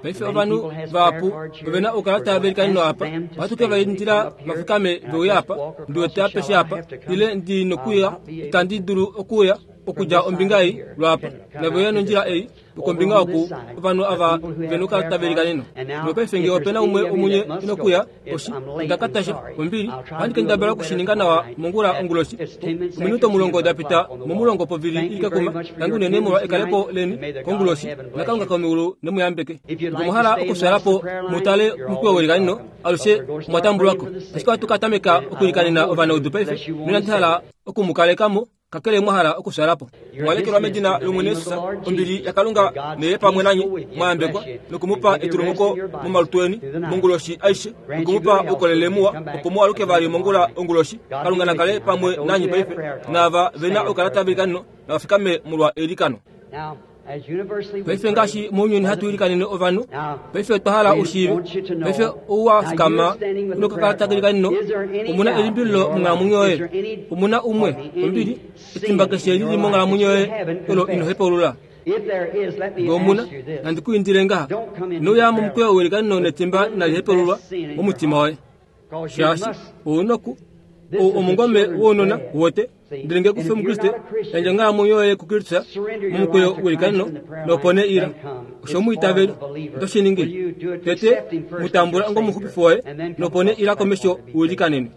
Paife ovanhu vahapu ovena okukala tava velikaneno apa, ohatu ke va indila vafikame veuya apa, ndiwete apeshe apa ile ndi nokuya, itandi dulu okuya okudja ombinga ei lwapa naveuya nondjila ei okombinga oku ovanhu ava vena okukala tava velikaneno. Nopaife nge opena umwe omunye inokuya oshi ndakatasha ombili, ohandi kendabala okushininga nawa mongula onguloshi. Ominute omulongo dapita momulongo povili ilikakuma tangi unene molwa ekalepo leni konguloshi, naKalunga komeulu nemuyambeke. Nge omwahala okufyalapo mutale omukweyo welikaneno alushe mwatambulwako, ashike ohatu ka tameka okuilikanena ovanaudu paife, noinandi hala okumukalekamo kakele mwahala okufyalapo. Mwalekelwa medina lOmwene Jesus, ombili yaKalunga neye pamwe nanye, mwayambekwa nokumupa etulumuko momalutu eni monguloshi aishe, nokumupa oukolele muwa opo mualuke vali mongula onguloshi. Kalunga nakale pamwe nanye paife, naava vena okukala tava velikaneno navafikame molwa eilikano. Paife ngaashi mounyuni hatu ilikanene ovanhu, paife otwa hala u shiive. Paife ou wa fikama nokakalata kelikaneno, omuna elimbililo monghalamwenyo yoye, omuna umwe, ombili, etimba keshe lili monghalamwenyo yoye olo ino hepaulula. Ngee omuna, nandi ku indile ngaha, ino uya momukweyo welikaneno netimba inali hepaululwa momutima woye. Shaashi, ou noku ou omungome wounona wote, ndele ngee kufi Omukriste, yandja onghalamwenyo yoye kuKristus momukweyo welikaneno, nopo nee ila. Osho omwiitaveli, oto shi ningi? Tete mu tambula onga omuxupifi woye, nopo nee ila komesho u ilikanenwe.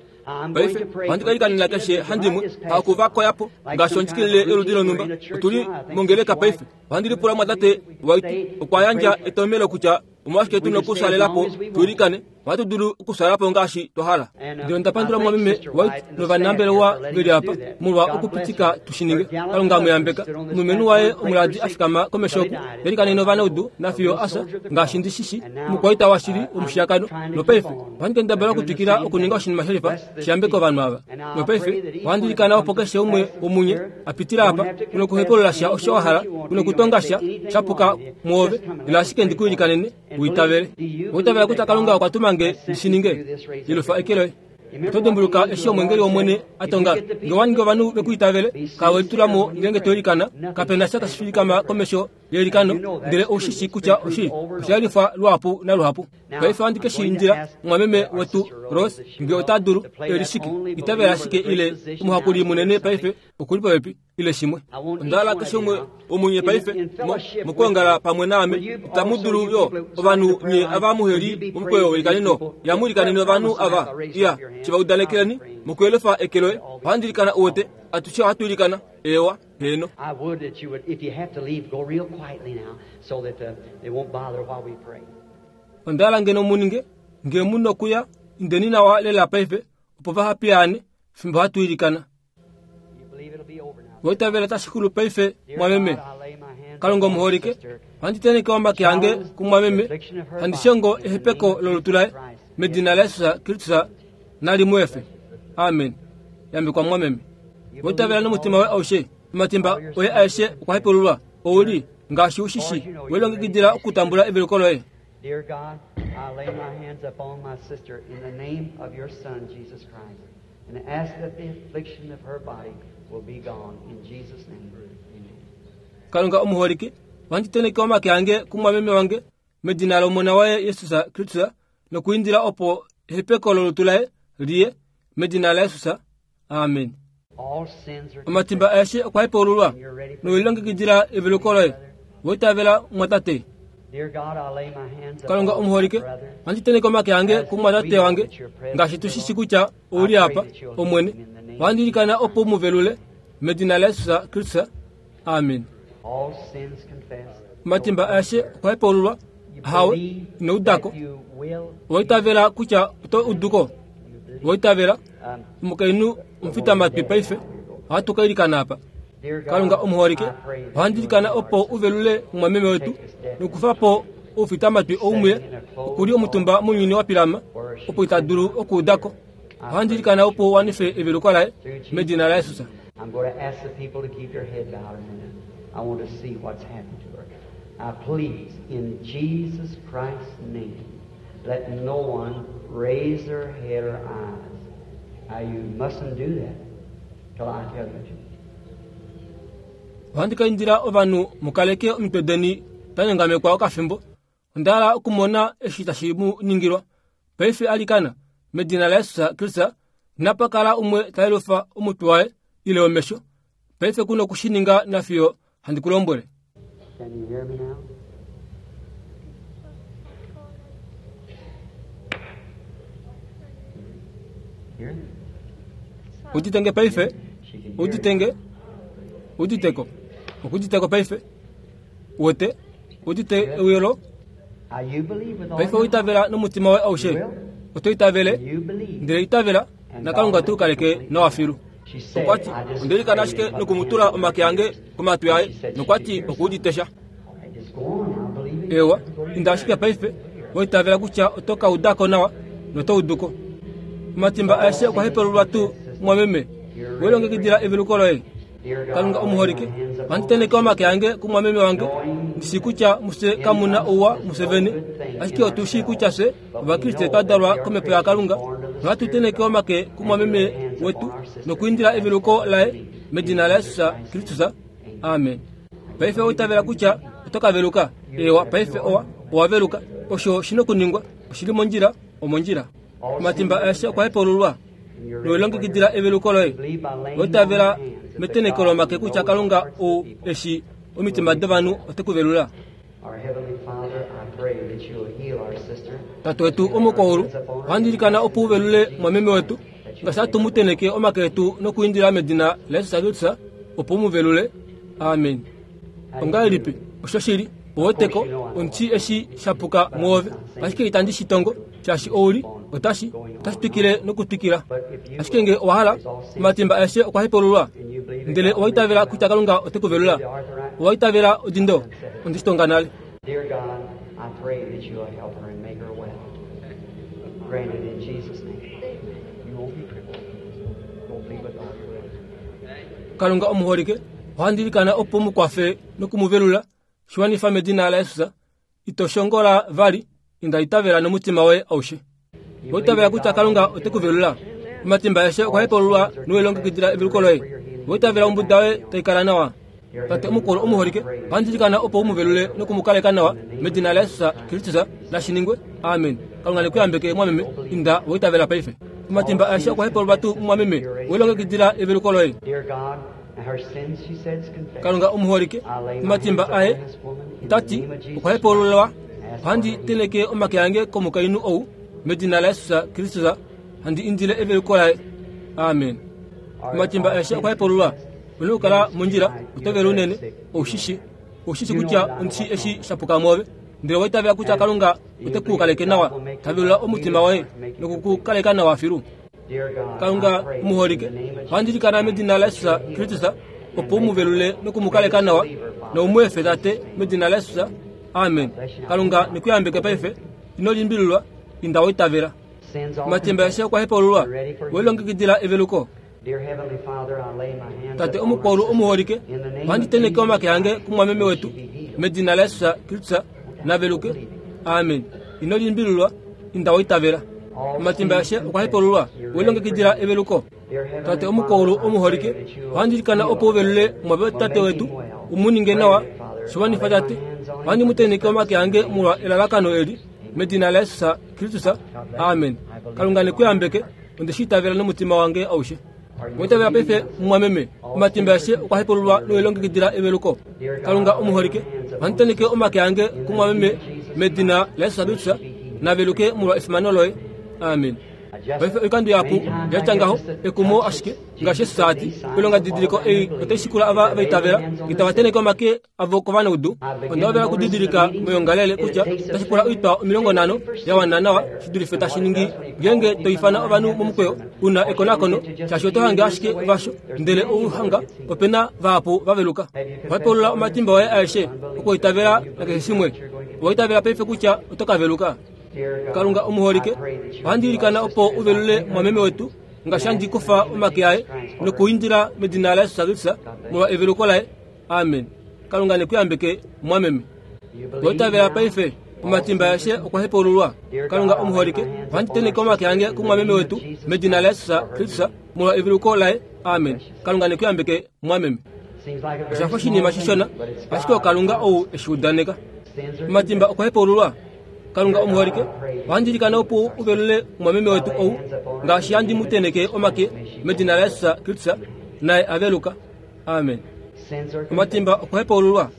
Paife ohandi ka ilikanena keshe handimwe, haku va koyapo ngaashi ondjikilile yoludi lonhumba. Otuli mongeleka paife. Ohandi lipula mumwatate White okwa yandja etomhelo kutya omolwashike tu nokusalelapo tu ilikane. Ohatu dulu okusalelapo ngaashi twa hala. Ndele onda pandula mumwameme White novanambelewa veli apa molwa okupitika tu shi ninge. Kalunga mu yambeka. Omulumenhu waye omuladi a fikama komesho oku telikanene ovanaudu nafiyo asa, ngaashi ndi shi shii, omukwaita washili womushiyakano. Nopaife ohandi kendabala okutwikila okuninga oshinima shelifa shi yambeke ovanhu ava. Nopaife ohandi ilikana opo keshe umwe womunye a pitila apa, u nokuhepaulula sha osho wa hala, u nokutonga sha shapuka mwoove, ila ashike ndi ku ilikanene, u itavele. Owa itavela kutya Kalunga okwa tuma nge ndi shi ninge? Yelufa eke loye. Oto dimbuluka eshi omweengeli wOmwene a tonga, ngee owa ningi ovanhu ve ku itavele, kala we litula mo ngeenge to ilikana, kape na sha tashi fikama komesho yeilikano, ndele ou shi shii kutya oshili, osha yelifwa luhapu naluhapu. Paife ohandi ke shi indila mumwameme wetu Rose, ngee ota dulu, e li shike, itavela ashike ile omuhakuli munene paife okuli popepi, ile shimwe. Onda hala keshe umwe womunye paife mokwoongala pamwe naame, itamu dulu yo ovanhu nye ava muheli momukweyo welikaneno, yamu ilikanene ovanhu ava, iya, shi va udanekeleni mokuyelifa eke loye. Ohandi ilikana uwete, atushe ohatu ilikana, eewa, heeno. I would that you would, if you have to leave, go real quietly now so that uh, they won't bother while we pray. Onda hala ngeno mu ninge, ngee mu nokuya, indeni nawa lela paife, opo vaha piyaane, fimbo hatu ilikana. You believe it'll be over now. Owa itavela tashi xulu paife, Dear mwameme? God, I lay my hands Kalunga upon my omuholike, sister. ohandi teneke omake ange kumwameme, handi shongo ehepeko lolutu laye, medina laJesus Kristus nali mu efe. Amen. Yambekwa mwameme. Owa itavela nomutima woye aushe, omatimba oye aeshe okwa hepaululwa, ouli, ngaashi u shi shii, we lilongekidila okutambula eveluko loye. Dear God, I lay my hands upon my sister in the name of your Son, Jesus Christ, and ask that the affliction of her body will be gone. In Jesus' name, amen. Kalunga omuholike, ohandi teneke omake ange kumwameme wange, medina lOmona waye Jesus Kristus, nokuindila opo ehepeko lolutu laye liye, medina laJesus. Amen. All sins are Omatimba aeshe okwa hepaululwa, nowelilongekidila eveluko loye. Owa itavela mumwatate? Dear God, I lay my hands Kalunga upon my omuholike, brother. ohandi teneke omake ange kumwatate wange, ngaashi tu shi shii kutya ouli apa, Omwene. Ohandi ilikana opo u mu velule, medina laJesus Kristus. Amen. All sins confessed. Omatimba aeshe okwa hepaululwa, hawe, ino udako. You will. Owa itavela kutya oto uduko? Owa itavela? Um, Omukainhu omufitamatwi paife, ohatu ka ilikana apa. dear God, Kalunga omuholike, I pray that ohandi you ilikana will opo u velule mumwameme wetu, nokufa po oufitamatwi oumuye, okuli omutumba mounyuni wa pilama, opo ita dulu okuudako. Ohandi ilikana opo u wanife eveluko laye, medina laJesus. I'm going to ask the people to keep their head bowed a minute. I want to see what's happened to her. Now, please, in Jesus Christ's name, let no one raise their head or eyes. Now, you mustn't do that till I tell you to. Ohandi ka indila ovanhu mukaleke omitwe deni da nyongamekwa okafimbo. Onda hala okumona eshi tashi mu ningilwa. Paife alikana, medina laJesus Kristus, inapa kala umwe ta yelufa omutwe waye ile omesho. Paife ku noku shi ninga nafiyo handi ku lombwele. Can you hear me now? Hear? Udite nge paife? She can hear Udite nge? Uditeko. Okuditeko paife? Uwete? Udite euyelo? Now, you believe with all Paife your heart. oitavela nomutima woye aushe. Oto itavele, You believe. ndele itavela, naKalunga te ku kaleke nawa filu. She said, Okwati, I just onda ilikana prayed ashike and put my nokumutula hands on omake her ange ears. komatwi aye, She said she nokwati could hear okuudite sha. All right, just go on now, believe it. Ewa, inda ashike paife, oitavela kutya oto ka udako nawa, noto uduko. Omatimba aeshe okwa hepaululwa tuu, mumwameme? We lilongekidila eveluko loye. Dear God, Kalunga I lay omuholike, my hands upon Ohandi tenheke omake ange kumwameme wange, ndi shii kutya mufye kamu na ouwa mufye vene, ashike otu shii kutya fye Ovakriste twa dalwa komhepo yaKalunga, nohatu tenheke omake kumwameme wetu nokwiindila eveluko laye medina laJesus Kristus. Amen. Paife owa itavela kutya oto ka veluka? Ewa, paife owa owa veluka. Osho shi nokuningwa, oshi li mondjila, omondjila. Omatimba aeshe okwa hepululwa noilongekidila eveluko loye. Owa itavela metenheko lomake kutya Kalunga ou eshi omitima dovanhu ote ku velula. Our Heavenly Father, I pray that you'll heal our sister. Tate wetu omukwahulu, ohandi ilikana opo u velule mwameme wetu, ngaashi hatu mu tenheke omake etu nokuindila medina laJesus Kristus opo u mu velule. Amen. Ongahelipi oshoshili oweteko omuti eshi shapuka mwoove, ashike itandi shi tongo shaashi ouli otashi otashi twikile nokutwikila. Ashike nge owa hala, omatimba aeshe okwa hepululwa, ndele owa itavela kutya Kalunga ote ku velula. Owa itavela odindo, onde shi tonga nale. Dear God, I pray that you'll help her and make her well. Grant it in Jesus' name. You won't be crippled. Go believe with all your heart. Kalunga omuholike, ohandi ilikana opo mu kwafe nokumuvelula, shi wanifa medina laJesus. Ito shongola vali, inda itavela nomutima woye aushe. Owa itavela kutya Kalunga ote ku velula. Omatimba aeshe okwa hepululwa nowelongekidila eveluko loye. Owa itavela ombuda yoye tai kala nawa. Tate omukulu omuholike, ohandi ilikana opo u mu velule nokumukaleka nawa medina laJesus Kristus, nashi ningwe. Amen. Kalunga ne ku yambeke mwameme, inda wa itavela paife. Omatimba aeshe okwa hepululwa tuu mwameme, welongekidila eveluko loye. Dear God, her sins, she says, confess. Kalunga omuholike, omatimba aye tati okwa hepululwa. Ohandi tenheke omake ange komukainhu ou medina laJesus Kristus, handi indile eveluko laye. Amen. Omatimba aeshe okwa hepululwa. Una okukala mondjila, oto vele unene, oushishi oushishi kutya ondishi eshi shapuka mwoove, ndele owa itavela kutya Kalunga ote ku kaleke nawa, ta velula omutima woye nokuku kaleka nawa filu. Dear God, Kalunga I pray omuholike, in the name of ohandi ilikana medina laJesus Kristus opo u mu velule nokumukaleka nawa, noumu efe Tate medina laJesus. Amen. Kalunga ne ku yambeke paife, ino limbililwa, inda wa itavela. sins all Omatimba aeshe okwa hepululwa, welongekidila eveluko. Dear Heavenly Father, I lay my hands Tate upon omukwaulu our sister. omuholike, In the name ohandi of tenheke Jesus omake ange Christ, kumwameme may wetu she be healed. medina laJesus Kristus, naveluke. Amen. Ino limbililwa, inda wa itavela. Omatimba aeshe okwa hepululwa, welongekidila eveluko. Dear Heavenly Tate omukwaulu Father, I omuholike, pray that you'll ohandi ilikana heal opo u velule our mwabe brother. tate Will wetu, make him well. u mu ninge nawa, Grant it, Father. shi wanifa I lay my Tate. hands on him Ohandi mu for this tenheke omake purpose. ange molwa elalakano eli medina laJesus Kristus. Amen. Kalunga ne ku yambeke, onde shi itavela nomutima wange aushe. Owa itavela paife mumwameme, omatimba aeshe okwa hepululwa nowelongekidila eveluko. Kalunga omuholike, ohandi tenheke omake ange kumwameme medina laJesus Kristus, naveluke molwa efimano loye. Amen. Paife oikando yapu yatya ngaho ekumo ashike ngaashi Jesus ati, oilonga didiliko ei otai shikula ava va itavela, itava tenheke omake avo kovanaudu. Onda hovela okudidilika moyongalele kutya otashi pula oitwa omilongo nhano ya wana nawa shi dulife tashi ningi ngeenge to ifana ovanhu momukweyo una ekonakono, shaashi oto hange ashike vasho, ndele ouhanga opena vahapu va veluka. Owa hepulula omatimba oye aeshe okuitavela nakeshe shimwe. Owa itavela paife kutya oto ka veluka. Dear God, Kalunga omuholike, I pray that you'll ohandi heal ilikana our opo sister u velule as I mwameme wetu, ngaashi handi kufa omake aye nokuindila medina laJesus Kristus molwa eveluko laye. Amen. Kalunga ne ku yambeke mwameme. You Owa believe itavela now? paife, omatimba aeshe okwa hepululwa. Kalunga omuholike, ohandi tenheke omake ange kumwameme wetu medina laJesus Kristus molwa eveluko laye. Amen. Kalunga ne ku yambeke mwameme. Seems like a very Oshafa small oshinima thing, shishona, but it's ashike God. oKalunga ou eshi udaneka. Sins are Omatimba okwa hepululwa. Kalunga omuholike, ohandi ilikana opo u velule mwameme wetu ou, ngaashi handi mu tenheke omake medina laJesus Kristus, naye aveluka. Amen. Sins are Omatimba okwa hepululwa.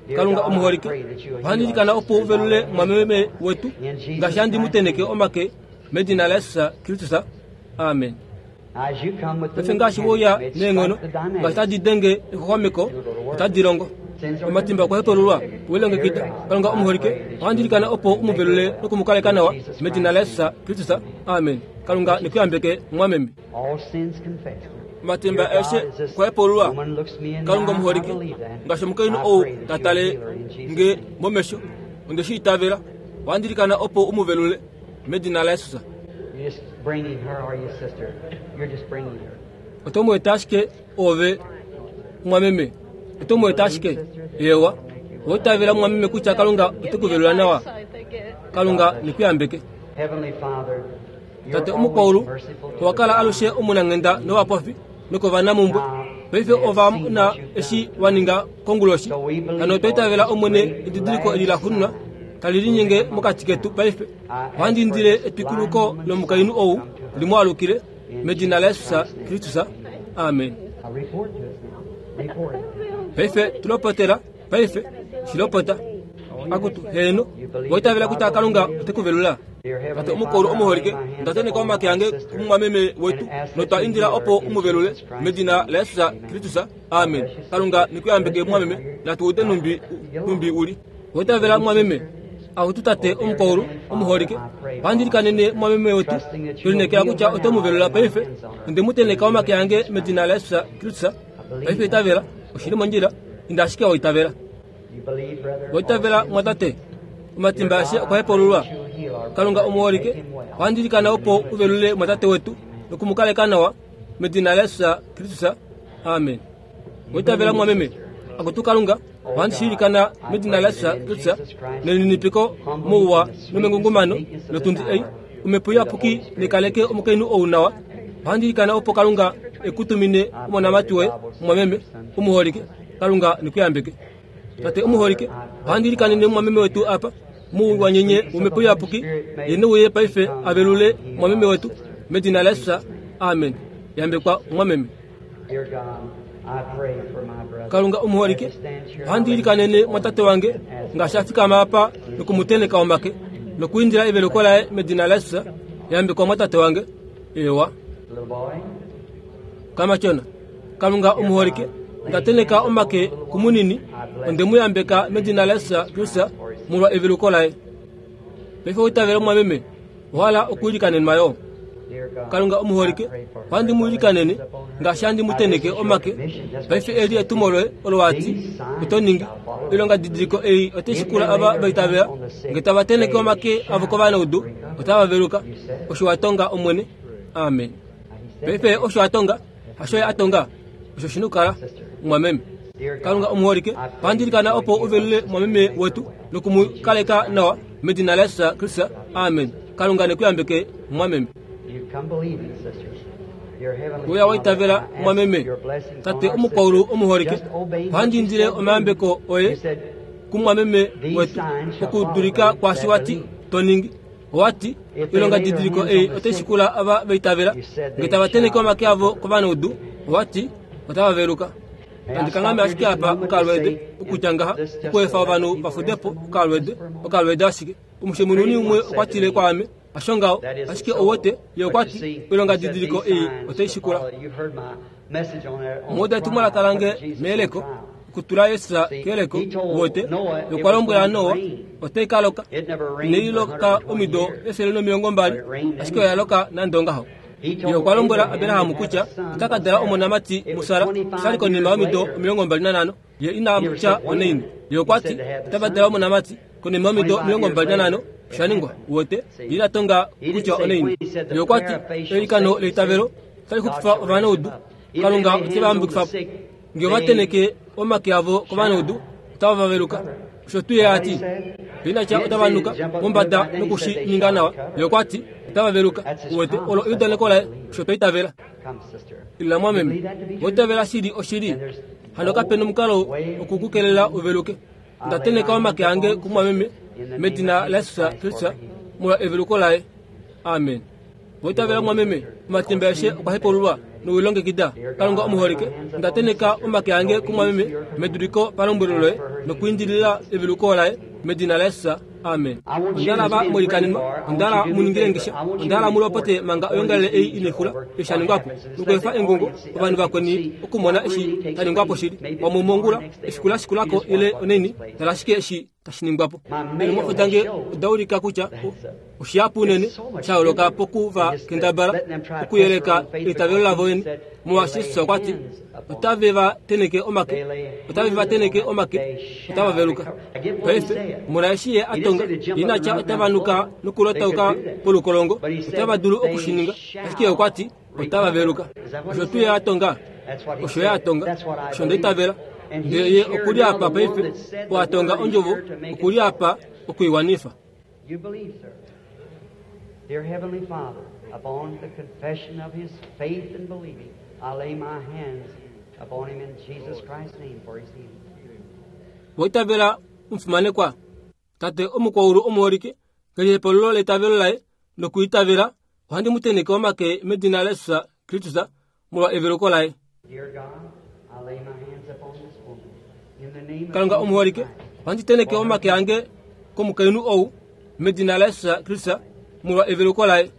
Dear Kalunga God, I omuholike, pray that you'll ohandi heal ilikana our opo u sister as I velule lay hands mwameme upon her. wetu, In Jesus ngaashi handi mu Christ's tenheke name. omake medina laJesus Kristus. Amen. As you come with the Paife ngaashi wouya mechanics, may it neenghono, strike the ngaashi dynamic. tadi denge exuxwameko, otadi longo. Omatimba okwa hepululwa, welongekida. Kalunga omuholike, ohandi ilikana opo u mu velule nokumukaleka nawa medina laJesus Kristus. Amen. Kalunga ne ku yambeke mwameme. All sins confessed. Omatimba Dear God, aeshe as this okwa hepululwa. woman looks me in the Kalunga eye, I omuholike, believe that. ngaashi omukainhu I ou pray that ta you'll tale heal her in Jesus' nge name. momesho, onde shi itavela. Ohandi ilikana opo u mu velule medina laJesus. You're just bringing her, are you, sister? You're just bringing her. Oto mu eta ashike ove mwameme, Oto mu eta ashike. Ewa. Oitavela mwameme kutya Kalunga ote ku velula nawa. Kalunga nekuyambeke. Heavenly Father, Tate omukwaulu, owa kala alushe omunanghenda novapofi nokovanamhumbwe. Paife ova mona eshi wa ninga konguloshi. Hano otwa itavela Omwene edidiliko eli la xunwa tali linyenge mokati ketu paife. Ohandi indile etwikuluko lomukainhu ou li mu alukile medina laJesus Kristus. Amen. Now report to us now. Report it. Paife tulopotela, paife shilopota. Akutu heno, oitavela kutya Kalunga ote ku velula. Tate omukwaulu omuholike, ndateneka omake ange kumumwameme wetu notwa indila opo umuvelule medina laJesus Kristus. Amen. Kalunga nekuyambeke mwameme, natu ude numbi numbi uli. Oitavela mwameme, akutu tate omukwaulu omuholike, ohandilikanene mwameme wetu, tulinekela kutya ote mu velula paife. Onde mu teneka omake ange medina laJesus Kristus. Paife itavela, oshili mondjila, inda ashike oitavela. You believe, brother? Oitavela mwatate, omatimba ashe okwa hepululwa. Kalunga omuholike, ohandilikana opo uvelule mwatate wetu nokumukaleka nawa medina laJesus Kristus. Amen. Oitavela mwameme, akutu Kalunga, ohandishiilikana medina laJesus Kristus nelininipiko mouwa nomengungumano lotundi ei omhepo iyapuki nekaleke omukainhu ou nawa. Ohandilikana opo Kalunga ekutumine omonamati woye mwameme omuholike. Kalunga nekuyambeke. Tate omuholike, ohandilikanene mwameme wetu apa muuwanyenye womhepo iyapuki ye neuye paife avelule mwameme wetu medina laJesus. Amen. Yambekwa mwameme. Dear God, I pray for my brother. Kalunga omuholike, ohandilikanene mwatate wange ngaashi afikama apa nokumuteneka omake nokuindila eveluko laye medina laJesus. Yambekwa mwatate wange. Ewa. Little boy, Kamatyona. Kalunga omuholike, ndateneka omake kumunini, onde mu yambeka medina laJesus Kristus molwa eveluko laye. Paife oitavela mwameme, ohala okuilikanenwa yo. dear God, Kalunga omuholike, ohandi mu ilikanene ngaashi handi mu teneke omake. Paife eli etumo loye olo wati oto ningi. Oilonga didiliko ei otai shikula ava vaitavela, nge tava teneke omake avo kovanaudu, otava veluka. Osho wa tonga Omwene. Amen. Paife osho a tonga, hasho ye a tonga, osho shina okukala mwameme. Kalunga omuholike, ohandilikana opo uvelule mwameme wetu nokumukaleka nawa medina laJesus Kristus. Amen. Kalunga nekuyambeke mwameme. you come believing, sisters. Dear Heavenly Uya waitavela Father, I ask mwameme. your blessings Tate on our omukwaulu sister. omuholike, Just obey what ohandindile you said. omayambeko oye You said, kumwameme wetu okudulika kwaashi wati to ningi. Owati oilonga didiliko ei otai shikula ava vaitavela, nge tava teneke omake avo kovanaudu, owati otava veluka. Andikangame ashike apa okalwede okutya ngaha okuefa ovanhu vafudepo okalwede okalwede ashike. Omushemununi umwe okwa tile kwaame, hasho ngaho, ashike ouwete ye okwa ti oilonga didiliko ei otai shikula. You've heard my message on that. on Muda etumwalaka lange meeleko okutula Jesus keeleko wote okwa lombwela Noa otai ka loka. Inai loka omido efele nomilongo mbali, ashike oya loka nande ongaho. Ye okwa lombwela Abraham kutya ota ka dala omonamati muSara, oshali konima yomido omilongo mbali nanhano. Ye ina tya onaini. Ye okwa ti otava dala omonamati konima yomido omilongo mbali nanhano. Osha ningwa wote ye ina tonga kutya onaini. Ye okwa ti eilikano leitavelo otali xupifa ovanaudu. Kalunga ote va yambukifa nge ova teneke omake avo kovanaudu, otava vaveluka. Osho tuu ye ati ye ina tya otava nuka mombada nokushi ninga nawa. Ye okwa ti otava veluka. Uwete olo eudaneko laye, osho twa itavela. Come, sister. Ila mwameme, oitavela shili oshili. Hano kapena omukalo okukukelela uveluke. Ndateneka omake ange kumwameme medina laJesus Kristus molwa eveluko laye. Amen. Oitavela mwameme, omatimba aeshe okwa hepululwa nowilongekida. Kalunga omuholike, ndateneka omake ange kumwameme meduliko palombwelo loye nokuindilila eveluko laye medina laJesus. Amen. Ondala va muilikanenwa, ondala muningile ngisha, ondala mulopote manga oyongalele ei inexula eshi shaningwapo nokuefa engungo ovanhu vakweni okumona eshi shaningwapo shili. Wamwe mongula efiku la shikulako ile oneni, tala ashike eshi tashi ningwapo. Eenhumwafo dange oda ulika kutya oshihapu unene sha yooloka poku va kendabala okuyeleka eitavelo lavo vene. Molwaashi Jesus okwa ti otave va teneke omake, otave va teneke omake, otava veluka. Paife mona eshi ye a tonga, ye ina tya otava nuka nokulotauka polukolongo, otava dulu okushininga, ashike ye okwa ti otava veluka. Osho tuu ye a tonga, osho ye a tonga, osho nda itavela. Ndele ye okuli apa paife, oatonga ondjovo, okuli apa okuiwanifa. You believe, sir. Dear Heavenly Father, upon the confession of his faith and believing, I lay my hands upon him in Jesus Christ's name for his healing. Waitavela omufimanekwa tate omukwaulu omuholike kelihepolulo letavelo laye nokuitavela ohandi mu tenheke omake medina laJesus Kristus molwa eveluko laye. Dear God, I lay my hands upon this woman in the name of Kalunga Jesus omuholike Christ. ohandi tenheke omake ange komukainhu ou medina laJesus Kristus molwa eveluko laye.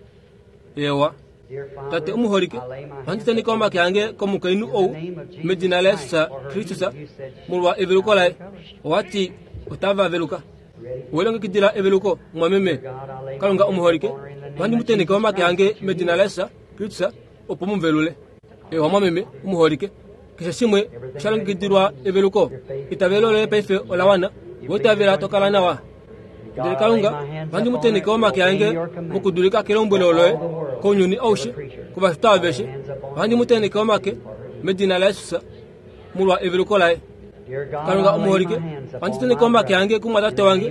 Ewa Dear Father, tate omuholike I lay my ohandi hands tenheke upon omake ange komukainhu ou medina laJesus Kristus molwa eveluko laye. Owati otava veluka. Welongekidila eveluko mwameme. Kalunga omuholike ohandi mu tenheke omake ange medina laJesus Kristus opo muvelule. Ewa mwameme omuholike keshe shimwe shalongekidilwa eveluko. Itavelo loye paife ola wana. Woitavela tokala nawa. Ndele Kalunga ohandi mu tenheke omake ange mokudulika kelombwelo loye kounyuni aushe kovashitwa aveshe. Ohandi mu tenheke omake medina laJesus molwa eveluko laye. Dear God, Kalunga I lay my omuholike hands ohandi upon tenheke my omake brother. ange kumwatate wange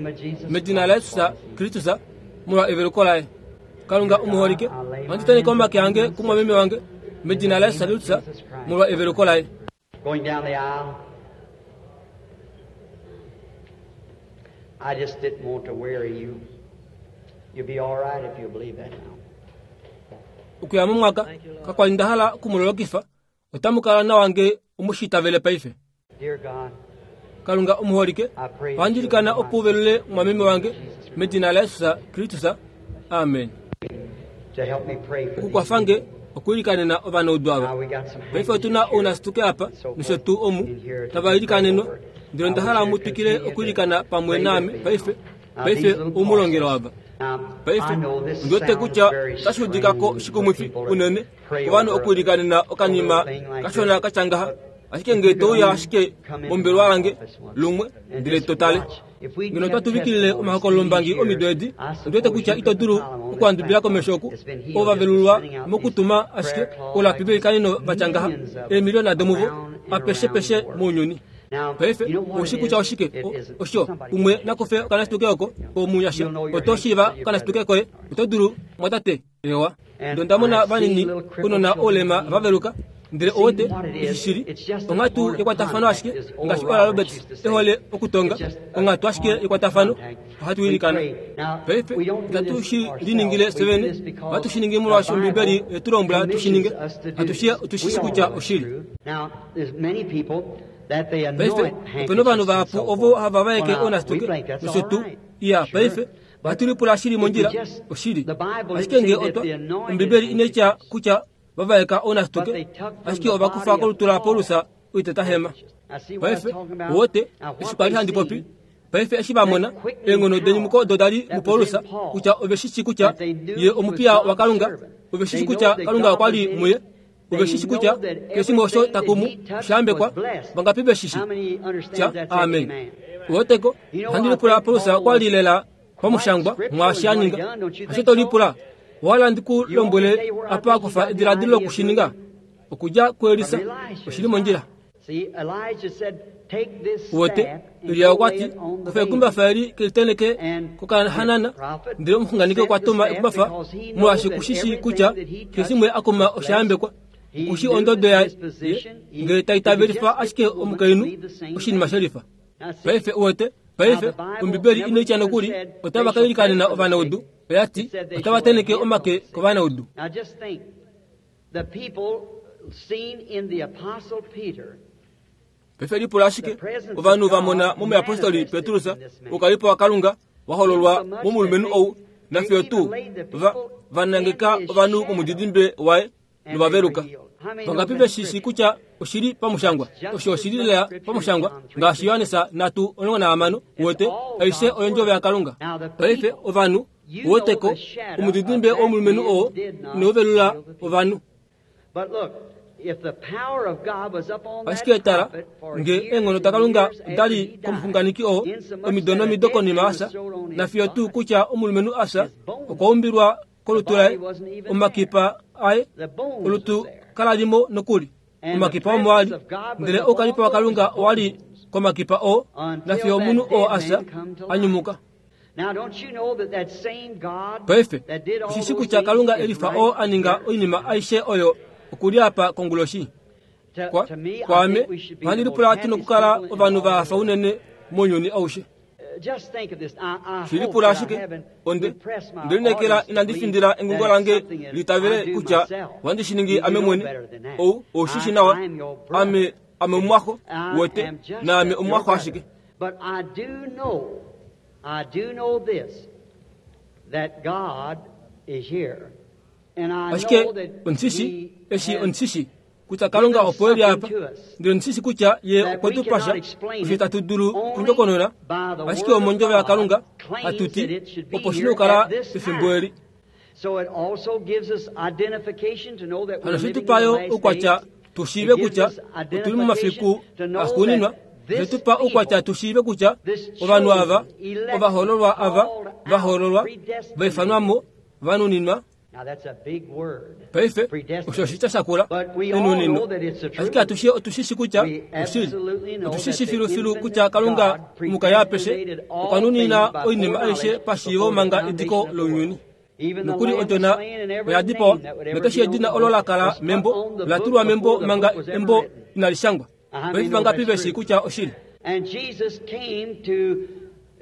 medina laJesus Kristus molwa eveluko laye. Kalunga omuholike ohandi tenheke omake ange kumwameme wange medina laJesus Kristus molwa eveluko laye. Going down the aisle, I just didn't want to weary you. You'll be all right if you believe that now. Okuya momwaka kakwali nda hala okumulolokifa otamu kala nawa nge omushitavele paife. Dear God, Kalunga omuholike I pray that ohandi you'll ilikana be opo uvelule mwameme wange medina laJesus Kristus. Amen. to help me pray for these Okukwafa nge people. okuilikanena ovanaudu ava. Now we got some Paife otuna handkerchiefs here ounasituke apa and so nosho forth tuu omu in here to tava be prayed ilikanenwa. over. Ndele I onda want hala you to mu twikile continue to okuilikana pamwe pray naame with me paife. now. Now, Paife these little omulongelo parcels. ava. Now, Paife I know this ndiwete sounds kutya very otashi udikako strange for shikumwifi people to unene pray ovanhu over okuilikanena a okanima little thing like kashona this. katya ngaha. But Ashike nge touya ashike come into mombelwa my yange office once lumwe and ndele just totale. watch. If we Ngeno kept otwa tuvikilile testimonies omahokololombangi these omido years, edi, I ndiwete suppose kutya you ito could dulu compile them on this okuandubila platform. komesho oku It's been healed ova just velulwa sending out these mokutuma ashike prayer cloths olapi like velikaneno this, vatya ngaha millions of them eemiliyona domuvo around and apeshepeshe around the world. mounyuni. Now, Paife you know what oshi it kutya is? oshike It O- isn't. osho Somebody umwe can nakufe okanasituke oko omunyasha You'll know your oto shiiva handkerchief, okanasituke brother. koye oto dulu mwatate ewa. And Ndo ndamona I've seen vanini little crippled kunona children olema healed. vaveluka ndele See owete what it is? ishishili It's just a onghatu point of yekwatafano contact, ashike as Oral ngaashi Oral Roberts Roberts used to say. ehole okutonga It's just a onghatu ashike point of yekwatafano contact. ohatu We ilikana. pray. Now, Paife we don't do itatu this shi ourselves. liningile We do sevene this because ohatu shi ningi the molwaashi Ombibeli Bible yetulombwela tu shi ninge commissions us to do atushi this. otushi We shi all kutya know it's oshili. true. Now, there's many people that they Paife anoint opena ovanhu handkerchiefs and vahapu so ovo forth. hava vaeke Well, now, we ounasituke think that's nosho all tuu right. iya Sure. paife But ohatu lipula shili if we mondjila just, oshili. the Bible didn't Ashike say nge that otwa the anointed Ombibeli inaitya handkerchiefs, kutya vavaeka but ounasituke they took from ashike the ovakufa body of kolutu la Paul Paulus oitetahema. handkerchiefs. Now, see what I'm Paife talking about? wote Now, eshi what kwali they handi popi seen, paife eshi vamona that quickening eenghono denyumuko power odo dali that was muPaulus in Paul, kutya ove shi shii kutya that they knew ye he was omupiya God's waKalunga servant. ove shi They shii know kutya that Kalunga God okwa was li in muye him. ove They shi shii know kutya that keshe shimwe osho everything that takumu he touched oshayambekwa was blessed. vangapi ve shi shii How many tya understands that? Say amen. amen. Woteko You know, handi I lipula think Paulus Paul okwa was li lela quite pamushangwa scriptural mwaashi in a what he ninga done, don't you ashe think to so? lipula wala ndi ku You want me to lombwele tell you where I apa think he akufa got the ediladilo idea of doing okushininga it? okudja kuElisa From Elisha, oshili his mondjila. prophet. See, Elijah said, take this Wote staff and Eliya go okwa lay ti it on the kufa baby. ekumbafa eli keliteneke And the kokahanana prophet ndele omuxunganeki sent okwa the tuma staff ekumbafa because he knows molwaashi that kushishi everything kutya that he keshe touched shimwe akuma was blessed. oshayambekwa He kushi knew ondodo that yaye his position, he, ngele if he taitavelifa just get ashike the woman to omukainhu believe the same oshinima thing. shelifa. Now see, Paife uwete now paife the Bible Ombibeli never inaitya even nokuli said otava they shall pray kailikanena for the ovanaudu sick. oya It ti said they otava shall lay tenheke hands on omake the sick. kovanaudu. Now just think, the people seen in the Apostle Peter, Paife lipula the ashike presence of ovanhu vamona God momuyapostoli manifested Petrus in this man. ukalipo waKalunga wahololwa Insomuch that momulumenhu they, ou they nafiyo even tuu laid the va people in vanangeka his ovanhu shadow momudidimbe waye and they were novaveluka. healed. How many knows Vangapi that's ve shi shii scripture? kutya oshili pamushangwa That's just osho as oshili much lela scripture as pamushangwa John three ngaashi sixteen. Johannes nhatu omulongo nahamano It's wote all aishe God's oyendjovo word. yaKalunga. Now the Paife people, ovanhu you know woteko the shadow of omudidimbe that womulumenhu man oo did not inauvelula heal the people. ovanhu. But look, if the power of God was up on that Ashike tala prophet for nge years eenghono and daKalunga years after dali he died, komuxunganeki oo insomuch omido that a nomido dead konima man was asa thrown on his nafiyo tuu body, kutya omulumenhu asa his bones, okwa umbilwa the kolutu body laye wasn't even there. omakipa aye The bones was olutu there. kalalimo nokuli. Omakipa omo ali ndele oukalipo waKalunga owali komakipa oo nafiyo omunhu oo asha anyumuka. Paife oshishi kutya Kalunga elifa oo aninga oinima aishe oyo okuli apa konguloshi. Kwa kwaame ohandi lipula tu nokukala ovanhu va hafa unene mounyuni aushe. Shilipula ashike onde ndelineekela inandi findila engungo lange litavele kutya ohandi shi ningi ame mwene. Ou oushishi nawa ame ame omumwaxo wote naame omumwaxo ashike. But I do know, I do know this, that God is here. And I Ashike know that ondishi He eshi has ondishi kutya Kalunga opo eli apa ndele ondishi kutya ye okwe tu pasha osho itatu dulu okundjokonona ashike omondjovo yaKalunga hatuti opo shina okukala pefimbo eli. So it also gives us identification to know that we're Hano living in the shitupayo last oukwatya days. tushiive kutya otuli momafiku axuuninwa. Shetupa oukwatya tushiive kutya ovanhu ava ovahoololwa ava vahoololwa vaifanwamo vanuninwa. Now that's a big word. Paife osho oshitya shakula enunino. Ashike atushe otushishi kutya oshili otushishi filufilu kutya Kalunga mukaya apeshe okwa nunina oinima aishe pashiivo manga ediko lounyuni. Nokuli odjona oya dipawa nokeshe edina olo la kala membo ola tulwa membo manga embo inali shangwa. Paife vangapi veshi kutya oshili? And Jesus came to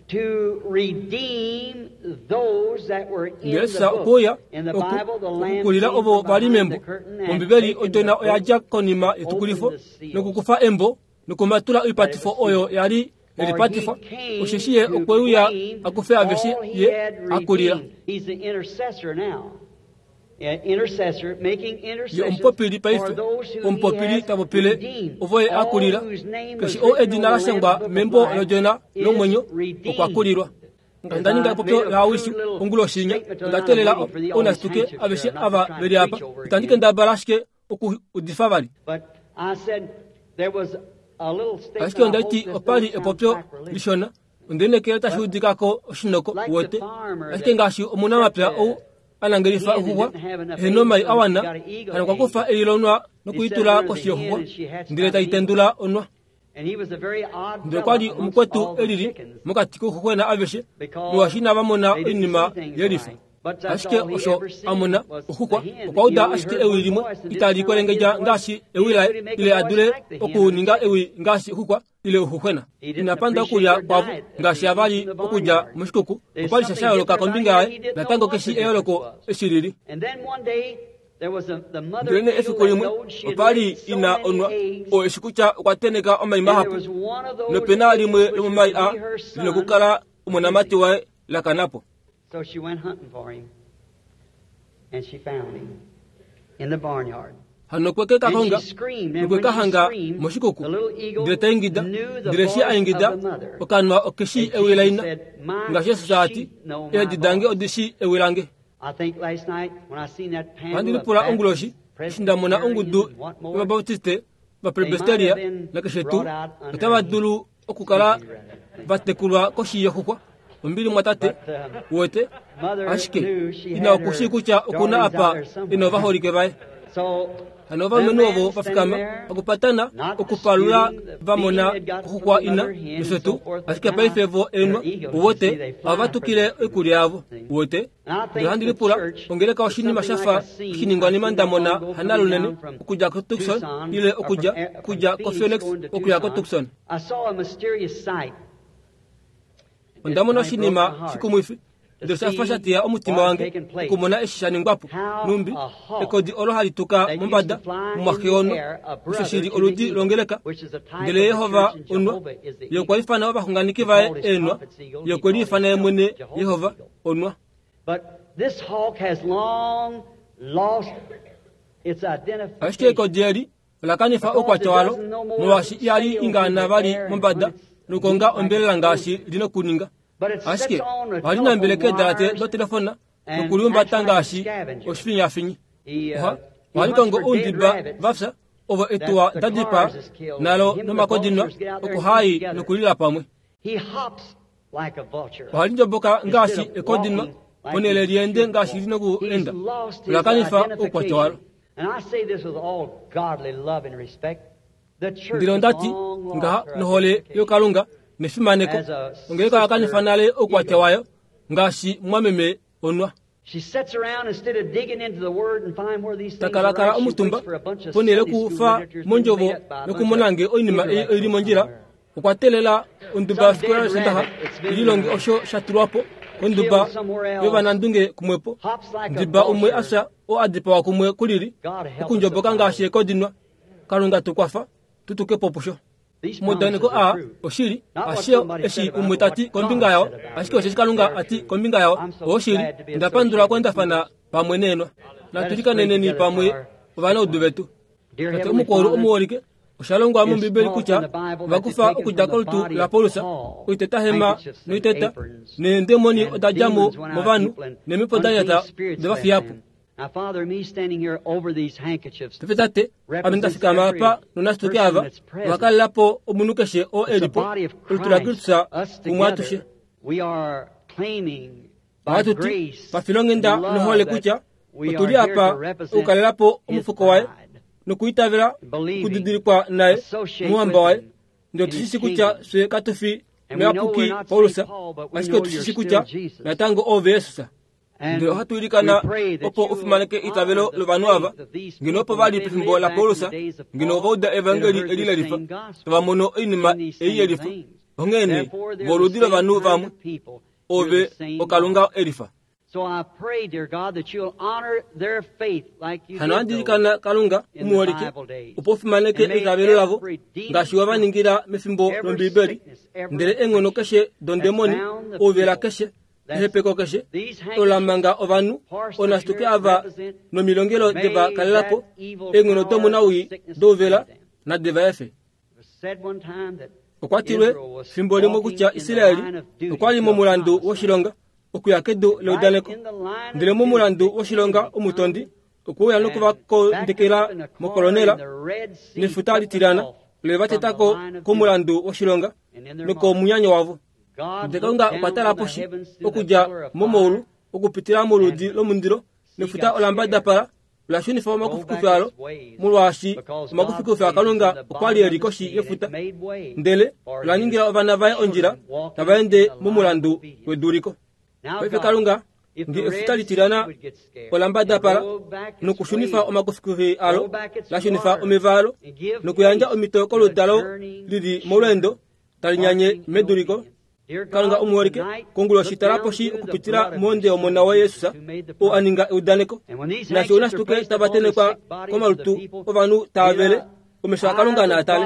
to redeem those that were in Jesus the book. okweya In the Bible, the Lamb okukulila came ovo from vali behind membo. the curtain and Ombibeli taken odjona the oya book, dja konima yetukulifo nokukufa embo nokumatula oipatifo oyo yali elipatifwa. For he came Osheshi ye to okweuya claim akufe aveshe all he ye had akulila. redeemed. He's the intercessor now. Yeah, intercessor, making Ye intercession omupopili for paife those who he omupopili has tapopile redeemed. ovo ye All akulila. whose name was Keshe oo written edina on the la Lamb's shangwa book of membo life lodjona is lomwenyo redeemed. okwa kulilwa. Onda ninga epopyo laawishi onguloshi inya onda teelela ounasituke aveshe ava veli apa. Itandi kendabala ashike okuudifa vali. But I said there was a little statement. Ashike onda I hope ti this opali don't sound epopyo sacrilegious. lishona ondelineekela tashi udikako oshinoko wote. Ashike ngaashi omunamapya ou anangelifa oxuxwa ehena omai awana hano okwa kufa eilonwa nokuitula koshi yoxuxwa ndele taitendula onwa. And he was a very odd Ndele kwali fellow amongst omukwetu all the elili chickens. mokati kouxuxwena aveshe Because molwaashi inava mona they didn't oinima see things yelifa. right. But that's Ashike all he osho ever seen amona was oxuxwa the hen. okwa uda He only ashike heard ewi one limwe voice and didn't itali sound like kwelengedja his voice. ngaashi ewi laye He couldn't make ile a voice adule like the hen. okuninga ewi ngaashi oxuxwa ile oxuxwena. He didn't Inapanda appreciate okulya their kwavo diet that ngaashi they avali eat in the okulya barnyard. moshikuku. There's Okwali sha something shayooloka different kombinga about him. yaye He didn't know natango what the keshi difference eyooloko was. eshi lili. And then one day there was a, the mother Ndelene eagle efiku that limwe knowed she had opali laid so ina many onwa eggs, oo eshi kutya okwa teneka omai and there mahapu was one of those nopena eggs limwe which was lomomai to a be her son. linokukala omonamati waye lakanapo. So she went hunting for him, and she found him in the barnyard. Hano okweke And kakonga she screamed, and when she nokwekahanga screamed, moshikuku the little eagle ndele taingida knew the ndele eshi voice aingida of the mother. okanwa okeshi And ewi laina Jesus said, "My ngaashi Jesus ati sheep know my eedi dange voice." odishi ewi lange. I think last night when I seen that panel Ohandi of lipula onguloshi Baptists, eshi nda mona ongudu Presbyterians, and what more, yovabaptiste vapresbyteria nakeshe tuu otava dulu okukala vatekulwa koshi yoxuxwa. Ombili mwatate wote ashike ina okushii kutya okuna apa ina ovaholike vaye. So Hano ovalumenhu ovo vafikama okupatana okupalula vamona oxuxwa ina nosho tuu ashike paife vo enwa wote ohava tukile oikulya yavo wote. Ndele ohandi lipula ongeleka oshinima shafa oshiningwanima nda mona hana lunene okudja koTucson ile okudja okudja koPhoenix okuya koTucson. I saw a mysterious sight. Onda mona oshinima shikumwifi ndele shafa sha teya omutima wange okumona eshi sha ningwapo. Numbi ekodi olo hali tuka mombada momwaxeono osho shili oludi longeleka. Ndele Yehova onwa ye okwa ifana ovaxunganeki vaye eenwa ye okwe liifana ye mwene Yehova onwa. But this hawk has long lost its Ashike identification. ekodi eli ola kanifa oukwatya walo molwaashi ihali ingaana vali mombada nokukonga ombelela ngaashi lina okuninga. But it Ashike sits on the ohali nambele telephone keedalate wires dotelefona and nokuliumbata acts like a ngaashi scavenger. oshifinyafinyi. He, uh, Oha he ohali hunts kongo for dead oundimba rabbits vafya ovo etuwa that the da dipaa cars has killed. nalo Him and the nomakodinwa vultures get out there and eat okuhai together. nokulila pamwe. He hops like a vulture. Ohali ndjomboka ngaashi Instead of ekodinwa walking like ponhele he liende should ngaashi walk. lina okuenda. He's lost his Ola kanifa oukwatya walo. identification. Ndele ondati ngaha nohole yokalunga nefimaneko ongeleka yakanifa nale oukwatya wayo ngaashi mwameme onwa takalakala omutumba ponele kufa mondjovo nokumona nge oinima ei oili mondjila okwa telela onduba yofikola yosondaxa ililonge osho shatulwapo konduba yovanandunge kumwepo ndiba umwe afya oo adipawa kumwe kulili okundjoboka ngaashi ekodinwa kalunga tukwafa tutukepo pusho omaudaneko aa oshili ashio eshi umwe tati kombinga yao ashike osheshi kalunga ati kombinga yao oshili ndapandula kwendafana pamwe neenwa natulikaneneni pamwe ovanaudu vetu tate omukwaulu omuholike oshalongwa mombibeli kutya vakufa okudja kolutu la Paulus oitetahema noiteta neendemoni oda dja mo movanhu neemhepo da nyata devafiyapo pepe tate ame ndafikama apa nonasituke ava ovakalelapo omunhu keshe oo elipo olutu la Kristus kumwe atushe ohatuti pafilonghenda nohole kutya otuli apa okukalelapo omufuko waye nokuitavela okudidilikwa naye muhamba waye ndele otushishi kutya fye katufi muyapuki Paulus ashike otushishi kutya natango ove Yesus ndele ohatu ilikana opo ufimaneke itavelo lovanhu ava ngeno opo vali pefimbo la Paulus ngeno ovauda evangeli eli lelifa tava mono oinima ei yelifa onghee voludi lovanhu vamwe ove okalunga elifa hano handilikana kalunga umuholike opo ufimaneke eitavelo lavo ngaashi wavaningila mefimbo lombibeli ndele eenghono keshe dondemoni ouvela keshe ehepeko keshe olamanga ovanhu onasituke ava nomilongelo deva kalelapo eenghono domunawii douvela nadeva efe okwa tilwe fimbo limwe kutya Israeli okwali momulandu woshilonga okuya kedu leudaneko ndele momulandu woshilonga omutondi okuuya nokuvakondekela mokolonela nefuta litilana levatetako komulandu woshilonga nokomunyanyo wavo ndele kalunga okwa tala poshi okudja momaulu okupitila moludi lomundilo nefuta olambadapala olashunifa omakufikufi alo molwaashi omakufikufi akalunga okwali eli koshi yefuta ndele olaningila ovana vaye ondjila tava ende momulandu weduliko paife kalunga nge efuta litilana olambadapala nokushunifa omakufikufi alo lashunifa omeva alo nokuyandja omito koludalo lili molweendo talinyanye meduliko kalunga omuholike konguloshi tala poshi okupitila monde omona waye Yesus oo aninga eudaneko nashi onasituke tava tenekwa komalutu ovanhu taavele omesho akalunga naatale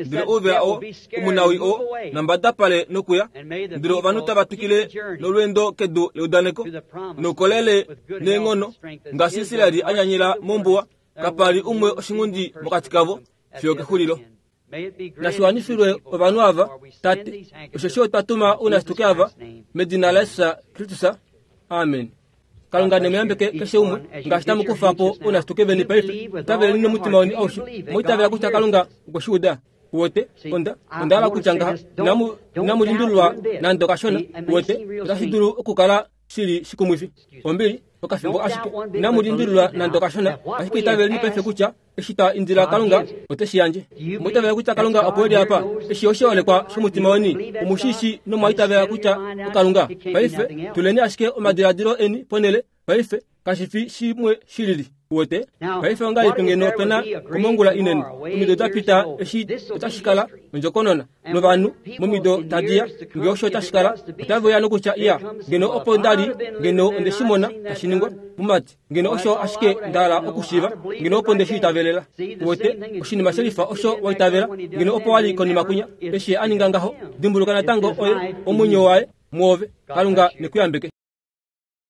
ndele ouvela oo omunawi oo nambadapale nokuya ndele ovanhu tava twikile nolweendo kedu leudaneko noukolele neenghono ngaashi Israeli anyanyila mombuwa kapali umwe oshingundi mokati kavo fiyo kexulilo nashiwanifilwe ovanhu ava tate osheshi otwa tuma ounasituke ava medina la Yesus Kristus amen kalunga nemuyambeke keshe umwe ngaashi tamukufa po ounasituke veni paife itaveleni nomutima weni aushe moitavela kutya kalunga okweshiuda uwete onda ondahala kutya ngaha inamulindululwa nande okashona uwete otashi dulu okukala shili shikumwifi ombili okafimbo ashike inamulindululwa nande okashona ashike itaveleni paife kutya eshi twa indila kalunga oteshi yandje moitavela kutya kalunga opo eli apa eshi oshiholekwa shomutima weni omushishi nomwaitavela kutya okalunga paife tuleni ashike omadiladilo eni ponele paife kashifi shimwe shilili uwete paife ongahelipi ngeno pena komongula inene omido dapita eshi otashikala ondjokonona novanhu momido tadiya nge osho otashikala otaveuya nokutya iya ngeno opo ndali ngeno ondeshimona tashiningwa mumati ngeno osho ashike ndahala okushiiva ngeno opo ndeshiitavelela uwete oshinima shelifa osho waitavela ngeno opo wali konima kunya eshi aninga ngaho dimbuluka natango oye omwenyo waye mwoove kalunga nekuyambeke.